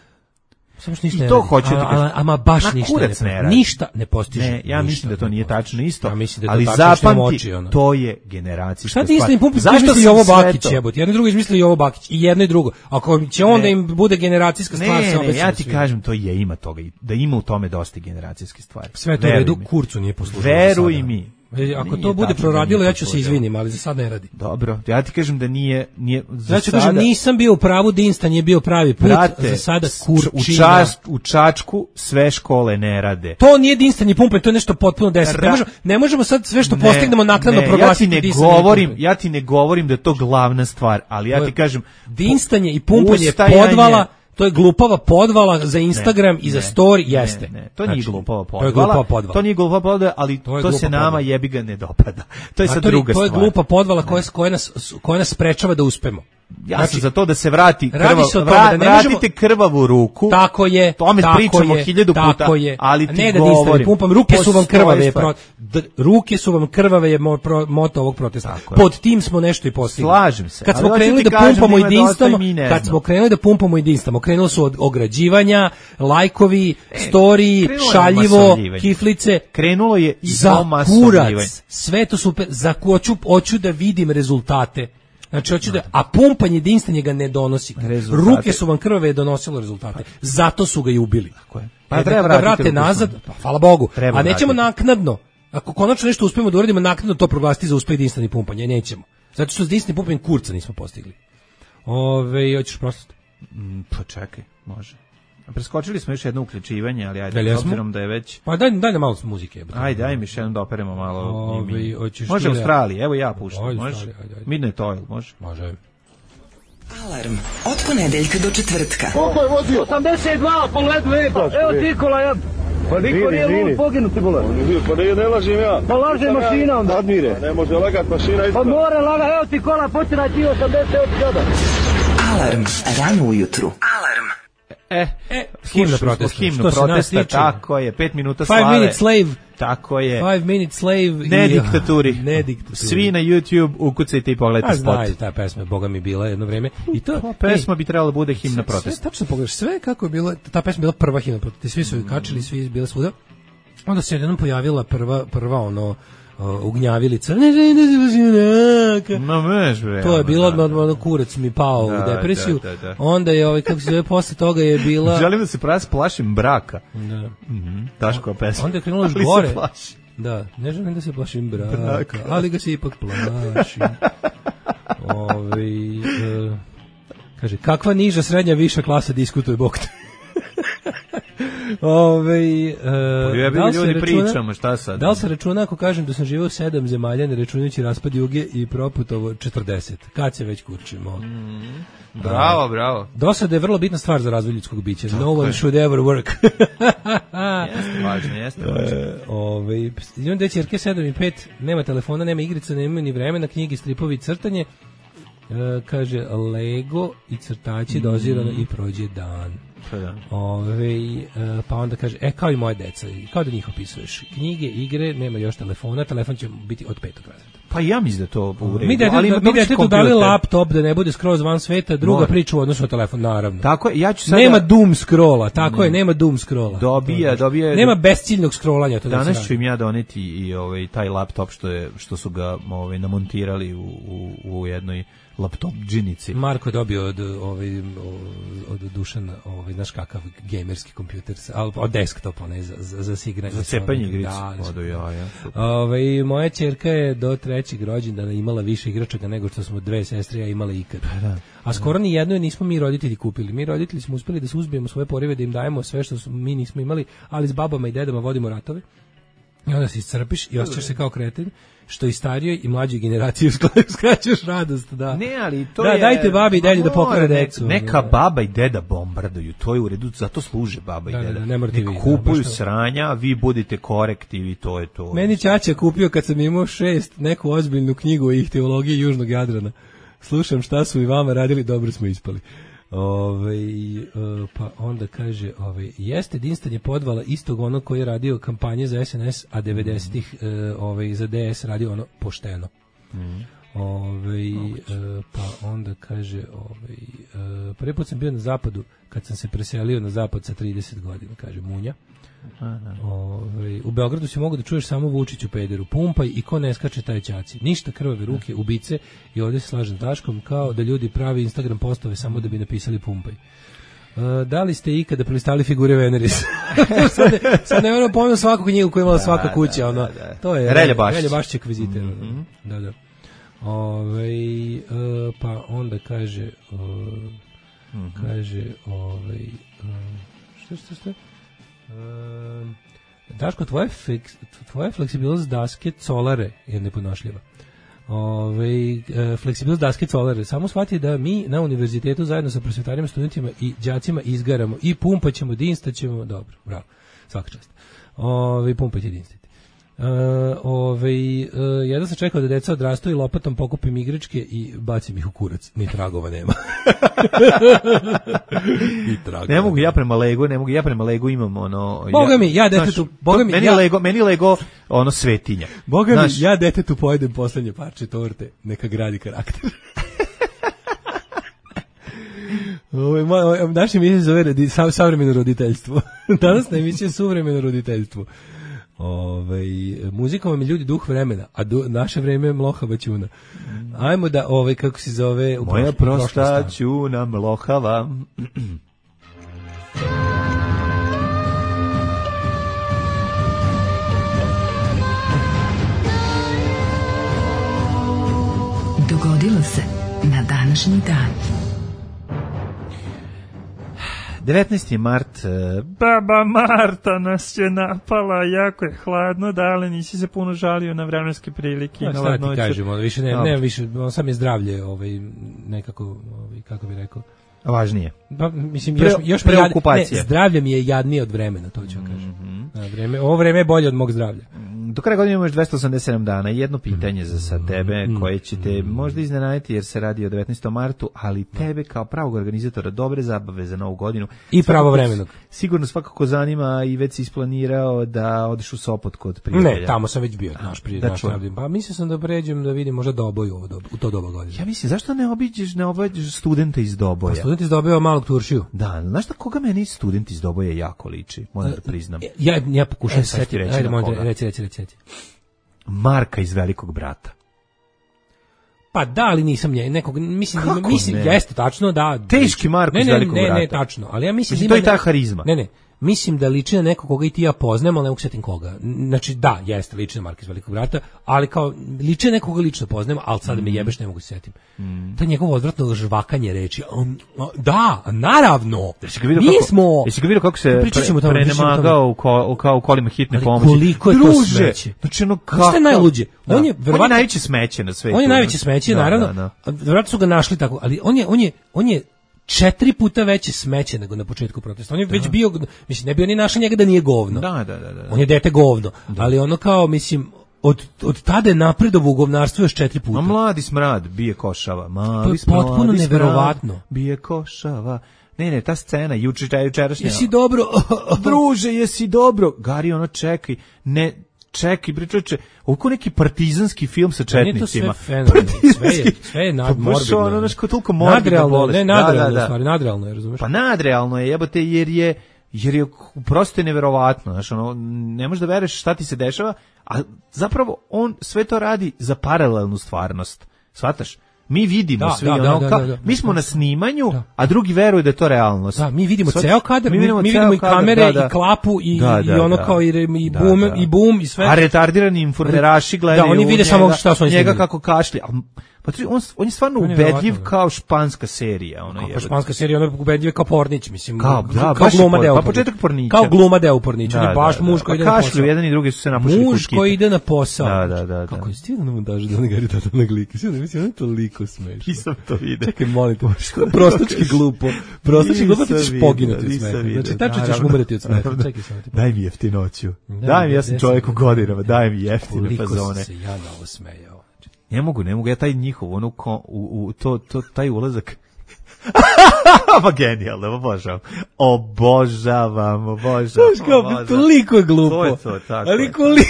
Samo što ništa I ne to radi. hoću ti A- kažem. a- Ama baš Na ništa kurac ne, ne radi. ništa ne postiže. Ne, ja Ništa mislim da to ne nije postiže. tačno isto. Ja mislim da je to ali tačno što imam zapamti, oči, ono. to je generacijska Šta stvar. ti istim pumpom Zašto misli sam Jovo sve Bakić to- jebote? Jedan i drugi izmislio Jovo Bakić i jedno i drugo. Ako će on Ne. da im bude generacijska stvar, Ne, se ne, obesimo ja ti svi. kažem, to je, ima toga, i- da ima u tome dosta generacijske stvari. Sve je to u Veruj redu, mi. kurcu nije poslužilo. za Veruj sada. mi. E, Ako Nije to bude tačno da proradilo, nije ja ću se poslužilo. izvinim, ali za sad ne radi. Dobro, ja ti kažem da nije... nije za Ja ću sada- kažem, nisam bio u pravu, Dinstan je bio pravi put, Brate, za sada u, kurčina. čas, u Čačku sve škole ne rade. To nije Dinstan i pumpe, to je nešto potpuno deset. Ne Ra- možemo, ne možemo sad sve što Ne, postignemo naknadno ne, proglasiti ja ti ne Dinstanje i govorim, pumpe. ja ti ne govorim da je to glavna stvar, ali ja To ti je kažem Dinstanje i pumpanje ustajanje- podvala, to je glupava podvala za Instagram Ne, i za ne, story, ne, jeste. Ne, to nije Znači, glupava To je podvala. glupava podvala. To nije glupava podvala, ali To to, je se glupa nama podvala. jebi ga ne dopada. To je A sad to je- druga To je stvar. glupa podvala koja, koja, nas, koja nas sprečava da uspemo. Ja Znači, sam za to da se vrati radi krvav, se o tome vra- da ne možemo- vratite krvavu ruku. Tako je, Tome tako pričamo je, hiljadu puta, tako je. ali A ti ne da Dinstan govorim, i pumpam, ruke su vam postoji krvave, je stvar. pro, d, ruke su vam krvave je mo, pro, moto ovog protesta. Tako je. Pod tim smo nešto i postigli. Slažem se, Kad ali smo hoću krenuli ti da kažem pumpamo da i ima dosta dinstamo, i mi ne kad znamo. smo krenuli da pumpamo i dinstamo, krenulo su od ograđivanja, lajkovi, storiji, krenulo je šaljivo, masovljivanje. kiflice. Krenulo je i Za omasovljivanje. kurac, sve to super, za hoću, hoću da vidim rezultate. Znači, hoću da, a pumpanje jedinstvanje ga ne donosi. Rezultate. Ruke su vam krvave donosilo rezultate. Zato su ga i ubili. Tako je. Pa e, treba da vrate nazad, pa, hvala Bogu. Treba a nećemo vratiti. naknadno. Ako konačno nešto uspemo da uradimo, naknadno to proglasiti za uspeh jedinstveni pumpanje, nećemo. Zato što s jedinstvenim pumpanjem kurca nismo postigli. Ove, hoćeš prosto? Mm, pa čekaj, može. Preskočili smo još jedno uključivanje, ali ajde, Jel s obzirom da je već... Pa daj, daj nam malo muzike. Ajde, daj mi še jednom da operemo malo. Ove, može Australija, evo ja puštam, Ajde, može? ajde, ajde. Midnight Oil, može? Može. Alarm od ponedeljka do četvrtka. Koliko je vozio? osamdeset dva po ledu, ej, pa, evo Nikola, ja. Pa niko nije lud poginuti, bole. Pa ne, ne lažem ja. Pa laže mašina onda. Admire. Ne može lagat mašina isto. Pa mora lagat, evo ti kola, počinaj ti osamdeset sada. Alarm, rano ujutru. Alarm. E, e himna protesta. Himna protesta, tako je, pet minuta slave. Five minute slave. Tako je. Five minute slave. Ne i, diktaturi. Ne diktaturi. Svi na YouTube ukucajte i pogledajte spot. A znaj, ta pesma je Boga mi bila jedno vreme. I to, to pesma ej, bi trebala da bude himna sve, protesta. Sve, tačno pogledaš, sve kako je bilo, ta pesma je bila prva himna protesta. Svi su ju kačili, svi bile svuda. Onda se jednom pojavila prva, prva ono, Uh, ugnjavilica, ne želim da se važnjaka. No, meš, bre. To je bilo odmah, odmah kurac mi pao da, u depresiju. Da, da, da. Onda je, ovaj, kako se zove, posle toga je bila... Želim da se pravi plašim braka. Da. Mm-hmm. Daškova pesma. Onda je krenulo još gore. Da, ne želim da se plašim braka, braka. Ali ga se ipak plašim. Ovi, uh, kaže, kakva niža, srednja, viša klasa diskutuje Bog te. Ove, uh, da li ljudi računa, pričamo, šta sad? Da li se računa ako kažem da sam živio u sedam zemalja, ne računajući raspad Juge i Proputovo četrdeset? Kad se već kurčimo? Mm, bravo, uh, bravo. Dosada je vrlo bitna stvar za razvoj ljudskog bića. No one should ever work. Jeste važno, jeste važno. Uh, ove, imam dve ćerke, sedam i pet, nema telefona, nema igrica, nema ni vremena, knjige, stripovi i crtanje. Uh, kaže, Lego i crtači, mm. dozirano i prođe dan. Da. Ove, pa onda kaže, e, kao i moje deca, kao da njih opisuješ. Knjige, igre, nema još telefona, telefon će biti od petog razreda. Pa ja mislim da to u redu. Mi detetu, ali mi detetu dali laptop da ne bude skroz van sveta, druga Mora. priča u odnosu na telefon, naravno. Tako je, ja ću sada... Nema doom scrolla, tako ne. je, nema doom scrolla. Dobija, dobija... Nema besciljnog scrollanja. To danas ću im ja doneti i ovaj, taj laptop što, je, što su ga ovaj, namontirali u, u, u jednoj laptop džinici. Marko je dobio od, ovaj, od Dušana, ovaj, znaš kakav gamerski kompjuter, od desktopa, ne, za, za, za sigranje. Za cepanje igrice. Da, da, ja, ja, ovaj, moja ćerka je do trećeg rođendana imala više igračaka nego što smo dve sestre ja imala ikad. Da, a skoro ni jedno nismo mi roditelji kupili. Mi roditelji smo uspeli da suzbijemo svoje porive, da im dajemo sve što su, mi nismo imali, ali s babama i dedama vodimo ratove. I onda se iscrpiš i osjećaš se kao kreten, što i starijoj i mlađoj generaciji skraćaš radost, da. Ne, ali to da, je... dajte babi i dedi da pokore decu. Neka baba i deda bombarduju, to je u redu, zato služe baba da, i deda. Da, ne morate vi. Kupuju da, sranja, vi budite korektivi, to je to. Meni ćaća kupio kad sam imao šest neku ozbiljnu knjigu o ihteologiji Južnog Jadrana. Slušam šta su i vama radili, dobro smo ispali. Ove, pa onda kaže, ove, jeste jedinstvenje podvala istog onog koji je radio kampanje za S N S, a devedesetih ove, za D S radio ono pošteno. Mm. Ove, pa onda kaže, ove, prvi put sam bio na zapadu kad sam se preselio na zapad sa trideset godina, kaže Munja. Ove, u Beogradu si mogu da čuješ samo Vučiću pederu, pumpaj i ko ne skače taj ćaci. Ništa, krvave ruke, ubice i ovdje se slažem Daškom kao da ljudi pravi Instagram postove samo da bi napisali pumpaj. Uh, da li ste ikada prelistali figure Veneris? sad, ne, sad ne moram pomenu svaku knjigu koju imala da, svaka kuća. Da, ono, da, da. To je Relja Bašić. Relja Bašić kviziter. Mm-hmm. Da, da. Ove, uh, pa onda kaže uh, mm-hmm. kaže ove, uh, što što što Uh, Daško, tvoje, fiks, tvoje fleksibilnost daske colare je neponošljiva. Ove, uh, fleksibilnost daske colare. Samo shvati da mi na univerzitetu zajedno sa prosvetarima, studentima i đacima izgaramo i pumpaćemo, dinstaćemo. Dobro, bravo, svaka čast. Ove, pumpać i dinstati. Uh, ove, uh, jedan sam čekao da deca odrastu i lopatom pokupim igračke i bacim ih u kurac. Ni tragova nema. Ni tragova. Ne mogu ja prema Lego, ne mogu ja prema Lego imam ono... Boga mi, ja detetu... Znaš, Boga mi, meni, ja, Lego, meni Lego ono svetinja. Boga znaš, mi, ja detetu pojedem poslednje parče torte, neka gradi karakter. Ovo, naša emisija zove radi, sav, savremeno roditeljstvo. Danas na emisiji je suvremeno roditeljstvo. Ovaj muzika vam je ljudi duh vremena, a du, naše vreme je mlohava ćuna. Ajmo da ovaj kako se zove u moja prosta ćuna mlohava. Dogodilo se na današnji dan. devetnaesti mart, baba Marta nas je napala, jako je hladno, dale, nisi se puno žalio na vremenske prilike. No, šta ti kažemo, više ne, ne, više, on sam je zdravlje, ovaj, nekako, ovaj, kako bi rekao, važnije. Pa, mislim, još, Pre, još preokupacija. Ne, zdravlje mi je jadnije od vremena, to ću kažem. Mm -hmm. vreme, ovo vreme je bolje od mog zdravlja. Do kraja godine imaš dvesta osamdeset sedam dana. Jedno pitanje za sad tebe koje će te možda iznenaditi jer se radi o devetnaestom martu, ali tebe kao pravog organizatora dobre zabave za novu godinu i pravovremenog. Sigurno svakako zanima i već si isplanirao da odeš u Sopot kod prijatelja. Ne, tamo sam već bio, naš prijatelj. Da pa mislim sam da pređem da vidim možda Doboj u, u to doba godine. Ja mislim, zašto ne obiđeš, ne obiđeš studenta iz Doboja? Pa student iz Doboja malog Turšiju. Da, znaš da koga meni student iz Doboja jako liči, moram da priznam. Ja, ja pokušam e, se setiti. Ajde, možda, reci, reci, reci. Marka iz Velikog brata. Pa da, ali nisam nje, nekog, mislim, da, mislim, ne? Jeste tačno, da. Teški Marko ne, iz Velikog ne, brata. Ne, ne, tačno, ali ja mislim, mislim da ima... To je ta harizma. Ne, ne, mislim da liči na nekog koga i ti ja poznajem, ali ne mogu setim koga. Znači, da, jeste, liči na Marka iz Velikog brata, ali kao, liči na nekoga lično poznajem, ali sada mm. me jebeš, ne mogu se setim. Mm. To je njegovo odvratno žvakanje reči. Um, da, naravno, mi smo... Jesi ga vidio kako se pre, prenemagao u, ko, kao u kolima hitne pomoći? Koliko je Druže, to smeće? Znači, ono kako... Što je najluđe? Da. On je, verovatno, on je najveće smeće na svetu. On je najveće smeće, da, naravno. Da, da. Verovatno su ga našli tako, ali on je, on je, on je četiri puta veće smeće nego na početku protesta. On je da. već bio, mislim, ne bi oni našli njega da nije govno. Da, da, da, da. On je dete govno, da. ali ono kao, mislim, od, od tada je napredovo u govnarstvu još četiri puta. A mladi smrad bije košava. Mali smrad, potpuno neverovatno. Bije košava. Ne, ne, ta scena, juče, jučerašnja. Jesi dobro? Druže, jesi dobro? Gari, ono, čekaj, ne... Čekaj, bre čoveče, ovo neki partizanski film sa četnicima. Sve sve je, sve je nadmorbidno. Ono nešto toliko morbidno. Ne, nadrealno, da, da, da. Stvari, nadrealno je, razumeš? Pa nadrealno je, jebote, jer je jer je prosto neverovatno, znači ono ne možeš da veruješ šta ti se dešava, a zapravo on sve to radi za paralelnu stvarnost. Shvataš? Mi vidimo da, svi da, ono, da, da, da, da, mi smo na snimanju, da. a drugi veruju da je to realnost. Da, mi vidimo Svat, ceo kadar, mi vidimo, mi vidimo i kamere da, da. i klapu i, da, da, i ono da. kao i, i bum da, da. i bum i sve. A retardirani informaraši gledaju da, oni vide njega, samo šta su oni njega kako kašlje. Pa on, on je stvarno on je ubedljiv kao španska serija. Ono kao španska serija, ono je ubedljiv kao Pornić, mislim. Kao, da, kao gluma deo. Pa početak Pornića. Kao gluma deo Pornića, da, baš da, muž koji ide na posao. Kašlju, jedan i drugi su se napušili muž koji ide na posao. Da, da, da. Kako je stigao na montažu da ne gari tata na glike. Sve ne mislim, on je toliko smešno. Nisam to vidio. Čekaj, molim te, prostački glupo. Prostački glupo ti ćeš poginuti od smeha. Znači, tačno ćeš umreti od smeha. Čekaj samo ti. Daj mi jeftinoću. Daj mi, ja sam čovjek u godinama, daj mi jeftine fazone. Koliko se ja na ovo smejao. Ne mogu, ne mogu, ja taj njihov, ono, ko, u, u, to, to, taj ulazak, pa genijalno, obožavam, obožavam, obožavam. Znaš kao, toliko je glupo, to je to, tako ali koliko.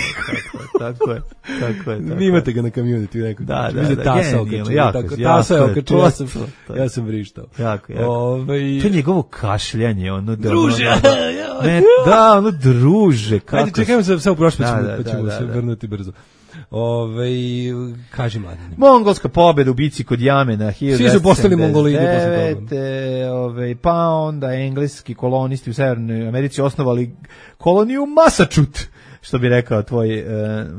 Tako je, tako je, tako je. Imate ga na community, rekao. Da, da, da, tasa okačio, jako, tasa je okačio, ja sam, ja sam vrištao. Jako, jako. Ove... To je njegovo kašljanje, ono, da, druže, ono, ne, da, ono, druže, kako. Ajde, čekajmo se, sve u prošle, pa ćemo se vrnuti brzo. Ove, kaži mladine. Mongolska pobjeda u bici kod Jamena hiljadu devetsto sedamdeset devet. Svi su postali mongolidi posle toga. Ove, pa onda engleski kolonisti u Severnoj Americi osnovali koloniju Massachusetts, što bi rekao tvoj uh,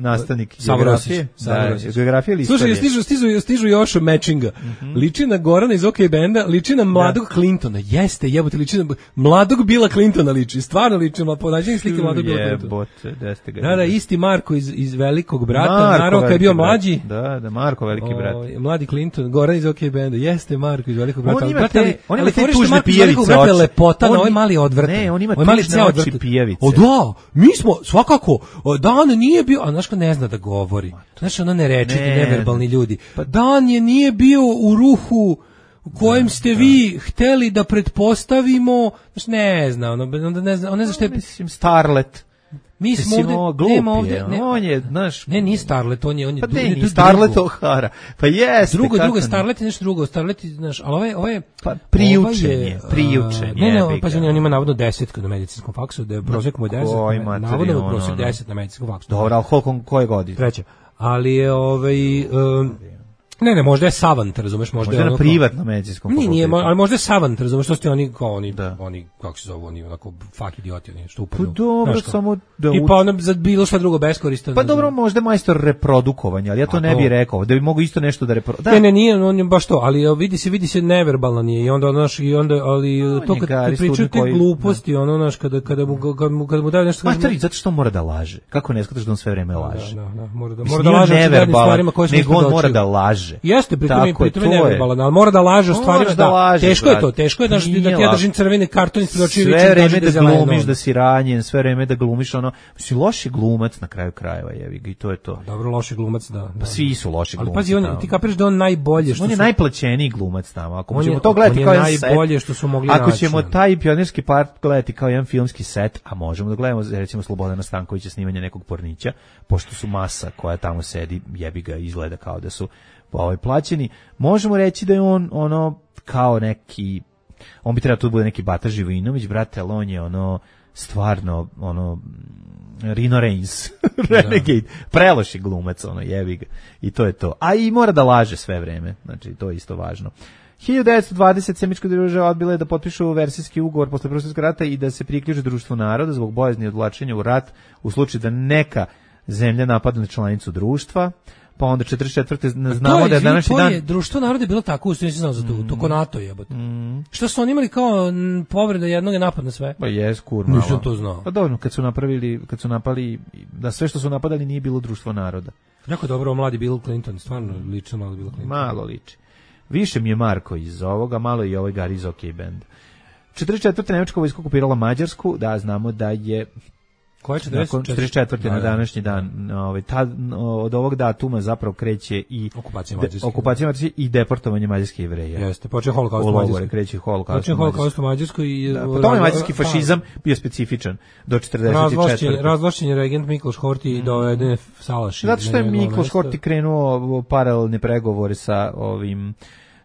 nastavnik geografije. Da, geografije ili istorije. Slušaj, stižu, stižu, stižu još matchinga. Mm -hmm. Liči na Gorana iz OK Benda, liči na mladog da. Clintona. Jeste, jebote, liči na mladog Billa Clintona liči. Stvarno liči na ponađenje slike mladog Billa Clintona. Jebote, jeste ga. Da, da, isti Marko iz, iz Velikog brata. Marko je bio mlađi. Da, da, Marko veliki brat. O, mladi Clinton, Goran iz OK Benda. Jeste Marko iz Velikog brata. On ima te, on ima te tužne pijevice oči. Lepota, na ovaj mali odvrat. Ne, on ima tužne oči pijevice. O da, mi smo svakako Dan nije bio, a znaš ko ne zna da govori. Znaš, ono nerečiti, ne, neverbalni ljudi. Pa Dan je nije bio u ruhu u kojem da, ste da. vi hteli da pretpostavimo, znaš, ne zna, ono, onda ne zna, on ne zna šta je... Mislim, Starlet. Mi smo ovde, glup nema ovde, ne, on je, znaš, ne, nije Starlet, on je, on je, pa du, ne, du, Starlet O'Hara, pa jeste. Drugo, drugo, Starlet je nešto drugo, Starlet je, znaš, ali ovo je, ovo je, pa priučen je, priučen je. Ne, ne, pa on ima navodno deset na medicinskom faksu, da je prosjek mu je deset, navodno je prosjek deset na medicinskom faksu. Dobro, ali koliko, koje godine? Treća, ali je, ovaj, um, ne, ne, možda je savant, razumeš, možda, možda je na privatnom medicinskom fakultetu. Nije, ali možda je savant, razumeš, što ste oni kao oni, da. oni kako se zove, oni onako fak idioti, oni što upadnu. Pa dobro, samo da i pa ono za bilo šta drugo beskorisno. Pa dobro, možda majstor reprodukovanja, ali ja to A ne bih rekao, da bi mogu isto nešto da repro... Da. Ne, ne, nije, on je baš to, ali vidi se, vidi se neverbalno nije i onda naš i onda ali no, to kad, kad pričaju te gluposti, da. ono naš kada kada mu kada mu, kada mu daju nešto kaže. Zato što mora da laže. Kako ne shvataš da on sve vreme laže? Da, da, mora da mora da laže o stvarima koje su nego on mora da laže. Jeste, pritom pritom je neverbalan, ali mora da laže o stvarima, da, laže, teško brat. je to, teško je da, da ti ja držim crveni karton ispred očiju i sve vreme da glumiš da si ranjen, sve vreme da glumiš ono, si loši glumac na kraju krajeva, jevi ga i to je to. Dobro, loši glumac, da. Pa svi su loši glumci. Ali pazi, on, ti kapiraš da on najbolje što on je su... najplaćeniji glumac tamo. Ako on ćemo je, to gledati kao jedan najbolje što su mogli Ako naći. ćemo taj pionirski park gledati kao jedan filmski set, a možemo da gledamo recimo Slobodana Stankovića snimanje nekog pornića, pošto su masa koja tamo sedi, jebi ga, izgleda kao da su ovaj plaćeni, možemo reći da je on ono kao neki, on bi trebao tu bude neki Bata Živojinović, brate, ali on je ono stvarno ono Rino Reigns, Renegade, preloši glumac, ono, jebi ga, i to je to. A i mora da laže sve vreme, znači to je isto važno. hiljadu devetsto dvadeset Semička država odbila je da potpišu versijski ugovor posle Prvog svjetskog rata i da se priključe društvu naroda zbog bojazni odvlačenja u rat u slučaju da neka zemlja napadne članicu društva. Pa onda četrdeset četvrte znamo da je današnji dan... To je društvo naroda je bilo tako, ustavno nisam znao za to, mm. to ko NATO jebote. Mm. Što su oni imali kao m, povreda jednog je napad na sve? Pa jes, kur malo. Nisam to znao. Pa dobro, kad su napravili, kad su napali, da sve što su napadali nije bilo društvo naroda. Jako dobro, mladi Bill Clinton, stvarno lično malo Bill Clinton. Malo liči. Više mi je Marko iz ovoga, malo i ovaj Gary iz OK Band. četrdeset četvrte Nemačka vojska okupirala Mađarsku, da znamo da je Koje četrdeset četvrte na današnji dan, ovaj ta od ovog datuma zapravo kreće i okupacija Mađarske, okupacija Mađarske i deportovanje mađarskih Jevreja. Jeste, počeo holokaust u Mađarskoj. Kreće holokaust. Počeo holokaust u Mađarskoj i da, potom je mađarski fašizam bio specifičan do četrdeset četvrte. Razvlašćen je regent Mikloš Horthy i doveden Salaš. Zato što je Mikloš Horthy krenuo paralelne pregovore sa ovim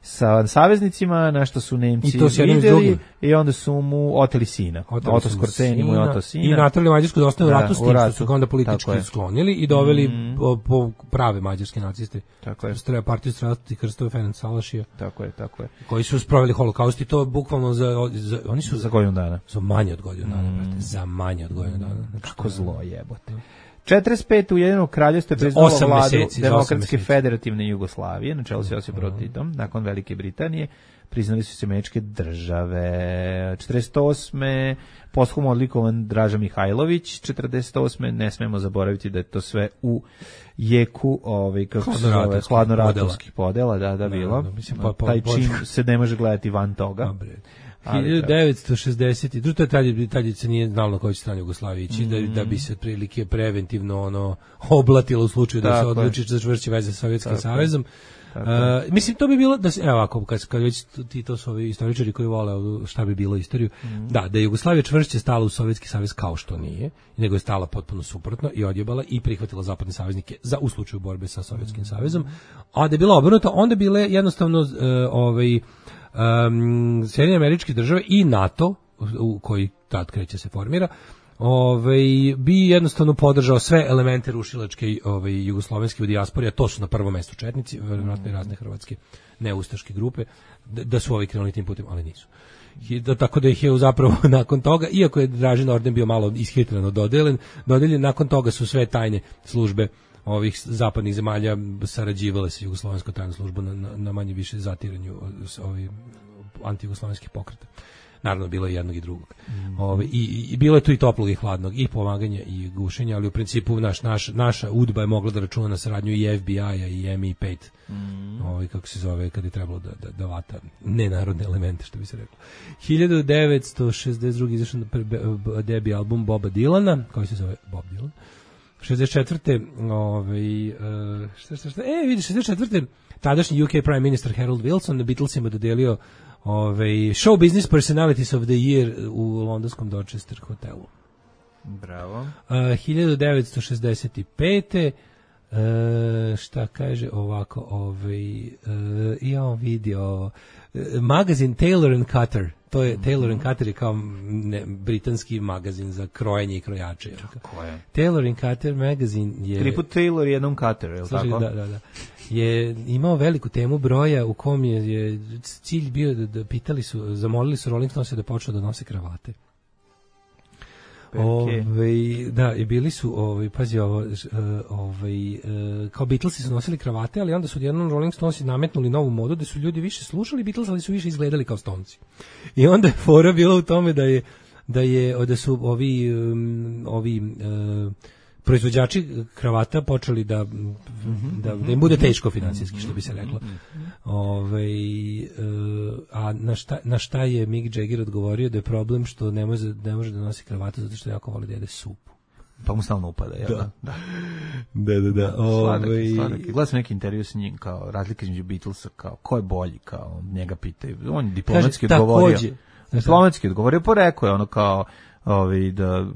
sa saveznicima, na što su Nemci vidjeli i onda su mu oteli sina. Oto Skorceni mu je oto sina. I natrali Mađarsku da ostane u ratu s tim što su ga onda politički sklonili i doveli mm. po, po prave mađarske naciste. Tako je. Streja partiju Strasti Krstove Ferenc Salašija. Tako je, tako je. Koji su sproveli holokaust i to bukvalno za, za oni su za godinu dana. Za manje od godinu dana, mm. brate, za manje od godinu dana. Znači, kako zlo jebote. četrdeset pete Ujedinjeno kraljevstvo je priznalo vladu meseci, Demokratske federativne Jugoslavije, na čelu s Josipom Broz Titom, nakon Velike Britanije, priznali su se američke države. četrdeset osme posthumno odlikovan Draža Mihajlović, četrdeset osme ne smemo zaboraviti da je to sve u jeku ovaj kako se zove hladnoratovskih podela, da da bilo. Da, da, mislim, pa, pa, taj čin se ne može gledati van toga. Dobre. hiljadu devetsto šezdeset drugo je tad, tad se nije znalo na kojoj strani Jugoslavije ići, mm. da, da bi se prilike preventivno ono oblatilo u slučaju da se odluči za čvršće veze sa Sovjetskim savezom. Uh, mislim, to bi bilo, da se, evo ovako, kad, kad već ti to su ovi istoričari koji vole šta bi bilo istoriju, mm. da, da je Jugoslavija čvršće stala u Sovjetski savez kao što nije, nego je stala potpuno suprotno i odjebala i prihvatila zapadne saveznike za u slučaju borbe sa Sovjetskim mm. savezom, a da je bilo obrnuto, onda bile jednostavno uh, ovaj Um, Sjedinjene Američke Države i NATO, u koji tad kreće se formira, ovaj, bi jednostavno podržao sve elemente rušilačke ovaj, jugoslovenske u dijaspori, a to su na prvom mestu četnici, vjerojatno i razne hrvatske neustaške grupe, da, da su ovi krenuli tim putem, ali nisu. I da, tako da ih je zapravo nakon toga, iako je Dražin orden bio malo ishitreno dodeljen, dodeljen, nakon toga su sve tajne službe ovih zapadnih zemalja sarađivale sa jugoslovenskom tajnom službom na, na, na manje više zatiranju ovih antijugoslovenskih pokreta. Naravno, bilo je jednog i drugog. Mm. Ove, i, i bilo je tu i toplog i hladnog, i pomaganja i gušenja, ali u principu naš, naš, naša udba je mogla da računa na saradnju i F B I-a i M I pet, mm. Ove, kako se zove, kad je trebalo da, da, da vata nenarodne elemente, što bi se reklo. hiljadu devetsto šezdeset druge izašao debi album Boba Dylana, koji se zove Bob Dylan. šezdeset četvrte Ovaj, uh, šta, šta, šta, e, vidiš, šezdeset četvrte tadašnji U K Prime Minister Harold Wilson na Beatlesima dodelio ovaj, Show Business Personalities of the Year u londonskom Dorchester hotelu. Bravo. Uh, hiljadu devetsto šezdeset pete. Uh, šta kaže ovako, ovaj, uh, ja on vidio uh, magazin Taylor and Cutter. To je, mm-hmm. Taylor and Cutter je kao ne, britanski magazin za krojenje i krojače. Tako je. Taylor and Cutter magazin je... Triput Taylor, jednom Cutter, je li tako? Da, da, da. Je imao veliku temu broja u kom je, je cilj bio da, da pitali su, zamolili su Rolling Stones da počnu da nose kravate. Ove, da, i bili su, ovaj, pazi ovo, ovaj, kao Beatlesi su nosili kravate, ali onda su jednom Rolling Stonesi nametnuli novu modu da su ljudi više slušali Beatles, ali su više izgledali kao Stonesi. I onda je fora bila u tome da je da je da su ovi um, ovi uh, proizvođači kravata počeli da da, da im bude teško finansijski, što bi se reklo. Ovaj uh, a na šta, na šta je Mick Jagger odgovorio da je problem što ne može, ne može da nosi kravatu zato što jako voli da jede supu. Pa mu stalno upada, jel da? Da, da, da. da. Sladak, Ove... sladak. Gledam sam neki intervju s njim, kao razlika između Beatlesa, kao ko je bolji, kao njega pitaju. On je diplomatski Kaže, odgovorio. takođe. Diplomatski odgovorio, pa rekao je ono kao, ovaj, da...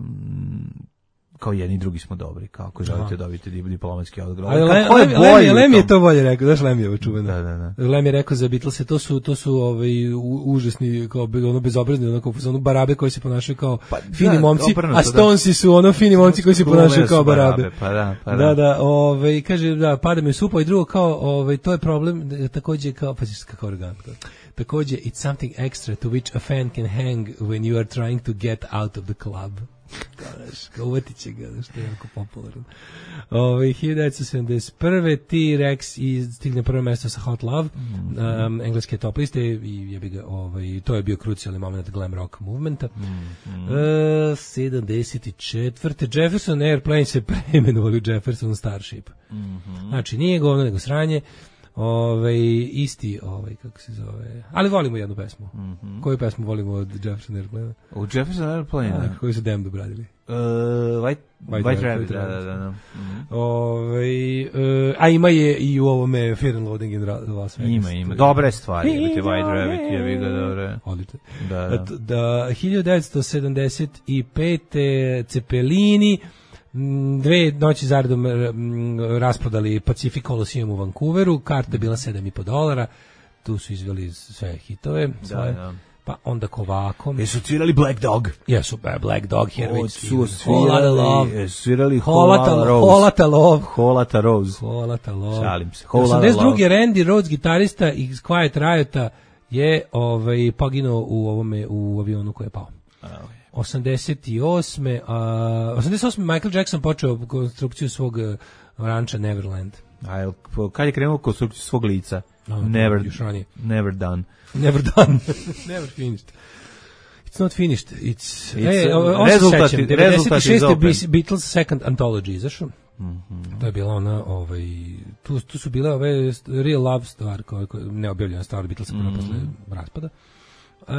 kao jedni i drugi smo dobri, kao ako želite dobiti diplomatski odgovor. Ali ko je bolji? Lem je to bolje rekao, znaš Lem je ovo čuveno. Da, da, da. Lem je rekao za Beatlese, to su to su ovaj u, užasni kao ono bezobrazni, onako ono barabe koji se ponašaju kao pa, fini da, momci, obrnuto, a Stonesi su ono fini momci koji se ponašaju kao barabe. barabe. Pa da, pa da. Da, da, ovaj kaže da pada mi supa i drugo kao ovaj to je problem takođe kao pa kako organsko. Takođe it's something extra to which a fan can hang when you are trying to get out of the club. Kao uvatit će ga, što je jako popularan. Ove, hiljadu devetsto sedamdeset prve. T-Rex i stigne prvo mesto sa Hot Love, mm-hmm. um, engleske top liste i jebi ga, ovaj, to je bio krucijalni moment glam rock movementa. Mm-hmm. Uh, sedamdeset četvrte. Jefferson Airplane se preimenovali u Jefferson Starship. Mm-hmm. Znači, nije govno, nego sranje. Ove, isti, ovaj, kako se zove, ali volimo jednu pesmu. Mm-hmm. Koju pesmu volimo od Jefferson Airplane? Od Jefferson Airplane, da. Koju su Damned obradili? Uh, White, White, White Rabbit, da, da, da. Mm-hmm. Ove, uh, a ima je i u ovome Fear and Loathing in Las Vegas. Ima, ima. Dobre stvari, imate White Rabbit, je vi ga dobre. Odlično. Da, da. Da, hiljadu devetsto sedamdeset pete. Cepelini, dve noći zaredom rasprodali Pacific Coliseum u Vancouveru, karta je bila sedam i po dolara, tu su izveli sve hitove svoje. Da, da. Pa onda Kovakom. Jesu svirali Black Dog? Jesu, Black Dog, Hermit. Su svirali, svirali Holata Rose. Holata Love. Holata Rose. Holata Love. Šalim se. osamdeset druge. Randy Rhoads, gitarista iz Quiet Riota, je ovaj, poginuo u ovome, u avionu koji je pao. osamdeset osme. A, osamdeset osme. Michael Jackson počeo konstrukciju svog ranča Neverland. A kad je krenuo konstrukciju svog lica? No, never, never done. Never done. Never finished. It's not finished. It's, It's e, uh, rezultat, devedeset šeste. Beatles Second Anthology izašao. Mm-hmm. To je bila ona, ovaj, tu, tu su bile ove real love stvar, koja, koja, neobjavljena stvar Beatlesa mm-hmm. posle raspada. E,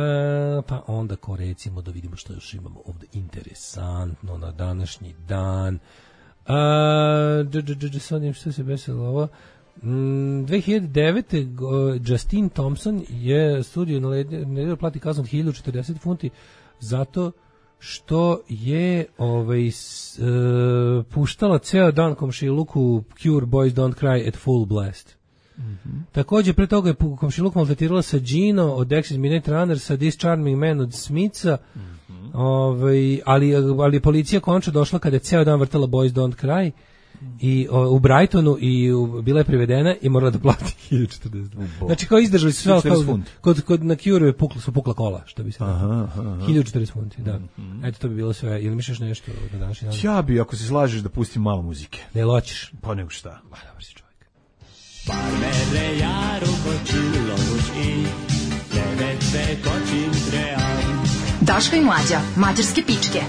pa onda ko recimo da vidimo što još imamo ovde interesantno na današnji dan. E, sad im što se besilo ovo. Mm, dve hiljade devete. Justin Thompson je studio naredio plati kaznu od hiljadu četrdeset funti zato što je ovaj, s, uh, puštala ceo dan komšiluku Cure Boys Don't Cry at full blast. Mm-hmm. Također pre toga je komšiluk maltretirala sa Gino od Dexys Midnight Runner, sa This Charming Man od Smitha, mm-hmm. ovaj, ali, ali je policija končno došla kada je ceo dan vrtala Boys Don't Cry i o, u Brightonu i u, bila je privedena i morala da plati hiljadu četrdeset. Znači kao izdržali su sve kao, kod, kod na Cure pukla, su pukla kola, što bi se rekao. hiljadu četrdeset funti, da. Mm-hmm. Eto, to bi bilo sve. Ili misliš nešto na današnji dan? Ja bi, ako se slažeš, da pustim malo muzike. Ne loćiš. Pa nego šta. Ma, dobar si čovjek. Parmerre járok a csillagos ég, nevetve kacsint reám. Daško i Mlađa, mađarske pičke.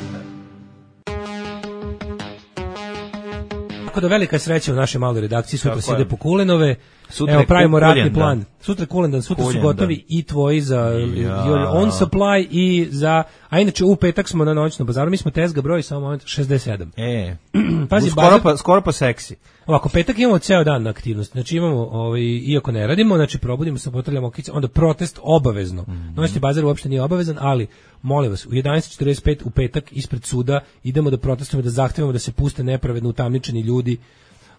Tako da velika sreća u našoj maloj redakciji, sutra se ide po kulenove. Sutra Evo, pravimo kuljen, ratni da. plan. Sutra je kulendan, sutra Kuljen, su gotovi da. i tvoji za Ja. your own supply i za... A inače, u petak smo na noćnom bazaru, mi smo tezga broj samo moment šezdeset sedam. E, Pazi, skoro, bazar- pa, skoro pa seksi. Ovako, petak imamo ceo dan na aktivnosti. Znači imamo, ovaj, iako ne radimo, znači probudimo se, potrljamo okice, onda protest obavezno. Mm-hmm. Noćni bazar uopšte nije obavezan, ali molim vas, u jedanaest četrdeset pet u petak ispred suda idemo da protestujemo, da zahtevamo da se puste nepravedno utamničeni ljudi.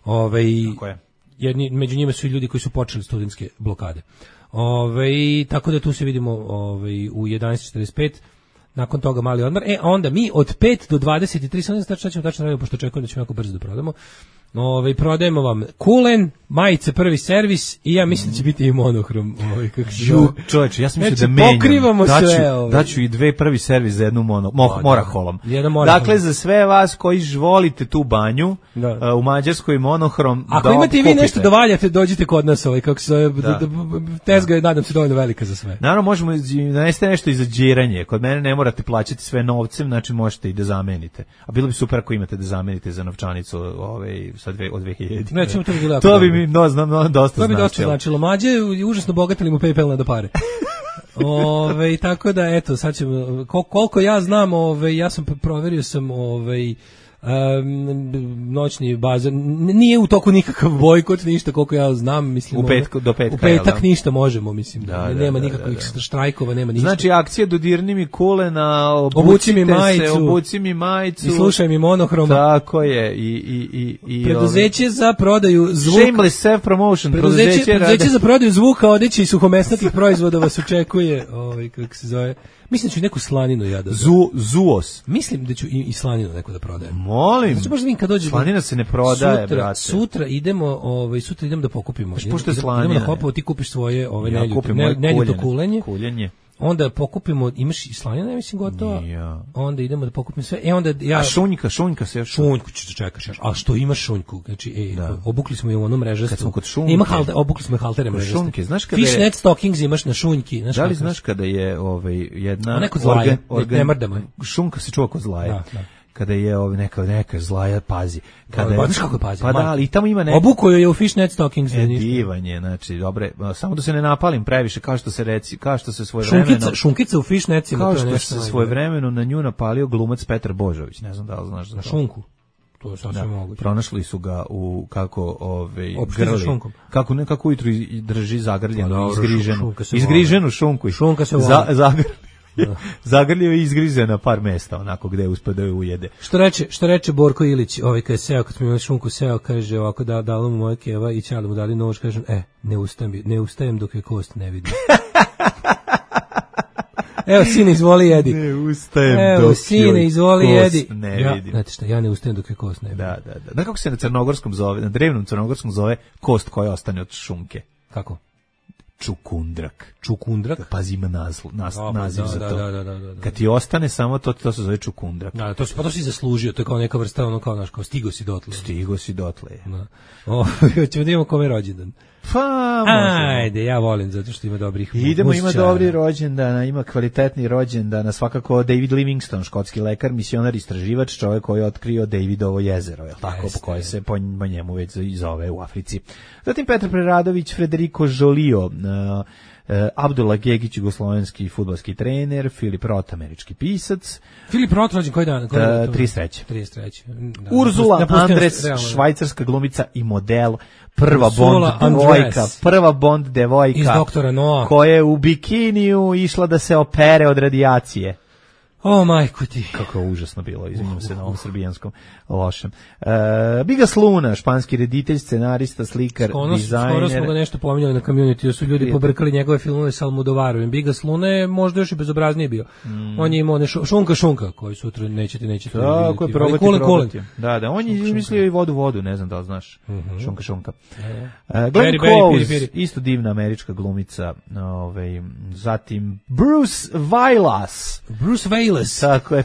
Ovaj, Tako je. Jedni, među njima su i ljudi koji su počeli studentske blokade. Ovaj, tako da tu se vidimo ovaj, u jedanaest četrdeset pet. Nakon toga mali odmor. E, onda mi od pet do dvadeset tri, sad ne znam šta ćemo tačno raditi, pošto očekujem da ćemo jako brzo da prodamo. Ove, prodajemo vam kulen, majice prvi servis i ja mislim da će biti i monohrom. Ovaj, kako se zove. Čovječe, ja sam mislio Znači, da menjam. pokrivamo daću, sve, ovaj. Daću i dve prvi servis za jednu mono, mo, da. moraholom. Jedan moraholom. Dakle, za sve vas koji volite tu banju, Da. uh, u Mađarskoj monohrom, Ako da imate i vi kupite. nešto da valjate, dođite kod nas, ovaj, kako se zove, Da. da. Da, tezga je, nadam se, dovoljno velika za sve. Naravno, možemo da neste nešto i za džiranje. Kod mene ne morate plaćati sve novcem, znači možete i da zamenite. A bilo bi super ako imate da zamenite za novčanicu ovaj, sa dve, od dve hiljade. Nećemo, to bi bilo jako To bi dobro. mi no, znam, no, dosta To bi dosta značilo. značilo. Mađe je užasno bogatili mu PayPal na da pare. Ove, tako da, eto, sad ćemo, kol, koliko ja znam, ove, ja sam proverio sam ovaj um, noćni bazar, N- nije u toku nikakav bojkot, ništa koliko ja znam, mislim. U petku, do petka, U petak jel da? ništa možemo, mislim. Da, Ne- da, nema da, nikakvih da, da. štrajkova, nema ništa. Znači, akcija dodirni mi kulena, Obuci mi obucite majicu. se, obuci mi majicu. I slušaj mi monohroma. Tako je. I, i, i, i, Preduzeće za prodaju zvuka. Shameless self-promotion. Preduzeće, Preduzeće, preduzeće rade- za prodaju zvuka, odeće i suhomesnatih proizvoda vas očekuje, ovaj, kako se zove. Mislim da ću neku slaninu ja da... Zu, zuos. Mislim da ću i, i slaninu neko da prodajem. Molim. Znači, možda vidim kad dođe... Slanina se ne prodaje, sutra, brate. Sutra idemo, ovaj, sutra idemo da pokupimo. Baš pošto je Idemo- slanina, Idemo na je. Hopovo, ti kupiš svoje ove, Ja neljuto, kupim ne, moje neljuto kuljenje. kulenje. Kuljenje. Onda pokupimo, imaš i slanina, ja mislim, gotova. Ja. Onda idemo da pokupimo sve. E, onda ja... A šunjka, šunjka se još... Šunjku ćeš da čekaš još. A što ima šunjku? Znači, ej, Da. obukli smo je u ono mrežastu. Kad smo kod šunke. Ima halter, obukli smo je haltere Kod mrežaste. šunke, znaš kada je- Fishnet stockings imaš na šunjki. Znaš Da li kako- znaš kada je ovaj jedna A neko zlaje, ne- ne mrdamo je. šunka se čuva kod zlaje. Da, da. Kada je ovaj neka neka zlaja pazi. Kada Da, je, pa znaš kako je pazi, Pa da, majke. ali i tamo ima neko Obuko je u Fishnet stockings. e, ništa. divanje, znači dobre, samo da se ne napalim previše kao što se reci, kao što se svojevremeno Šunkica, šunkica u fishnecima. kao to je što nešto se najbolje. svojevremeno na nju napalio glumac Petar Božović, ne znam da li znaš za Na to. šunku. To je sasvim Da, moguće. pronašli su ga u kako ovaj Opštine grli, šunkom. kako ne kako ujutru i- drži zagrljenu, Pa dobro, izgriženu, šunka se izgriženu šunku. i- Šunka se za, voli. zagrlio, zagrlio i izgrize na par mesta, onako gde je uspeo da je ujede. Što reče, što reče Borko Ilić, ovaj kad je seo, kad smo imali šunku seo, kaže ovako da dala mu moja keva i ćali mu dali nož, kažem, e, ne ustajem, ne ustajem dok je kost ne vidim. Evo, sine, izvoli jedi. Ne ustajem Evo, dok sine, joj izvoli kost jedi. ne ja, vidim. znate šta, ja ne ustajem dok je kost ne vidim. Da, da, da. Znaš kako se na crnogorskom zove, na drevnom crnogorskom zove kost koja ostane od šunke? Kako? Čukundrak. Čukundrak? Pazi, ima nazl, nas, Da, naziv da, za da, to. da, da, da, da. Kad ti ostane samo to, to se zove čukundrak. Da, to si, pa to si zaslužio, to je kao neka vrsta, ono kao, naš, kao stigo si dotle. Stigo si dotle. Da. O, hoćemo da imamo kome je rođendan. Pa, možemo. Ajde, ja volim, zato što ima dobrih Idemo, ima muzičara. dobri rođendana, ima kvalitetni rođendana, svakako David Livingstone, škotski lekar, misionar, istraživač, čovjek koji je otkrio Davidovo jezero, je tako, Jeste. po koje se po, po njemu već i zove u Africi. Zatim Petar Preradović, Federico Žolio, uh, uh, Abdullah Gegić, jugoslovenski fudbalski trener, Filip Roth, američki pisac, Filip Roth rođen koji dan? Koji Uh, dan? trideset treći. trideset treći. Da, Urzula napustio nas, Andres, realno. švajcarska glumica i model, prva Ursula Bond devojka, Andres. prva Bond devojka Iz Doktora Noa. koja je u bikiniju išla da se opere od radijacije. O, majku ti. Kako je užasno bilo, izvinjam se na ovom srbijanskom lošem. Uh, Bigas Luna, španski reditelj, scenarista, slikar, Ono, dizajner. skoro smo ga nešto pominjali na community, da su ljudi Prijatno. pobrkali njegove filmove sa Almodovarovim. Bigas Luna je možda još i bezobraznije bio. Mm. On je imao one šu- šunka šunka, koji sutra nećete, nećete Tako je, vidjeti. probati, Kulen, kulen. probati. Da, da, on je izmislio i vodu, vodu, ne znam da li znaš. Šunka, šunka. Uh, Glenn Peri, peri, Close, piri, piri. isto divna američka glumica. Ovaj, zatim Bruce Willis. Bruce Willis. Tako je.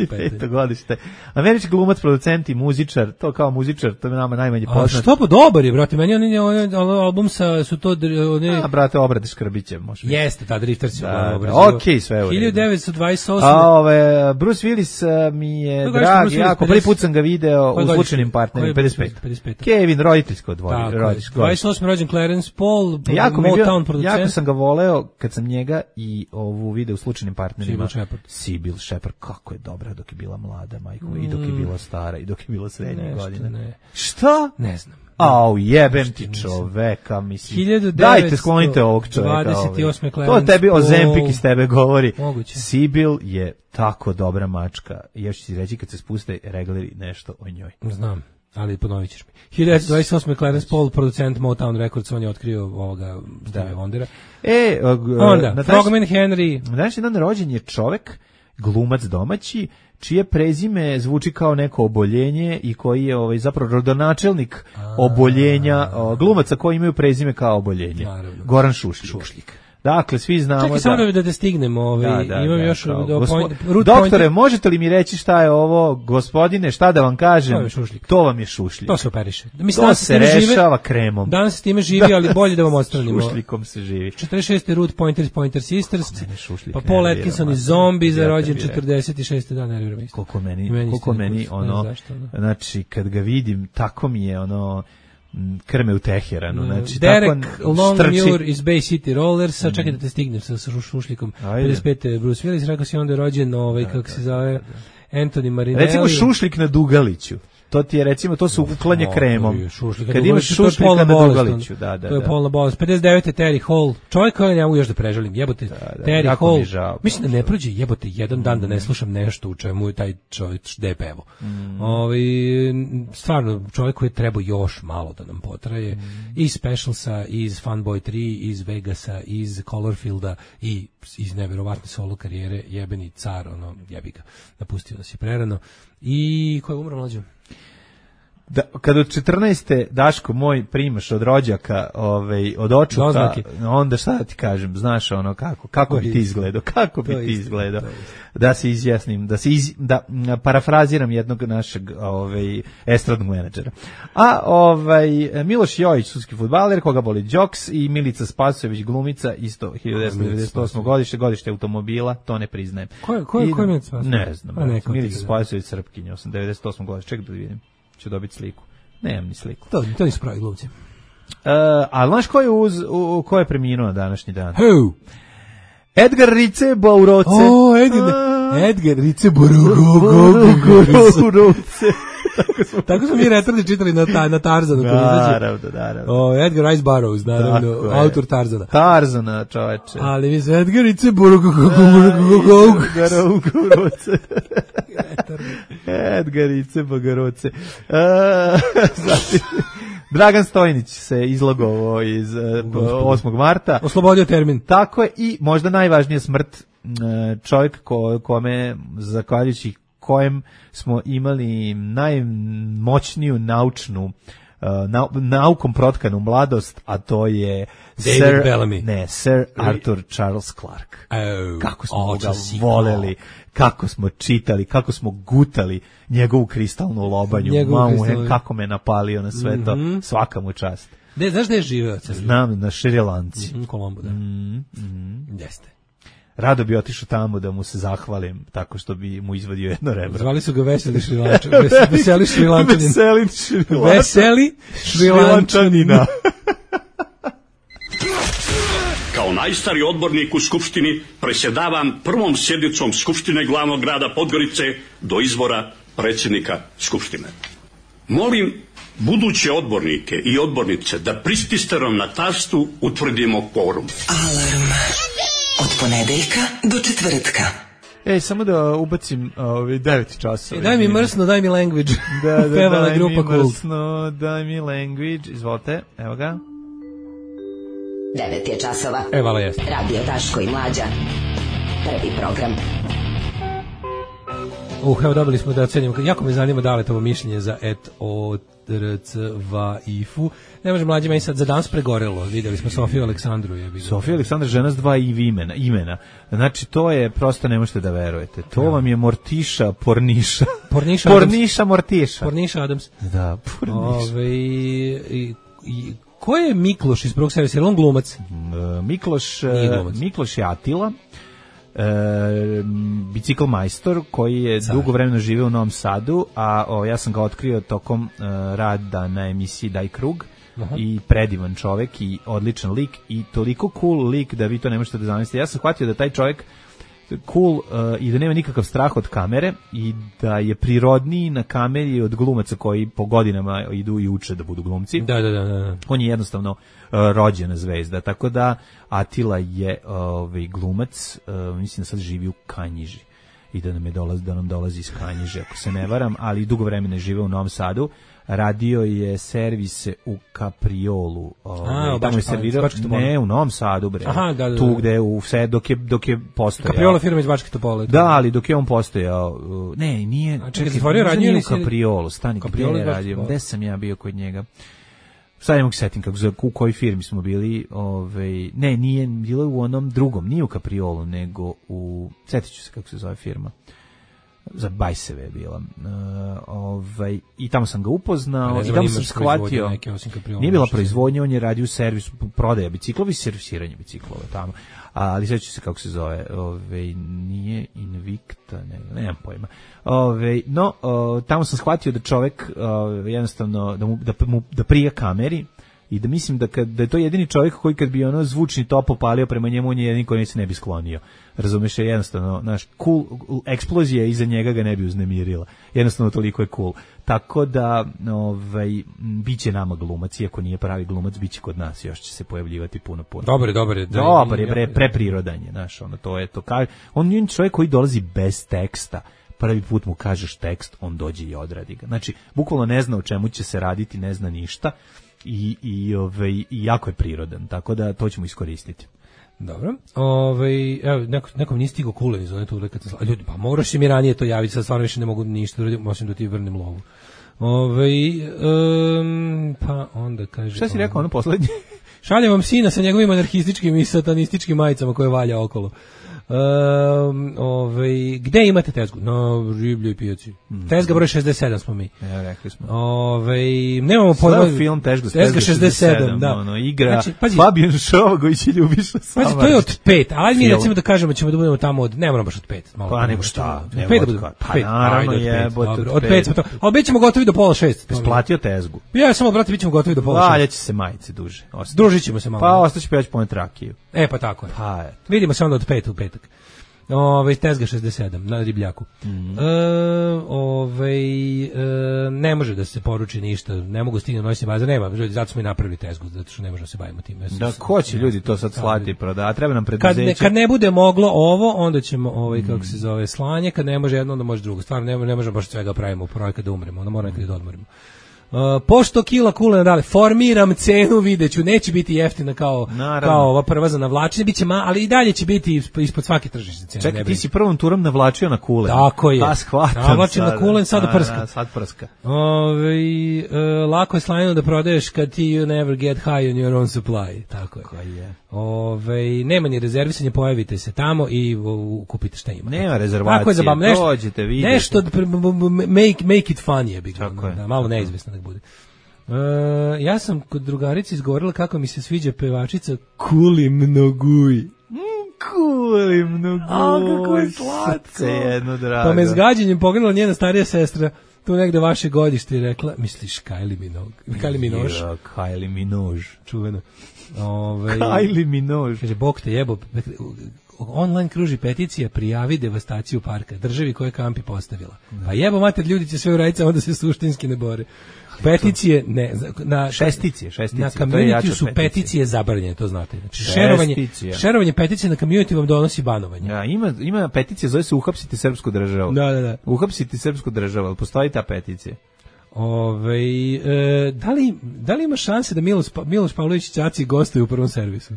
peto godište. Američki glumac, producent i muzičar, to kao muzičar, to je nama najmanje poznat. A što pa dobar je, brate, meni on, on, on album sa, su to... One... A, brate, obrade Škrbiće, može biti. Jeste, ta Drifters je da, obradio. Okej, sve u redu. hiljadu devetsto dvadeset osme. A ove, Bruce Willis mi je Ko drag, jako, pedeset prvi put sam ga video u Slučajnim partnerima, pedeset pedeset pet. pet. Kevin, roditeljsko dvoje. dvadeset osme rođen Clarence Paul, jako Motown producent. Jako sam ga voleo kad sam njega i ovu video u Slučajnim partnerima. Sybil Shepherd. Sybil Shepherd, kako je dobra dok je bila mlada, majko, mm. i dok je bila stara, i dok je bila srednje godine. Ne. Šta? Ne znam. Au, jebem ti čoveka, mislim. hiljadu devetsto Dajte, sklonite ovog čoveka. dvadeset osme. To tebi o Zempik iz tebe govori. Moguće. Sybil je tako dobra mačka. Još ću ti reći kad se spuste regleri nešto o njoj. Znam. Ali ponovit ćeš mi. hiljadu devetsto dvadeset osme. Clarence Paul, producent Motown Records, on je otkrio ovoga Stevie Wondera. E, onda, na Frogman Henry. Na današnji dan rođen je čovek, glumac domaći, čije prezime zvuči kao neko oboljenje i koji je ovaj zapravo rodonačelnik oboljenja, glumaca koji imaju prezime kao oboljenje. Naravno. Goran Šušljik. Šušljik. Dakle, svi znamo. Čekaj, da... samo da, da te stignemo. Ovaj, da, da, imam da, još... Kao, do gospo... point, Doktore, point... možete li mi reći šta je ovo, gospodine, šta da vam kažem? To je Šušljik. To vam je Šušljik. To se operiše. Mislim, to se rešava žive, kremom. Danas se time živi, ali bolje da vam odstranimo. Šušljikom se živi. četrdeset šeste. Root Pointers, Pointer Sisters. Pa Paul Atkinson i Zombi za rođen četrdeset šeste. Dan, nerviram isto. Koliko meni, meni, koliko meni ono, zašto, znači, kad ga vidim, tako mi je ono... krme u Teheranu, znači Derek tako Longmuir iz Bay City Rollersa, mm. čekaj da te stignem sa, sa Šušljikom. pedeset pete. Bruce Willis, rekao si onda je rođen ovaj, da, kako da, se zove, da, da. Anthony Marinelli. Recimo Šušlik na Dugaliću. To ti je recimo, to su uklanje o, kremom. Šušlika kad imaš Šušlika na Dugaliću, da, da, to je da. polna bolest. pedeset devete. Terry Hall. Čovjek koji ne mogu još da prežalim. Jebote, da, da, Terry Hall. Mi žao, mislim da ne prođe jebote jedan dan da ne slušam nešto u čemu je taj čovjek de pevo. Mm. Ovaj stvarno čovjek koji je trebao još malo da nam potraje. Mm. Iz Specialsa, iz Funboy tri, iz Vegasa, iz Colorfielda i iz neverovatne solo karijere, jebeni car, ono, jebi ga, napustio nas je prerano. I ko je umro mlađe? Da, kad od četrnaeste Daško moj primaš od rođaka, ovaj od očuka, Doznaki. Onda šta da ti kažem, znaš ono kako, kako bi ti izgledao, kako bi ti izgledao. Da se izjasnim, da se iz, da parafraziram jednog našeg ovaj estradnog menadžera. A ovaj Miloš Jojić, sudski fudbaler, koga boli Đoks, i Milica Spasojević, glumica, isto hiljadu devetsto devedeset osme. godište, godište automobila, to ne priznajem. Ko je, ko je, ko je Milica Spasojević? Ne znam. Milica Spasojević, Srpkinja, devedeset osme. godište, čekaj da vidim. Ću dobiti sliku. Nemam ni sliku. To, to nisu pravi glumci. Uh, a znaš ko je, uz, u, ko je preminuo na današnji dan? Who? Edgar Rice Bauroce. O, Edgar, Edgar Rice Bauroce. Tako smo mi retardi čitali na, ta, na Tarzanu. Naravno, naravno. O, Edgar Rice Burroughs, naravno, autor Tarzana. Tarzana, čoveče. Ali mi se Edgar Rice Bauroce. Edgar Rice Bauroce. Zatim... Dragan Stojnić se izlogovao iz uh, osmog marta. Oslobodio termin. Tako je, i možda najvažnija smrt, uh, čovjek ko, kome, zahvaljujući kojem smo imali najmoćniju naučnu, uh, nau, naukom protkanu mladost, a to je David Sir, Bellamy. Ne, Sir Arthur Charles Clarke. Oh, kako smo ga voleli, kako smo čitali, kako smo gutali njegovu kristalnu lobanju, mamu, he, kako me napalio na sve to, mm-hmm. svaka mu čast. De, znaš gde je živeo? Znam, na Šrilanci. Mm, Kolombo, da. Mm, mm. Jeste. Rado bi otišao tamo da mu se zahvalim tako što bi mu izvadio jedno rebro. Zvali su ga Veseli Šrilančan. Veseli Šrilančanin. Veseli Šrilančanin. Veseli Šrilančanina. Kao najstariji odbornik u Skupštini presjedavam prvom sjednicom Skupštine glavnog grada Podgorice do izbora predsjednika Skupštine. Molim buduće odbornike i odbornice da prististerom na tastu utvrdimo kvorum. Alarm. Od ponedeljka do četvrtka. Ej, samo da ubacim ovaj devet časova. E, daj mi mrsno, daj mi language. Da, da, Pevala daj grupa mi mrsno, daj mi language. Izvolite, evo ga. devet je časova. E, vala jeste. Radio Daško i Mlađa. Prvi program. Uh, evo dobili smo da ocenimo, jako me zanima da li to mišljenje za et o r c v i f u. Ne može mlađima i sad za danas pregorelo. Videli smo Sofiju Aleksandru. Je Sofija Aleksandra, žena s dva i imena, imena. Znači, to je, prosto ne možete da verujete. To ja. vam je Mortiša Porniša. Porniša Porniša Mortiša. Porniša Adams. Da, Porniša. Ove, i, i, ko je Mikloš iz prvog servisa? Je li on glumac? Uh, Mikloš, uh, Mikloš je Atila. E, bicikl majstor koji je Car. dugo vremena živeo u Novom Sadu, a o, ja sam ga otkrio tokom e, rada na emisiji Daj krug. Aha. I predivan čovek i odličan lik i toliko cool lik da vi to ne možete da zamislite. Ja sam shvatio da taj čovek cool uh, i da nema nikakav strah od kamere i da je prirodniji na kameri od glumaca koji po godinama idu i uče da budu glumci. Da, da, da, da. On je jednostavno uh, rođena zvezda, tako da Atila je ovaj glumac, uh, mislim da sad živi u Kanjiži i da nam je dolazi, da nam dolazi iz Kanjiže, ako se ne varam, ali dugo vremena žive u Novom Sadu. Radio je servise u Kapriolu. Ovaj, tamo je servirao, ne, u Novom Sadu, bre. Aha, da, da, tu gde u sve dok je dok je postojao. Kapriola firma iz Bačke Topole. Da, ali dok je on postojao, ne, nije. A čekaj, stvorio radio u Kapriolu, stani Kapriola radio. Gde sam ja bio kod njega? Sad ne mogu setim kako za u kojoj firmi smo bili, ovaj, ne, nije bilo u onom drugom, nije u Kapriolu, nego u, setiću se kako se zove firma. Za Bajseve je bila. Uh, ovaj, i tamo sam ga upoznao i tamo sam shvatio. Nije bila proizvodnja, on je radio u servisu prodaja biciklova i servisiranje biciklova tamo. Ali sveća se kako se zove, ovaj, nije Invicta, ne, nemam pojma. Ovaj, no, uh, tamo sam shvatio da čovek uh, jednostavno da, mu, da, mu, da prija kameri i da mislim da, kad, da je to jedini čovjek koji kad bi ono zvučni top opalio prema njemu, on je jedini koji se ne bi sklonio. Razumeš, je jednostavno, naš cool, eksplozija iza njega ga ne bi uznemirila. Jednostavno toliko je cool. Tako da, ovaj, biće nama glumac, iako nije pravi glumac, biće kod nas, još će se pojavljivati puno, puno. Dobar, dobar je. Dobar je, pre, preprirodan je, znaš, ono, to je to. Ka, on je čovjek koji dolazi bez teksta. Prvi put mu kažeš tekst, on dođe i odradi ga. Znači, bukvalno ne zna o čemu će se raditi, ne zna ništa. I, i, ovaj, i jako je prirodan, tako da to ćemo iskoristiti. Dobro. Ovaj, evo, neko, nekom nije stigo kulen iz one tu kad sam, ljudi, pa moraš mi ranije to javiti, sad stvarno više ne mogu ništa uradim, osim da ti vrnem lovu. Ovaj, um, pa onda kaže... Šta si rekao ono poslednje? Šaljem vam sina sa njegovim anarhističkim i satanističkim majicama koje valja okolo. Um, ovaj, gde imate tezgu? Na ribljoj pijaci. Mm. Tezga broj šezdeset sedam smo mi. Ja, rekli smo. Ovaj, nemamo pojma. Film tezga, tezga šezdeset sedam, da. Ono, igra znači, pazi, Fabijan Šovagović i Ljubiša Samardžić. Pazi, to je od pet. Ajde mi recimo da kažemo ćemo da budemo tamo od, ne moramo baš od pet. Malo pa nego šta? Od pet da budemo. Pa naravno je. Od pet smo to. Ali bit ćemo gotovi do pola šest. Isplatio tezgu. Ja samo, brate, bit ćemo gotovi do pola šest. Valjaće se majice duže. Družit ćemo se malo. Pa ostaće pa ja ću poneti rakiju. E, pa tako je. Pa, eto. Vidimo se onda od pet u petak. Ove, tezga šezdeset sedam na ribljaku. Mm. E, ove, e, ne može da se poruči ništa, ne mogu stignuti noćni bazar, nema, zato smo i napravili tezgu, zato što ne možemo se bavimo tim. Da, ko će ljudi to sad slati, proda, treba nam preduzeće. Kad ne, kad ne bude moglo ovo, onda ćemo, ovaj, kako se zove, slanje, kad ne može jedno, onda može drugo. Stvarno, ne, ne možemo baš svega pravimo u projekat da umremo, onda moramo nekad da odmorimo. Uh, pošto kila kulena dale, formiram cenu, videću, neće biti jeftina kao, kao ova prva za navlačenje, bit će ma, ali i dalje će biti ispod svake tržišne cene. Čekaj, ti si prvom turom navlačio na kulen. Tako je. Pa shvatam. Navlačio na kulen, sad prska. A, sad prska. Ove, uh, lako je slajno da prodaješ kad ti you never get high on your own supply. Tako je. Tako je. Ove, nema ni rezervisanje, pojavite se tamo i uh, kupite šta ima. Nema rezervacije, zabavno, nešto, dođete, vidite. Nešto, make, make it fun je, big one, da, malo neizvesno da bude. Uh, ja sam kod drugarice izgovorila kako mi se sviđa pevačica Kuli Mnoguj. Mm, Kuli Mnoguj. A, kako je slatko. Jedno, drago. Pa me s gađenjem pogledala njena starija sestra, tu negde vaše godište, i rekla, misliš Kylie Minogue? Kylie Minogue. Ja, Kylie Minogue. Čuveno. Ove, Kylie Minogue. Kaže, Bog te jebo. Online kruži peticija, prijavi devastaciju parka, državi koje kampi postavila. Pa jebo mater, ljudi će sve uraditi, onda se suštinski ne bore. Peticije, ne, na šesticije, šesticije. Na community su peticije, peticije zabranjene, to znate. Znači, šerovanje, šerovanje peticije na community vam donosi banovanje. Ja, ima, ima peticija, zove se Uhapsite srpsku državu. Da, da, da. Uhapsite srpsku državu, postoji ta peticija. Ove, e, da, li, da li ima šanse da Miloš, Miloš Pavlović Ćaci gostuje u prvom servisu?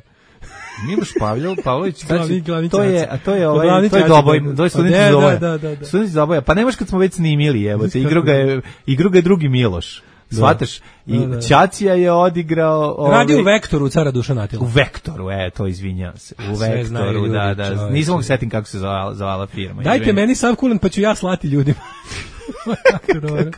Miloš Pavlov, Pavlović, Glavni- glavni to je, čaca. a to je ovaj, Glavni to je čaca, Doboj, da. to je Pa student da, iz Doboja. da, da, da. Student iz Doboja. Pa nemaš kad smo već snimili, evo te, igru ga je, igru ga je drugi Miloš. Shvataš? I Da, da. Ćacija je odigrao... Ovaj, Radio u Vektoru cara Dušana Atila. U Vektoru, e, to izvinjavam se. U Sve znaju Vektoru, ljudi, da, da. čoveče. Nisam mogu setim kako se zvala, zvala firma. Dajte izvini. meni sav kulen pa ću ja slati ljudima. Jako dobro.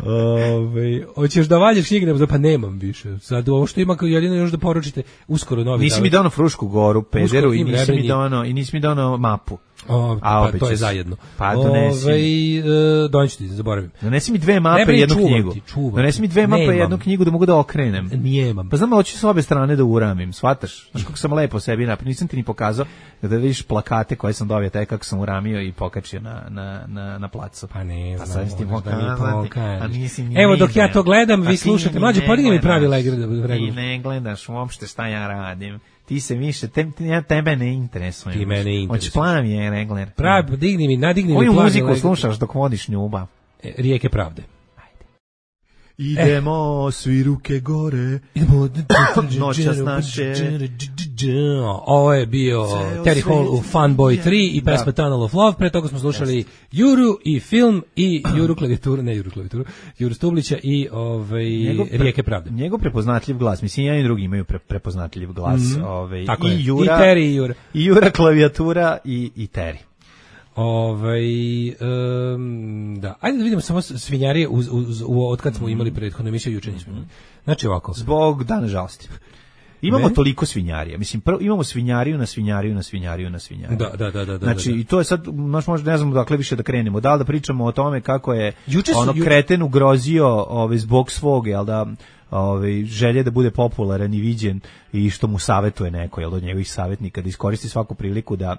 Ove, hoćeš da valjaš knjige, pa nemam više. Sad ovo što ima, jedino još da poručite uskoro novi. Nisi mi donao Frušku Goru, pederu, Uskoro i im nisi mi Rebrenji. donao, i nisi mi donao mapu. O, A, pa opet to je će se- zajedno. Pa donesi. Ove, e, doneću ti, zaboravim. Donesi mi dve mape Ne i brini, jednu čuvam knjigu. ti, čuvam Donesi ti. mi dve mape i Nemam. jednu knjigu da mogu da okrenem. Nijemam. Pa znam, hoću s obe strane da uramim, shvataš? Znaš kako sam lepo sebi napravio, nisam ti ni pokazao da vidiš plakate koje sam dobio, taj kako sam uramio i pokačio na, na, na, na placu. Pa ne, Pa znam, sad ti možeš da mi pokazati, pokažeš. a nisi ni Evo, dok video. ja to gledam, A vi ti slušate. ni Mlađe, ne podigni mi pravi gledaš. legre da Ti regulaš. ne gledaš uopšte šta ja radim. Ti se više, te, ja tebe ne interesujem. Ti mene interesuješ. Hoćeš plavi je regler. Pravi, digni mi, nadigni mi Koju plavi muziku legre. slušaš dok vodiš ljubav? E, Rijeke pravde. Idemo svi ruke gore. Idemo Noćas naše. Ovo je bio Ceo Terry Hall u svijet Funboy tri i Da. pesma Tunnel of Love. Pre toga smo slušali Juru i film i Juru klavijaturu, ne Juru klavijaturu, Juru Stublića i ovaj, Njegov pre- Rijeke pravde. Njegov prepoznatljiv glas, mislim, jedan i drugi imaju pre, prepoznatljiv glas. Mhm. Ovaj, Tako i je. Jura, I Terry i Jura. I Jura klavijatura i, i Terry. Ovaj em, da, ajde da vidimo samo svinjarije uz, uz, u, od kad smo imali prethodnu emisiju, juče nismo imali. Znači ovako. Zbog dana žalosti. Imamo Ne? toliko svinjarija. Mislim, prvo imamo svinjariju na svinjariju na svinjariju na svinjariju. Da, da, da, da, da, Znači, da, da. i to je sad, znaš, možda ne znamo dakle više da krenemo. Da li da pričamo o tome kako je Juče su- ono ju- kreten ugrozio ovaj, zbog svog, jel da, ovaj, želje da bude popularan i viđen i što mu savetuje neko, jel, od njegovih savjetnika, da iskoristi svaku priliku da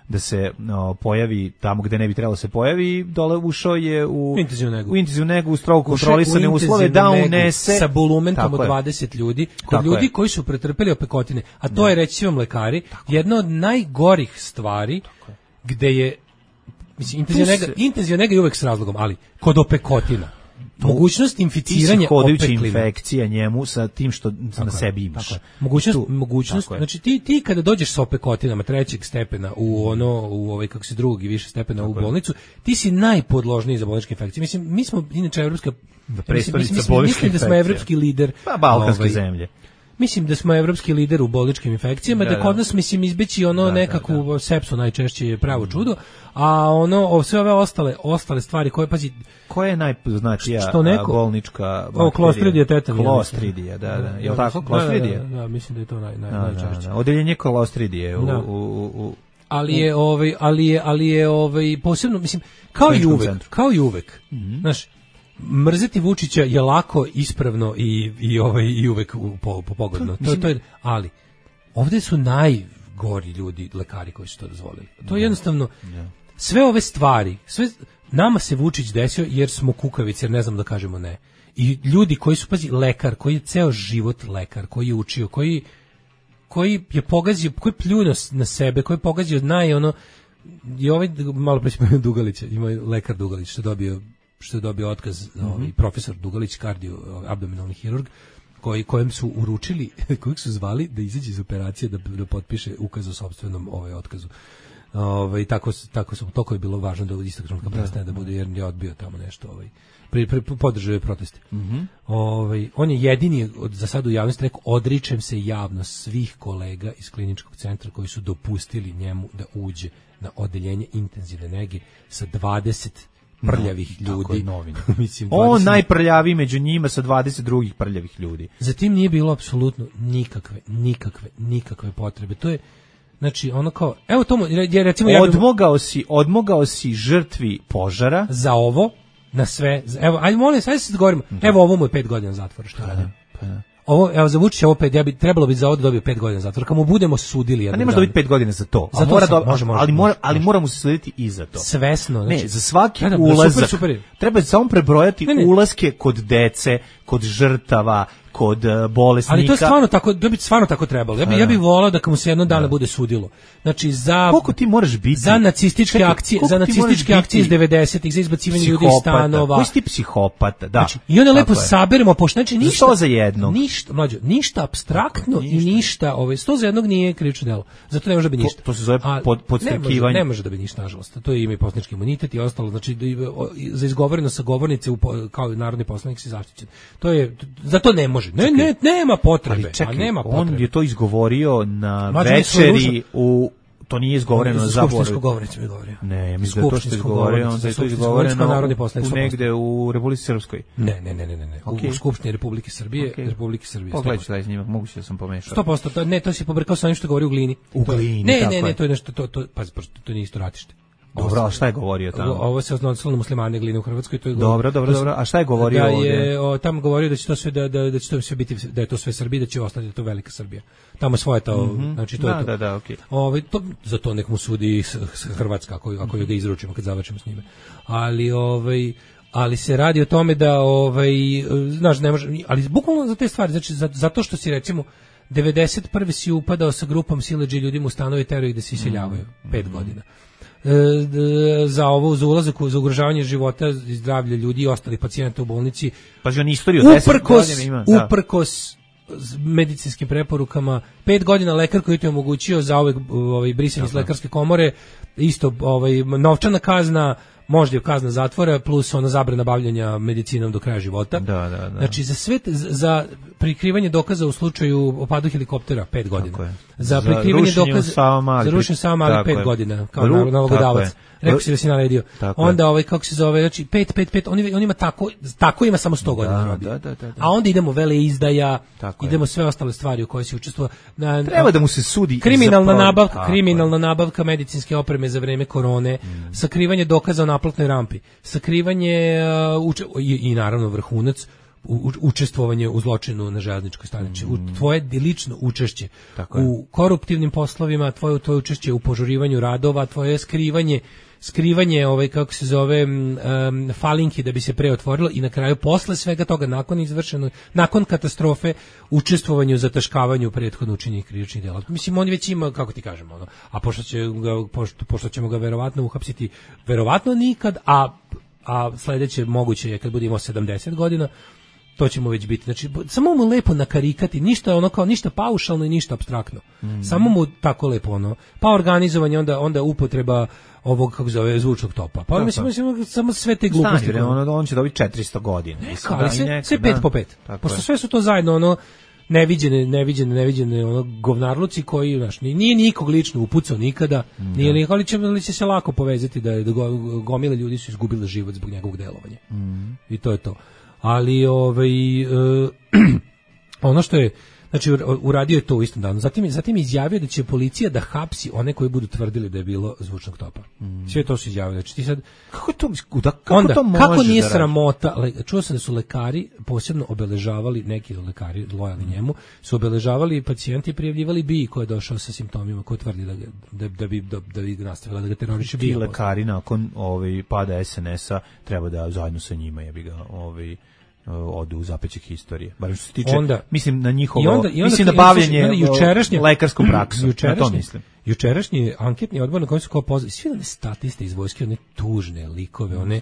da se no, pojavi tamo gde ne bi trebalo se pojavi, dole ušao je u Intenzivnu negu. u intenzivnu negu, u strogo Ušao kontrolisane u uslove intenzivnu da negu unese sa bulumentom Tako od je. dvadeset ljudi, kod Tako ljudi je. koji su pretrpeli opekotine, a to je, reći vam lekari, jedna od najgorih stvari gde je, mislim, intenzivna Tu nega, se- intenzivna nega je uvek s razlogom, ali kod opekotina, mogućnost inficiranja hodajuća opeklina. infekcija njemu sa tim što na je, sebi imaš. tako je. Mogućnost, Tu- mogućnost, tako je. znači ti, ti kada dođeš sa opekotinama trećeg stepena u ono, u ovaj, kako se drugog i više stepena u bolnicu, ti si najpodložniji za bolničke infekcije. Mislim, mi smo inače evropska, mislim, prestonica mislim, bolničkih mislim da smo infekcija. evropski lider. Pa balkanske ovaj, zemlje. Mislim da smo evropski lider u bolničkim infekcijama, da, Da, da. kod nas mislim izbeći ono Da, nekakvu sepsu najčešće je pravo čudo, a ono o, sve ove ostale ostale stvari koje pazi Koja je najpoznatija Što neko- a, bolnička bakterija? O, Clostridija tetanus, ja mislim. Klostridija, da, da. Je Ja li tako? mislim- Klostridija? Da, da, da, mislim da je to naj, naj, Da, da, najčešće. da. Odeljenje Klostridije u, Da. u, u, u Ali je ovaj ali je ali je ovaj posebno mislim kao i Kliničkom uvek, centru. kao i uvek. Mhm. Znaš, mrzeti Vučića je lako, ispravno i i ovaj i uvek u, po, po pogodno. To, to je, ali ovde su najgori ljudi, lekari koji su to dozvolili. To je jednostavno sve ove stvari, sve nama se Vučić desio jer smo kukavice, jer ne znamo da kažemo ne. I ljudi koji su, pazi, lekar, koji je ceo život lekar, koji je učio, koji koji je pogazio, koji je pljunuo na sebe, koji je pogazio naj ono i ovaj malo pre spomenuo Dugalića, ima lekar Dugalić što je dobio što je dobio otkaz, ovaj profesor Dugalić, kardio abdominalni hirurg, koji kojem su uručili, kojeg su zvali da izađe iz operacije da, da potpiše ukaz o sopstvenom ovaj otkazu. Ovaj tako tako su toko je bilo važno da u istog trenutka prestane da bude jer je odbio tamo nešto ovaj pri, pri, podržao je proteste. Mhm. Ovaj on je jedini od, za sad u javnosti rekao odričem se javno svih kolega iz kliničkog centra koji su dopustili njemu da uđe na odeljenje intenzivne nege sa dvadeset prljavih No, tako je, ljudi. novine. Mislim On dvadeset najprljaviji među njima sa dvadeset drugih prljavih ljudi. Zatim nije bilo apsolutno nikakve, nikakve, nikakve potrebe. To je, znači, ono kao, evo to, je recimo... ja bih- Odmogao si, odmogao si žrtvi požara. za ovo, na sve, za- evo, ajde molim, sve se govorimo, evo ovo mu je pet godina zatvora što radi. Ovo, evo, za Vučića ovo pet, ja bi, trebalo bi za ovo da dobio pet godina zatvora, kad mu budemo sudili A jednog ne može dana. dobiti pet godina za to. Za A to mora sam- da, može, može, ali, mora, može, ali može. mora mu se slediti i za to. Svesno, znači, Ne, za svaki da, da, ulazak super, super je. treba samo prebrojati Ne, ne. ulaske kod dece kod žrtava, kod uh, bolesnika. Ali to je stvarno tako, da bi stvarno tako trebalo. Ja bih ja bi voleo da mu se jednog dana da. bude sudilo. Znači za koliko ti moraš biti za nacističke Čekaj, akcije, za nacističke akcije iz devedesetih, za izbacivanje ljudi iz stanova. Koji si ti psihopata, da. Znači, i onda lepo saberemo, pošto znači ništa sto za jednog. Ništa, mlađo, ništa apstraktno ništa. i ništa, ovaj sto za jednog nije krivično delo. Zato ne može da biti ništa. To, to se zove pod podstrekivanje. Ne, ne može da biti ništa, nažalost. To je ime poslanički imunitet i ostalo, znači za izgovoreno sa govornice kao narodni poslanik si zaštićen. To je za to ne može. Ne, ne, nema potrebe. Ali čekaj, a nema potrebe. On je to izgovorio na Mlađe večeri u to nije izgovoreno na zaboru. Skupštinsku govornicu mi govorio. Ne, ja mislim da to što je izgovorio, onda je to izgovoreno u negde u Republici Srpskoj. Ne, ne, ne, ne, ne. Okay. U Skupštini Republike Srbije, okay. Republike Srbije. Pogledaj taj snimak, moguće da sam pomešao. sto posto, to, ne, to si pobrkao sa onim što govori u Glini. U Glini, ne, ne, ne, to je nešto, to, to, pa, to nije isto ratište. Dobro, a šta je govorio tamo? Ovo se odnosilo na muslimane Gline u Hrvatskoj, to je dobro, dobro, dobro. A šta je govorio da ovdje? Je o, tamo govorio da će to sve da da da će to sve biti da je to sve Srbija, da će ostati to velika Srbija. Tamo svoje to, mm -hmm. znači to da, je to. Da, da, okej. Okay. Ovaj to za to nek mu sudi Hrvatska ako ako ga izručimo kad završimo s njime. Ali ovaj ali se radi o tome da ovaj znaš ne može, ali bukvalno za te stvari, znači za, zato što si recimo devedeset prve si upadao sa grupom siledži ljudima u stanove, terao ih da se iseljavaju mm. pet godina. E, za ovo, za ulazak, za ugrožavanje života i zdravlja ljudi i ostalih pacijenata u bolnici. Pa on istoriju uprkos, ima, da. uprkos medicinskim preporukama, pet godina lekar koji ti je omogućio za ovaj, ovaj brisanje iz lekarske komore, isto ovaj, novčana kazna, možda je kazna zatvora plus ona zabrana bavljenja medicinom do kraja života. Da, da, da. Znači za sve za prikrivanje dokaza u slučaju opadu helikoptera pet godina. Za prikrivanje za dokaza za rušenje sama ali pet godina kao Ru, nalogodavac. Rekao si da si naredio. Onda ovaj kako se zove, znači pet pet pet on on ima tako tako ima samo sto godina robi. Da, da, da, da. A onda idemo vele izdaja, tako idemo je. Sve ostale stvari u koje se učestvovao. Treba da mu se sudi kriminalna nabavka, kriminalna nabavka medicinske opreme za vreme korone, mm. sakrivanje dokaza o naplatnoj rampi, sakrivanje uh, uče, i, i naravno vrhunac u, učestvovanje u zločinu na železničkoj stanici, mm. u tvoje lično učešće tako u je. Koruptivnim poslovima, tvoje tvoje učešće u požurivanju radova, tvoje skrivanje skrivanje ovaj kako se zove um, falinki da bi se preotvorilo i na kraju posle svega toga nakon izvršeno nakon katastrofe učestvovanje u zataškavanju prethodno učinjenih krivičnih dela. Mislim on već ima kako ti kažemo ono, a pošto će ga pošto, pošto ćemo ga verovatno uhapsiti verovatno nikad, a a sledeće moguće je kad bude imao sedamdeset godina. To ćemo već biti. Znači, samo mu lepo nakarikati, ništa ono kao ništa paušalno i ništa apstraktno. Mm. Samo mu tako lepo ono. Pa organizovanje, onda onda upotreba ovog kako zove zvučnog topa. Pa mislim, mislim samo sve te gluposti. Stani, ono, on će dobiti četiristo godina. Neka, ali sve, neka, sve pet da. po pet. Pošto sve su to zajedno ono neviđene, neviđene, neviđene ono govnarluci koji, znaš, nije nikog lično upucao nikada, mm, nije nikog, ali će, ali će se lako povezati da, da gomile ljudi su izgubile život zbog njegovog delovanja. Mm. I to je to. Ali ovaj uh, ono što je znači uradio je to u istom danu. Zatim zatim izjavio da će policija da hapsi one koji budu tvrdili da je bilo zvučnog topa. Mm. Sve to su izjavili. Znači ti sad kako to da, kako onda, to može kako nije da sramota, le, čuo sam da su lekari posebno obeležavali, neki lekari lojalni mm. njemu, su obeležavali pacijenti i prijavljivali bi ko je došao sa simptomima, ko tvrdi da da, da bi da, da bi nastavila da ga teroriše bi. Lekari nakon ovaj pada es en esa treba da zajedno sa njima jebi ga ovaj odu u zapećak historije. Bar što se tiče, onda, mislim na njihovo, i onda, i onda, mislim na bavljenje jučerašnje lekarskom praksom. Na to mislim. Jučerašnji anketni odbor na kojem su kao pozvali svi one statiste iz vojske, one tužne likove, one,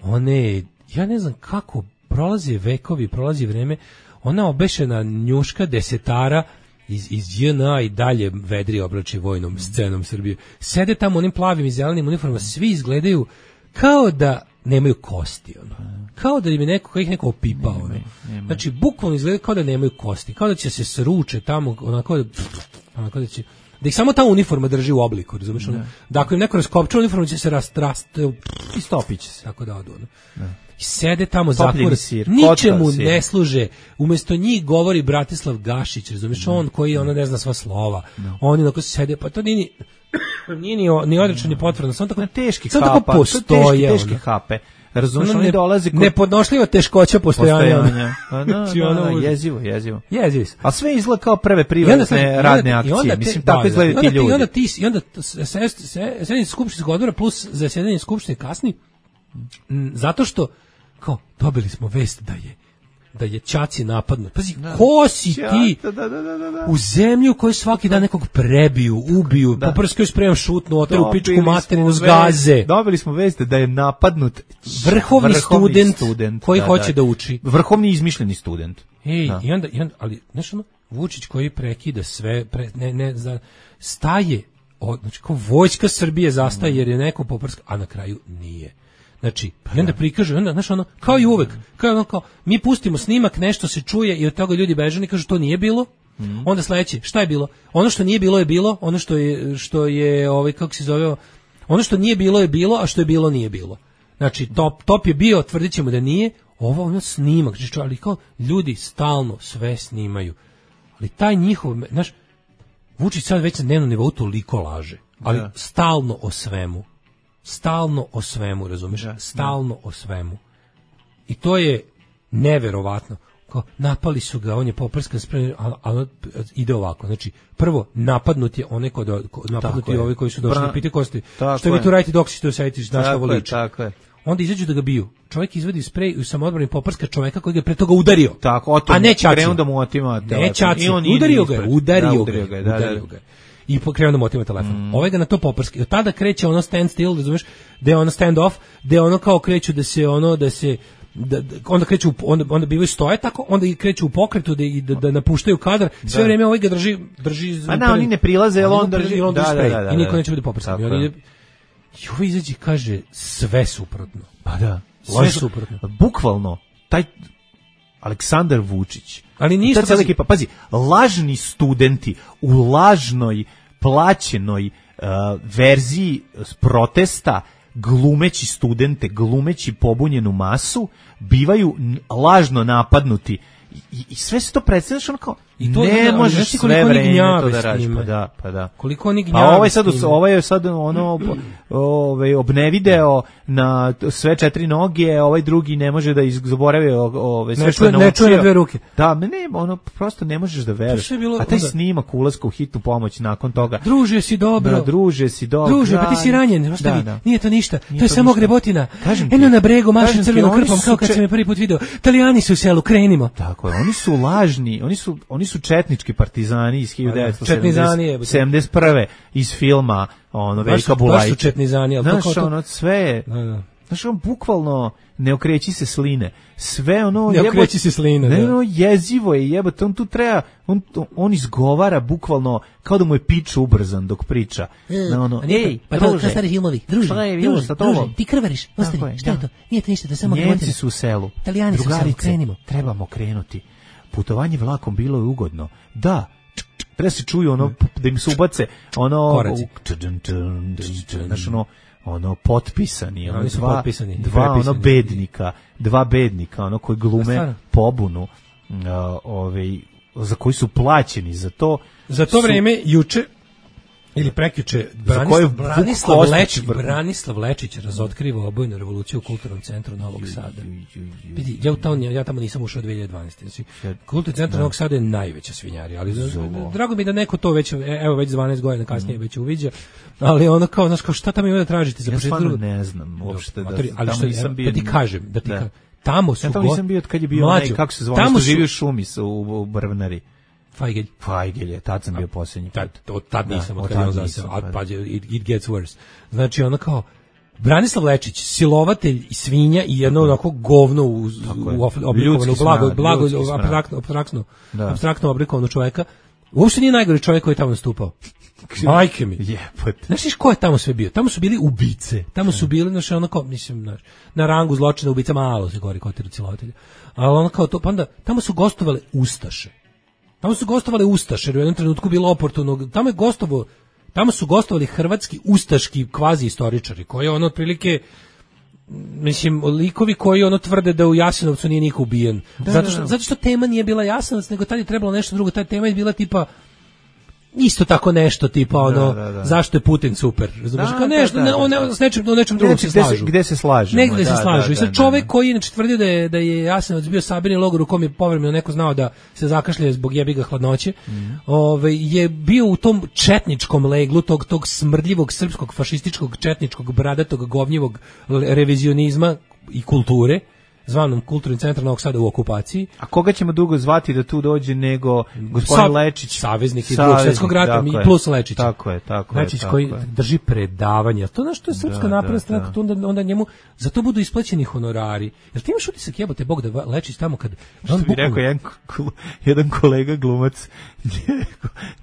one, ja ne znam kako prolaze vekovi, prolazi vreme, ona obešena njuška desetara iz, iz J N A i dalje vedri oblači vojnom scenom Srbije. Sede tamo onim plavim i zelenim uniformama, svi izgledaju kao da nemaju kosti, ono. Kao da im je neko, kao ih neko opipao. Nema, nema. Znači, bukvalno izgleda kao da nemaju kosti, kao da će se sruče tamo, onako da, onako da će, da ih samo ta uniforma drži u obliku, razumiješ? Ono, da ako im neko raskopča uniformu, će se rast, rast, i stopit će se. Tako da odu, ono. I sede tamo zatvore, ničemu ne služe, umjesto njih govori Bratislav Gašić, razumiješ, on koji ono ne zna sva slova, no. Oni onako sede, pa to nije ni, nije ni, ni odrečan, ni potvrdan, samo tako, teški samo hapa, tako postoje, teški, teški hape, razumiješ, oni dolazi kod... nepodnošljiva teškoća postojanja. postojanja. A, no, no, no, jezivo, jezivo. Jezivo. A sve izgleda kao prve privatne radne akcije, te, mislim, tako izgledaju ti ljudi. I onda ti, i onda sedanje skupštinskog odbora plus zasedanje skupštine kasni, zato što kao dobili smo vest da je da je Ćaci napadnut. Pazi, ko si ti da, da, da, da, da. u zemlju koju svaki dan nekog prebiju, ubiju, da. Poprskaju spremam šutnu, oteru pičku materinu, zgaze. Dobili smo veste da je napadnut vrhovni, vrhovni student, student koji da, hoće da, da uči. Vrhovni izmišljeni student. Ej, da. i, onda, i onda, ali, znaš ono, Vučić koji prekida sve, pre, ne, ne, za, staje, od, znači kao vojska Srbije zastaje jer je neko poprska, a na kraju nije. Znači, i onda prikaže, onda, znaš ono, kao i uvek, kao ono, kao, mi pustimo snimak, nešto se čuje i od toga ljudi beže i kažu to nije bilo, mm. onda sledeće, šta je bilo? Ono što nije bilo je bilo, ono što je, što je, ovaj, kako se zove, ono što nije bilo je bilo, a što je bilo nije bilo. Znači, top, top je bio, tvrdit ćemo da nije, ovo ono snimak, znači, ali kao ljudi stalno sve snimaju. Ali taj njihov, znaš, Vučić sad već na dnevnom nivou toliko laže, ali da. Stalno o svemu. Stalno o svemu, razumiješ? Da, stalno da. O svemu. I to je neverovatno. Kao, napali su ga, on je poprska spremljen, a, a ide ovako. Znači, prvo, napadnut je onaj kod, napadnut je ovi koji su došli, pite kosti, što vi tu radite dok si to osjetiš, znaš što voliče. Tako je. Onda izađu da ga biju. Čovjek izvadi sprej i samoodbrani poprska čovjeka koji ga pre toga udario. Tako, o a ne Ćaci. Da mu otima ne Ćaci, udario ga, udario ga, udario ga. I krenuo da mu otima telefon. Mm. Ovaj ga na to poprski. Od tada kreće ono stand still, razumeš, da je ono stand off, da je ono kao kreću da se ono, da se, da, da, onda kreću, onda, onda bivaju stoje tako, onda i kreću u pokretu da, da, da napuštaju kadar. Sve da. Vrijeme ovaj ga drži, drži. A na, oni ne prilaze, jer on drži, on drži da, sprej. Da, da, da, I niko neće biti poprski. I on ide, i ovaj izađe kaže sve suprotno. Pa da. Sve suprotno. Bukvalno, taj Aleksandar Vučić. Ali ništa. Ta ekipa, pazi, lažni studenti u lažnoj, plaćenoj uh, verziji protesta, glumeći studente, glumeći pobunjenu masu, bivaju lažno napadnuti. I, i sve se to predstavljaš ono kao i to ne da, možeš sve vreme to da radiš, pa da, pa da. Koliko oni gnjave. A ovaj sad ovaj je sad ono ovaj obnevideo na sve četiri noge, ovaj drugi ne može da zaboravi ovaj sve što naučio. Ne čuje na dve ruke. Da, ne, ono prosto ne možeš da veruješ. A taj snimak ulaska u hitnu pomoć nakon toga. Druže si dobro. Da, druže si dobro. Druže, pa ti si ranjen, ostavi. Da, da. Nije to ništa. Nije to je to samo grebotina. Eno na bregu mašem crvenom krpom kao kad se me prvi put video. Italijani su u selu, krenimo. Tako je, oni su lažni, oni su oni su četnički partizani iz hiljadu devetsto sedamdeset prve iz filma ono Velika Bulajić. Baš su četnizani, al kako to ono sve. Da, da. Znaš, on bukvalno ne okreći se sline. Sve ono ne okreći se sline. Ne, ono jezivo je, jebote, on tu treba, on, on izgovara bukvalno kao da mu je pič ubrzan dok priča. Na ono, ej, pa to je stari filmovi. Druže, druže, druže, ti krvariš, ostani, šta je to? Nije to ništa, da samo grebotina. Njemci su u selu. Italijani su u selu, krenimo. Trebamo krenuti. Putovanje vlakom bilo je ugodno. Da, treba se čuju ono, da im se ubace ono, koraci. Znaš ono, ono potpisani, ono, oni dva, potpisani, dva ono bednika, dva bednika, ono koji glume pobunu, uh, ovaj, za koji su plaćeni za to. Za to su, vreme juče ili prekjuče Branislav, Branislav, Lečić, Branislav Lečić razotkriva obojnu revoluciju u Kulturnom centru Novog Sada. Vidi, ja, tamo, ja tamo nisam ušao dve hiljade dvanaeste. Znači, Kulturni centar Novog Sada je najveća svinjarija, ali Zobo. Drago mi da neko to već, evo već dvanaest godina kasnije mm. već uviđa, ali ono kao, znaš, kao šta tamo ima da tražite za početak? Ja stvarno ne znam uopšte da, ali što, nisam bio, da ti kažem, da ti kažem, tamo su... Ja tamo nisam bio od kad je bio onaj, kako se zove, što živi u šumi u Brvnari. Fajgelj. Fajgelj je, tad sam bio posljednji. Tad, od tad nisam, da, od kad je on zaseo, a pa it, it gets worse. Znači, ono kao, Branislav Lečić, silovatelj i svinja i jedno onako govno u, u oblikovano, blago, blago, abstraktno, abstraktno, abstraktno oblikovano čoveka, uopšte nije najgori čovjek koji je tamo nastupao. Majke mi. Jebote. Znaš ko je tamo sve bio? Tamo su bili ubice. Tamo su bili, znaš, ono kao, mislim, znaš, na rangu zločina ubica malo se gori kotiru silovatelja. Ali ono kao to, pa onda, tamo su gostovale ustaše. Tamo su gostovali ustaše, jer u jednom trenutku bilo oportuno. Tamo je gostovo, tamo su gostovali hrvatski ustaški kvazi istoričari, koji ono otprilike, mislim, likovi koji ono tvrde da u Jasenovcu nije niko ubijen. Da, zato što, da, da. zato što tema nije bila Jasenovac, nego tad je trebalo nešto drugo. Ta tema je bila tipa isto tako nešto tipa ono da, da, da. Zašto je Putin super, razumiješ, kao nešto, da, da, da, da. Ne, s nečim, o nečem drugom se slažu. Gde se slažemo? Negde da, se slažu. Da, I sad čovjek da, da. koji inače tvrdio da je, da je Jasenovac bio sabirni logor u kom je povremeno neko znao da se zakašlje zbog jebiga hladnoće, mm. Ove, je bio u tom četničkom leglu, tog, tog smrdljivog srpskog, fašističkog, četničkog, bradatog, govnjivog revizionizma i kulture. zvanom Kulturni centar Novog Sada u okupaciji. A koga ćemo dugo zvati da tu dođe nego gospodin Sa, Lečić, saveznik iz Drugog svjetskog rata i plus Lečić. Tako je, tako Lečić je. koji je. drži predavanja. To nešto je Srpska napredna stranka, to onda onda njemu za to budu isplaćeni honorari. Jel ti imaš utisak, jebote Bog, da Lečić tamo kad on bi rekao jedan, jedan kolega glumac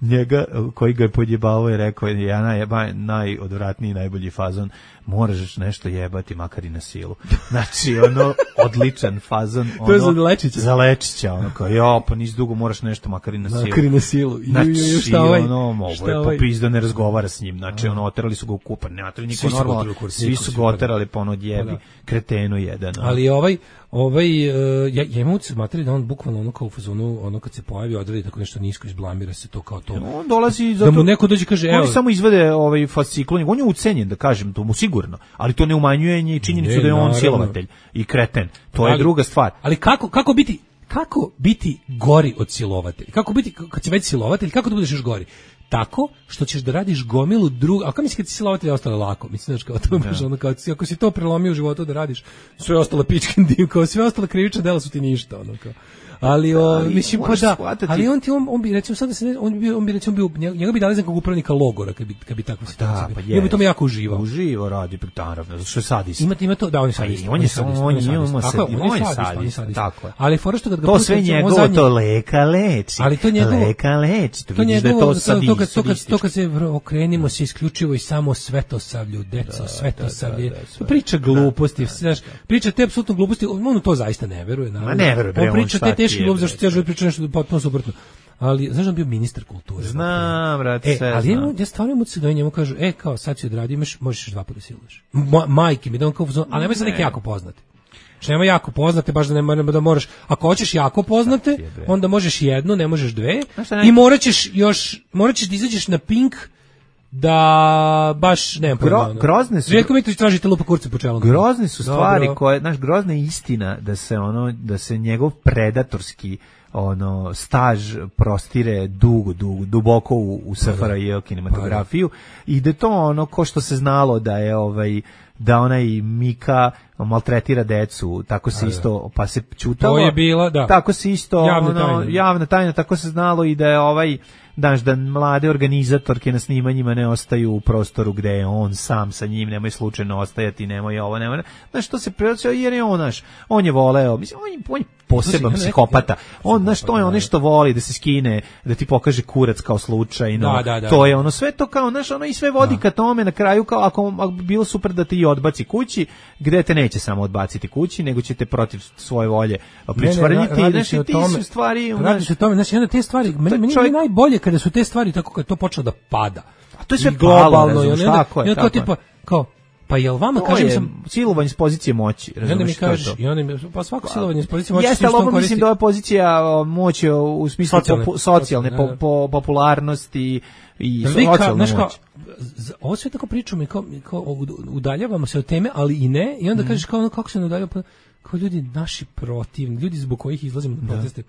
njega koji ga je podjebavao je rekao ja naj, najodvratniji, najbolji fazon, moraš nešto jebati makar i na silu. Znači ono odličan fazon, ono, to je za Lečića. Za Lečića, ono kao jo, pa nisi dugo moraš nešto makar i na silu. Makar i na silu. Znači šta ovaj, ono, ovo je popis da ne razgovara s njim. Znači ono, oterali su ga u kupar, ne oterali niko normalno, svi su ga oterali pa ono odjebi, kretenu jedan. Ali ovaj ovaj uh, ja ja imam utisak materi da on bukvalno ono kao u fazonu, ono kad se pojavi odradi tako nešto nisko, izblamira se to kao to. On dolazi zato da mu neko dođe kaže evo, on samo izvede ovaj fasciklon, on je ucenjen da kažem, to mu sigurno, ali to ne umanjuje ni činjenicu ne, da je on naravno silovatelj i kreten. To ali, je druga stvar. Ali kako kako biti kako biti gori od silovatelja? Kako biti kad si već silovatelj, kako da budeš još gori? Tako što ćeš da radiš gomilu druga, a kako misliš kad si silovatelj ostalo lako? Mislim da kao to baš ono kao ako si to prelomio u životu da radiš sve ostalo pičkin dim, kao sve ostalo krivična dela su ti ništa, ono kao. Ali, o, ali mislim pa da, shvatati. Ali on ti on, on bi recimo sad da se ne, on bi on bi recimo bio njega bi dali za nekog upravnika logora kad bi kad bi takva situacija. Da, pa ja bi to jako uživao. Uživo radi naravno, zato što je sadist. Ima ima to da on je sadist. On je samo on je on je sadist. Tako je. Ali fora što kad ga to sve njegovo to leka leči. Ali to njegovo leka leči. To vidiš da je to sadist. To kad to kad to kad se okrenimo se isključivo i samo svetosavlju, deco, svetosavlje. Priča gluposti, znaš, priča te apsolutno gluposti, on u to zaista ne veruje, naravno. Ne veruje, on priča te teške gluposti zašto ja pričam nešto potpuno suprotno. Ali znaš da je bio ministar kulture. Znam, brate, e, sve ali znam. Ali ja stvarno mu se da njemu kažu, e, kao sad si odradio, imaš, možeš dva puta siluješ. Ma, majke mi, da on kao, ali nemoj se neki jako poznati. Što nema jako poznate, baš da ne da moraš, ako hoćeš jako poznate, onda možeš jednu, ne možeš dve, i morat ćeš još, morat ćeš da izađeš na Pink, da baš ne Gro, grozne su Željko Mitrović tražite lupa kurce po čelu. Grozne su stvari dobro. Koje, znaš, grozna je istina da se ono da se njegov predatorski ono staž prostire dugo, dugo duboko u, u S F R J kinematografiju i da to ono ko što se znalo da je ovaj da onaj Mika maltretira decu, tako se isto pa se ćutalo. To je bila, da. Tako se isto javna ono, tajna. javna tajna, tako se znalo i da je ovaj daš da mlade organizatorke na snimanjima ne ostaju u prostoru gde je on sam sa njim, nemoj slučajno ostajati, nemoj ovo, nemoj. Znaš, to se preocio jer je on, naš, on je voleo, mislim, on je, on je poseban psihopata. On, znaš, to je ono što voli da se skine, da ti pokaže kurac kao slučajno. Da, da, da. To je ono, sve to kao, znaš, ono i sve vodi ka tome na kraju, kao ako, ako bi bilo super da ti odbaci kući, gde te neće samo odbaciti kući, nego će te protiv svoje volje pričvrniti. Znaš, i ti su stvari... Radi se o tome, znaš, jedna te stvari, meni, meni je najbolje kada su te stvari tako kad to počelo da pada. A to je sve globalno, i onda, tako je, i onda tako tipa, kao, pa jel vama, to kažem je sam... silovanje s pozicije moći, razumiješ? I onda mi kažeš, i onda mi, pa svako silovanje s pozicije moći... Jeste, ali ovo mislim da je pozicija moći u smislu socijalne, po, socijalne po, po, popularnosti i socijalne moći. Ovo sve tako pričamo i kao, kao udaljavamo se od teme, ali i ne, i onda mm. kažeš kao ono, kako se ne udaljava, kao ljudi naši protivni, ljudi zbog kojih izlazimo na proteste,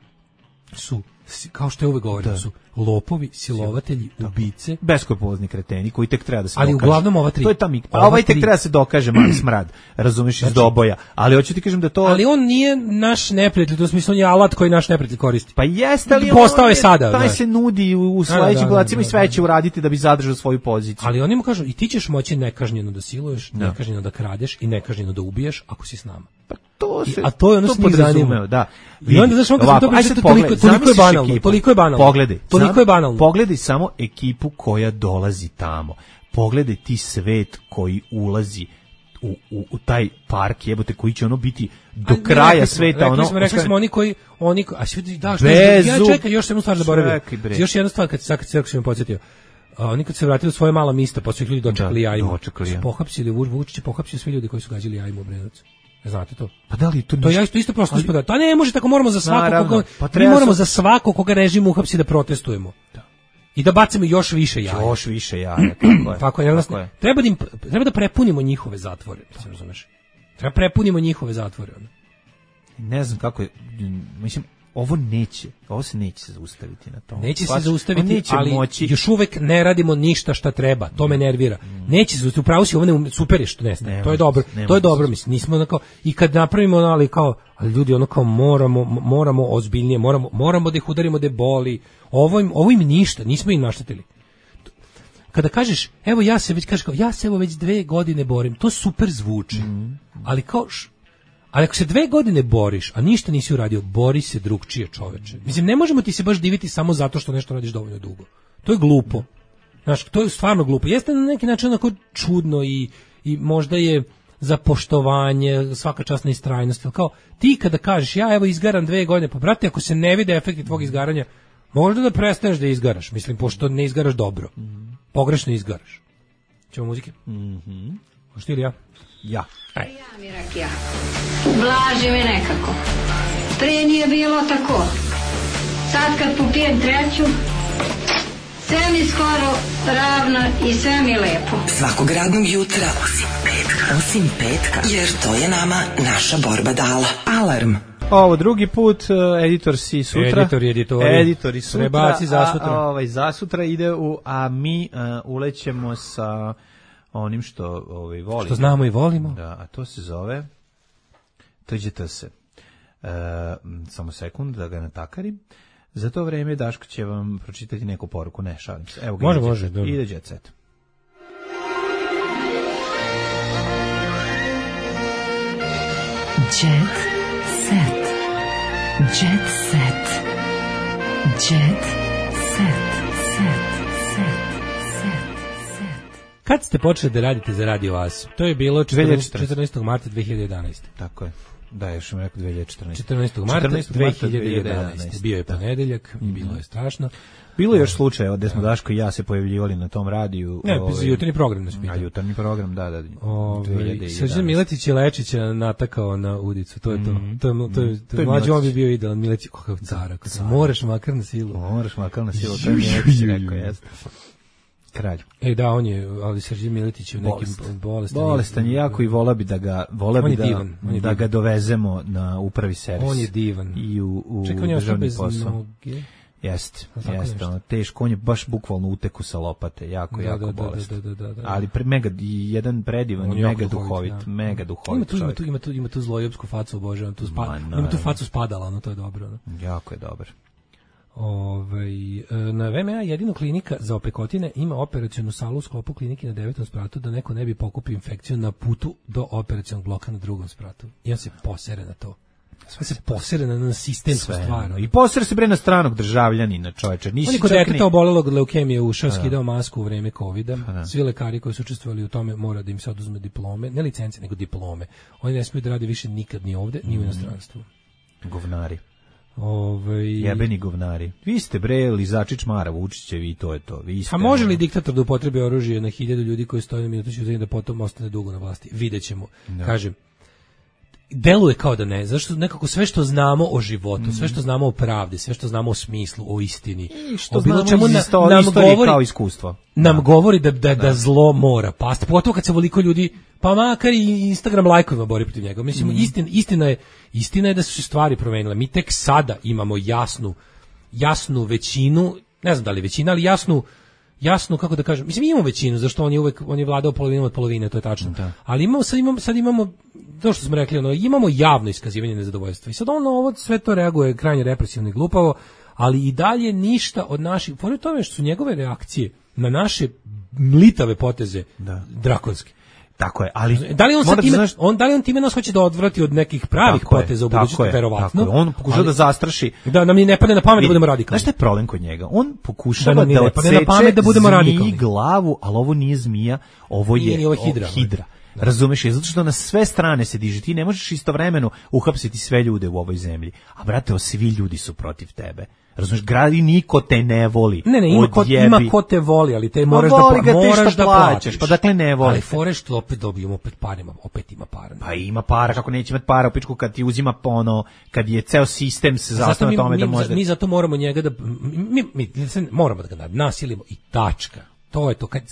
su, kao što je uvek govorio, da. Su lopovi, silovatelji, tako. Ubice. Beskopozni kreteni koji tek treba da se ali dokaže. Ali uglavnom ova tri. To je ta mik. A ovaj tek treba da se dokaže mali smrad, razumiješ, znači, iz doboja. Ali hoću ti kažem da to... Ali on nije naš neprijatelj, to smislu on je alat koji naš neprijatelj koristi. Pa jeste, ali postao je sada. Taj se nudi u, u sledećim godacima i sve će uraditi da bi zadržao svoju poziciju. Ali oni mu kažu, i ti ćeš moći nekažnjeno da siluješ, da. Nekažnjeno da kradeš i nekažnjeno da ubiješ ako si s nama. Pa to se, I, a to je ono s njih zanima. Da. I onda znaš on kad to priča, toliko, toliko je banalno, toliko je banalno. Pogledaj, toliko je banalno. Pogledaj samo ekipu koja dolazi tamo. Pogledaj ti svet koji ulazi u, u, u taj park, jebote, koji će ono biti do a, kraja ne, sveta. Rekli ono, smo, rekli smo oni koji, oni, a svi da, što ja čekaj, još jednu stvar zaboravio. Još jedna stvar, kad sad kad se rekao, podsjetio. A oni kad se vratili u svoje mala mista, pa su ih ljudi dočekali da, jajima. Dočekali, ja. Pohapsili, Vučić je pohapsio sve ljudi koji su gađali jajima u Obrenovcu. Ne znate to? Pa da li to to ja isto isto prosto ispada. To ne može tako, moramo za svako koga pa mi moramo su... za svako koga režim uhapsi da protestujemo. Da. I da bacimo još više jaja. Još više jaja, tako je. Tako je, tako je. Treba da im, treba da prepunimo njihove zatvore, se razumeš? Treba prepunimo njihove zatvore. Ono. Ne znam kako je, mislim, ovo neće, ovo se neće zaustaviti na tom. Neće se zaustaviti, neće ali moći. Još uvek ne radimo ništa šta treba, to me nervira. Neće se upravo si ovo ne super je što nestaje. To je dobro. To je dobro, mislim. Nismo onako i kad napravimo ono, ali kao ali ljudi ono kao moramo moramo ozbiljnije, moramo moramo da ih udarimo da boli. Ovo im, ovo im ništa, nismo im naštetili. Kada kažeš, evo ja se već kažeš kao, ja se evo već dve godine borim, to super zvuči. Mm. Ali kao š, ali ako se dve godine boriš, a ništa nisi uradio, bori se drugčije, čoveče. Mislim, ne možemo ti se baš diviti samo zato što nešto radiš dovoljno dugo. To je glupo. Znaš, to je stvarno glupo. Jeste na neki način onako čudno i, i možda je za poštovanje, svaka časna istrajnost. Kao, ti kada kažeš, ja evo izgaram dve godine, pa brate, ako se ne vide efekti tvog izgaranja, možda da prestaneš da izgaraš. Mislim, pošto ne izgaraš dobro. Pogrešno izgaraš. Ćemo muzike? Mhm. Hoćeš ti ili ja? Ja. Aj. Ja mi rakija. Ublaži me nekako. Prije nije bilo tako. Sad kad popijem treću, sve mi skoro ravno i sve mi lepo. Svakog radnog jutra, osim petka, osim petka, jer to je nama naša borba dala. Alarm. Ovo drugi put, uh, editor si sutra. Editor i editori. Editori sutra. Rebaci za sutra. A, a, ovaj, za sutra ide u, a mi uh, ulećemo sa onim što ovaj, volimo. Što znamo i volimo. Da, a to se zove Tuđete se. Uh, samo sekund da ga natakarim. Za to vreme Daško će vam pročitati neku poruku. Ne, šalim se. Evo ga. Može, može. Ide Jet Set. Jet set. Jet set. Jet set. Set. Set. Set. Set. Kad ste počeli da radite za Radio As? To je bilo četrnaestog marta dve hiljade jedanaeste. Tako je. Da, još sam rekao dve hiljade četrnaeste. četrnaestog marta dve hiljade jedanaeste. Bio je ponedeljak, mm. bilo je strašno. Bilo je još slučajeva gde smo Daško i ja se pojavljivali na tom radiju. Ne, ovaj, jutarnji program nas pita. A jutarnji program, da, da. Ovaj Srđan Miletić je Lečića natakao na udicu, to je to. Mm. To je to je, to je mlađi on bi bio idealan, Miletić kakav cara. Moraš makar na silu. Moraš makar na silu, to je Miletić rekao, jeste. Kralj. E da, on je, ali Srđan Miletić je u nekim bolestan. Bolestan je jako i vola bi da ga, vola bi da, divan, da ga dovezemo na upravi servis. On je divan. I u, u Čekaj, državni posao. Jeste, jeste, ono, teško, on je baš bukvalno uteku sa lopate, jako, da, jako da, bolestan. Da, da, da, da, da. Ali pre, mega, jedan predivan, mega duhovit, da. mega duhovit ima tu, čovjek. Ima tu, ima tu zlojopsku facu, obožavam, tu spa, Ma, ima tu facu spadala, ono, to je dobro. No. Jako je dobar. Ove, na V M A jedino klinika za opekotine ima operacionu salu u sklopu klinike na devetom spratu da neko ne bi pokupio infekciju na putu do operacionog bloka na drugom spratu. I on se posere na to. Sve se posere na sistemsku stvar. I posere se bre na stranog državljanina, čoveče. On je kod deteta obolelog od leukemije ušao, skidao masku u vreme kovida. Svi lekari koji su učestvovali u tome mora da im se oduzme diplome, ne licence, nego diplome. Oni ne smiju da rade više nikad ni ovde, ni u inostranstvu. Govnari. Ove... Jebeni govnari. Vi ste bre lizači čmara Vučićevi i to je to. Vi ste... A može li diktator da upotrebi oružje na hiljadu ljudi koji stoje na minutu ćutanja da potom ostane dugo na vlasti? Videćemo. Da. Kažem, deluje kao da ne, zašto nekako sve što znamo o životu, mm. sve što znamo o pravdi, sve što znamo o smislu, o istini, i što o bilo čemu na, isto, nam govori kao iskustvo. Nam da. govori da, da, da. da zlo mora pasti. Pogotovo kad se voliko ljudi, pa makar i Instagram lajkovima bori protiv njega. Mislim, mm. istina, istina, je, istina je da su se stvari promenile. Mi tek sada imamo jasnu, jasnu većinu, ne znam da li većina, ali jasnu jasno kako da kažem, mislim imamo većinu zašto on je uvek on je vladao polovinom od polovine, to je tačno. Da. Ali imamo sad imamo sad imamo to što smo rekli, ono imamo javno iskazivanje nezadovoljstva. I sad ono ovo sve to reaguje krajnje represivno i glupavo, ali i dalje ništa od naših, pored toga što su njegove reakcije na naše mlitave poteze da. drakonske. Tako je, ali da li on sad time, znaš, on da li on time nas hoće da odvrati od nekih pravih poteza u budućnosti, verovatno. On pokušava da zastraši, da nam ne padne na pamet da budemo radikalni. Znaš šta je problem kod njega? On pokušava da, da odseče na pamet da budemo radikalni glavu, ali ovo nije zmija, ovo je nije, ovo hidra. hidra. Da. Razumeš je, zato što na sve strane se diže, ti ne možeš istovremeno uhapsiti sve ljude u ovoj zemlji, a brate, svi ljudi su protiv tebe. Razumeš, gradi niko te ne voli. Ne, ne, ima ko, ima ko te voli, ali te moraš da, ga moraš da plaćaš, pa dakle ne voli. Ali foreš što opet dobijemo opet parima, opet ima para. Pa ima para, kako neće imati para u pičku kad ti uzima ono, kad je ceo sistem se zasniva na tome mi, da može. Mi zato moramo njega da, mi, mi, mi moramo da ga nasilimo i tačka. To je to, kad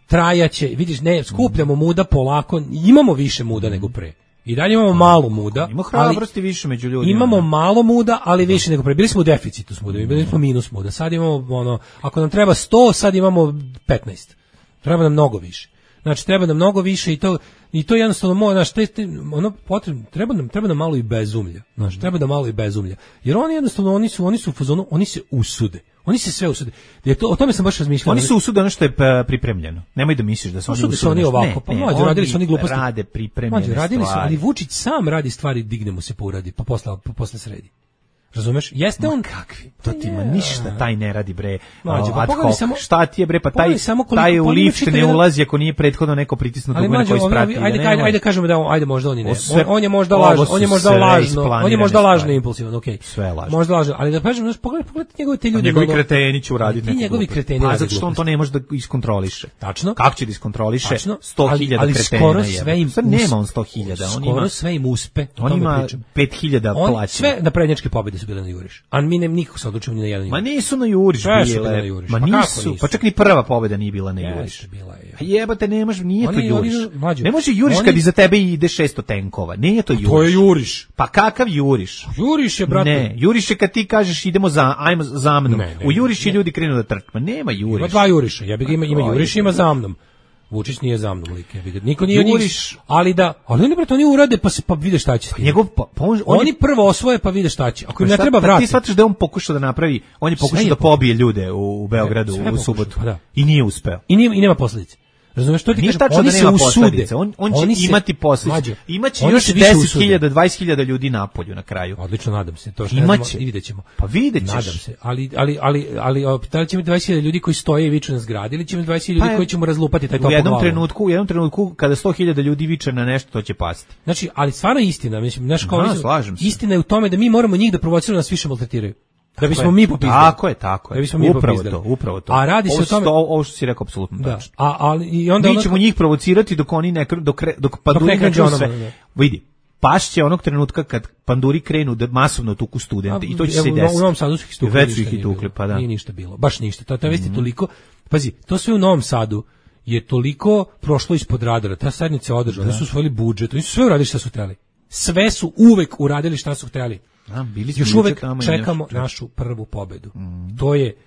trajaće, vidiš, ne, skupljamo muda polako, imamo više muda nego pre. I dalje imamo malo muda, ima hrabrosti više među ljudima. Imamo ne? malo muda, ali više nego pre. Bili smo u deficitu s mudom, bili smo minus muda. Sad imamo ono, ako nam treba sto, sad imamo petnaest. Treba nam mnogo više. Znači treba nam mnogo više i to i to jednostavno mora, znači te, te, ono potrebno, treba nam treba nam malo i bezumlja. Znači treba da malo i bezumlja. Jer oni jednostavno oni su oni su u fazonu, oni se usude. Oni se sve usude. Je to, o tome sam baš razmišljao. Oni se usude ono što je pripremljeno. Nemoj da misliš da su oni usude. Oni ovako, pa mlađi radili su oni gluposti. Rade pripremljene stvari. Radili su, ali Vučić sam radi stvari, digne mu se pa uradi, pa posle pa posle sredi. Razumeš? Jeste on kakvi? To ti ima ništa, taj ne radi bre. Mlađe, pa ad hoc. Samo, šta ti je bre, pa taj koliko, taj u lift ne ulazi ako nije prethodno neko pritisnuto dugme koji isprati. Ajde, ajde, ajde kažemo da on, ajde možda oni ne. On, on je možda lažno, on je možda lažno, on je možda lažno impulsivan, okej. Okay. Sve lažno. Možda lažno, ali da kažem, znači pogledaj, pogledaj njegove te ljude. Njegovi kreteni će uraditi neki. Njegovi kreteni rade. A zato što on to ne može da iskontroliše. Tačno. Kako će da iskontroliše? sto hiljada kretena. Skoro sve im nema on sto hiljada, on ima. Skoro sve im uspe. On ima pet hiljada plaćanja. Sve naprednjačke pobede su bile na juriš. A mi ne nikako se odlučimo ni na jedan. Ma nisu na juriš bile. Juriš. Ma pa nisu, pa čak ni prva pobeda nije bila na juriš. Bila je. A jebate, nemaš, nije oni, to juriš. Oni, ne može juriš oni, kad iza tebe ide šesto tenkova. Nije to juriš. To je juriš. Pa kakav juriš? Juriš je, brate. Ne, juriš je kad ti kažeš idemo za, ajmo za mnom. Ne, ne, u juriš je ljudi krenu da trče. Ma nema juriš. Ima dva juriša. Ja bih ima, ima juriš, ima za mnom. Vučić nije za mnom lik, ja bih niko nije juriš, ali da, ali oni brate oni urade pa se pa vide šta će. Pa njegov pa, pa on, oni prvo osvoje pa vide šta će. Ako im ne treba vratiti. Ti shvataš da on pokušao da napravi, on je pokušao da pobije ljude u, u Beogradu u subotu pa da. I nije uspeo. I nije i nema posledice. Razumeš što ti kažeš? Oni da se usude. On, on će oni imati posljedice. Imaće još deset hiljada, dvadeset hiljada ljudi na polju na kraju. Odlično, nadam se. To što imaće. I videćemo. Pa videćeš. Nadam se. Ali, ali, ali, ali, da li će imati dvadeset hiljada ljudi koji stoje i viču na zgradi ili će imati dvadeset hiljada ljudi koji ćemo razlupati taj toplo glavom? U jednom trenutku, u jednom trenutku kada sto hiljada ljudi viče na nešto, to će pasti. Znači, ali stvarno istina, mislim, znaš kao no, slažem se. Istina je u tome da mi moramo njih da provociramo, nas više maltretiraju. Da bismo mi popizdali. Tako je, tako je. Da bismo mi upravo popizdali. to, upravo to. A radi se o tome, ovo što si rekao apsolutno tačno. A ali i onda mi ćemo ono... njih provocirati dok oni ne dok dok panduri ne krenu sve. Vidi, pašće onog trenutka kad panduri krenu da masovno tuku studente i to će se desiti. U Novom Sadu su ih tukli. Već su ih tukli, pa da. Nije ništa bilo. Baš ništa. To je vesti toliko. Pazi, to sve u Novom Sadu je toliko prošlo ispod radara. Ta sednica održana, oni su usvojili budžet, oni su sve uradili šta su hteli. Sve su uvek uradili šta su hteli. A, bili još uvek čekamo našu prvu pobedu. Mm. To je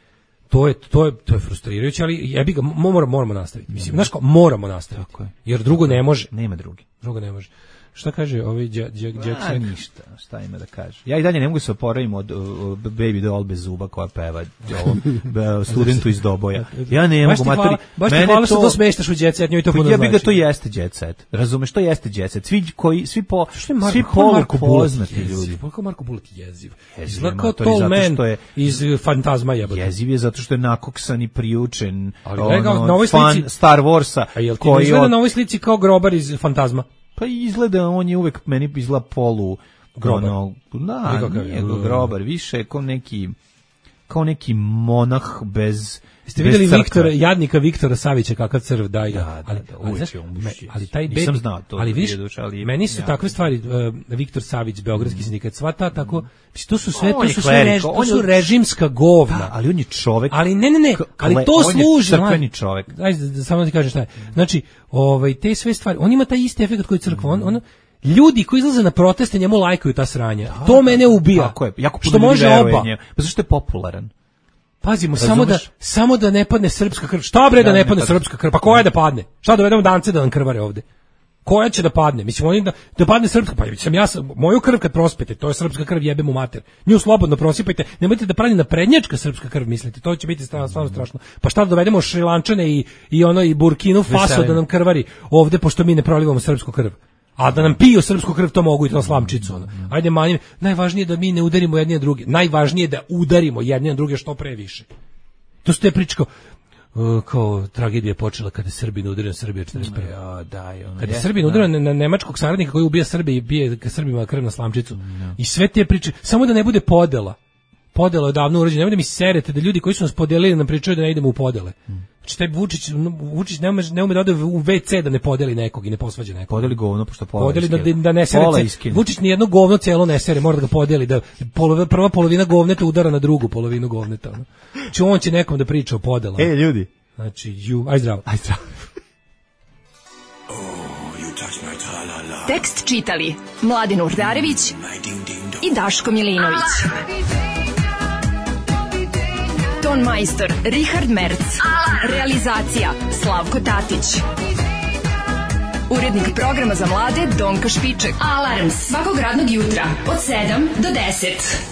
to je to je to je frustrirajuće, ali jebi ga moramo moramo nastaviti. Mislim, znaš, moramo nastaviti. Tako je. Jer drugo ne može. Nema drugi. Drugo ne može. Šta kaže ovaj Jackson? Ništa, šta ima da kaže. Ja i dalje ne mogu se oporaviti od uh, Baby Doll bez zuba koja peva ovom studentu iz Doboja. Ja ne mogu materi. Baš ti hvala što to smeštaš u Jet Set, njoj to puno znači. Ja bih ga to jeste Jet Set. Razumeš, to jeste Jet Set. Svi koji svi po svi polu poznati ljudi. Koliko Marko Bulat jeziv. Izgleda kao Tall Man iz Fantazma jebote. Jeziv je zato što je nakoksan i priučen. Ali na ovoj slici Star Warsa koji izgleda na ovoj slici kao grobar iz Fantazma. Pa izgleda, on je uvek meni izgleda polu grobar. Ono, da, nije grobar, više kao neki, kao neki monah bez... Ste vidjeli Viktora, jadnika Viktora Savića kakav crv daj ga. Da, ali, da, ali, znaš, ali taj nisam znao to. Ali vidiš, duš, ali, meni su ja. takve stvari, uh, Viktor Savić, Beogradski mm. sindikat, sva ta tako, mm. to su sve, on to su sve rež, to su režimska govna. Da, ali on je čovek. Ali ne, ne, ne, ali to on služi. On je crkveni čovek. Ajde, da samo ti kažem šta je. Znači, ovaj, te sve stvari, on ima taj isti efekt koji crkva, on, on ljudi koji izlaze na proteste njemu lajkaju ta sranja. Da, to mene ubija. Tako je, jako što može oba. Pa zašto je popularan? Pazimo, samo da, samo da ne padne srpska krv. Šta bre da, da ne padne srpska krv? Pa koja je da padne? Šta dovedemo dance da nam krvare ovde? Koja će da padne? Mislim, oni da, da padne srpska, pa sam ja, moju krv kad prospete, to je srpska krv, jebem u mater. Nju slobodno prosipajte, nemojte da pravi naprednjačka srpska krv, mislite, to će biti stvarno, stvarno strašno. Pa šta da dovedemo Šrilančane i, i ono i Burkinu Faso da nam krvari ovde, pošto mi ne prolivamo srpsku krv. A da nam piju srpsku krv, to mogu i to slamčicu. Ono. Ajde, manjim. Najvažnije je da mi ne udarimo jedni na druge. Najvažnije je da udarimo jedni na druge što pre više. To su te priče kao, uh, kao tragedija je počela kada je Srbina udario na Srbiju četrdeset prve. Ja, daj, ono, kada je Srbina udario na, na nemačkog saradnika koji ubija Srbe i bije ka Srbima krv na slamčicu. No. I sve te priče, samo da ne bude podela. Podela je davno urađena. Nemoj da mi serete da ljudi koji su nas podelili nam pričaju da ne idemo u podele. Mm. Znači taj Vučić, Vučić ne ume, ne ume da ode u ve ce da ne podeli nekog i ne posvađa nekog. Podeli govno, pošto pola podeli da, da ne sere. Vučić ni jedno govno celo ne sere, mora da ga podeli, da polove, prva polovina govneta udara na drugu polovinu govneta. Ono. Znači on će nekom da priča o podelama. E, ljudi. Znači, ju, aj zdravo. Aj zdravo. Tekst čitali Mladin Urdarević i Daško Milinović. Ton majstor Richard Merc. Realizacija Slavko Tatić. Urednik programa za mlade Donka Špiček. Alarms svakog radnog jutra od sedam do deset.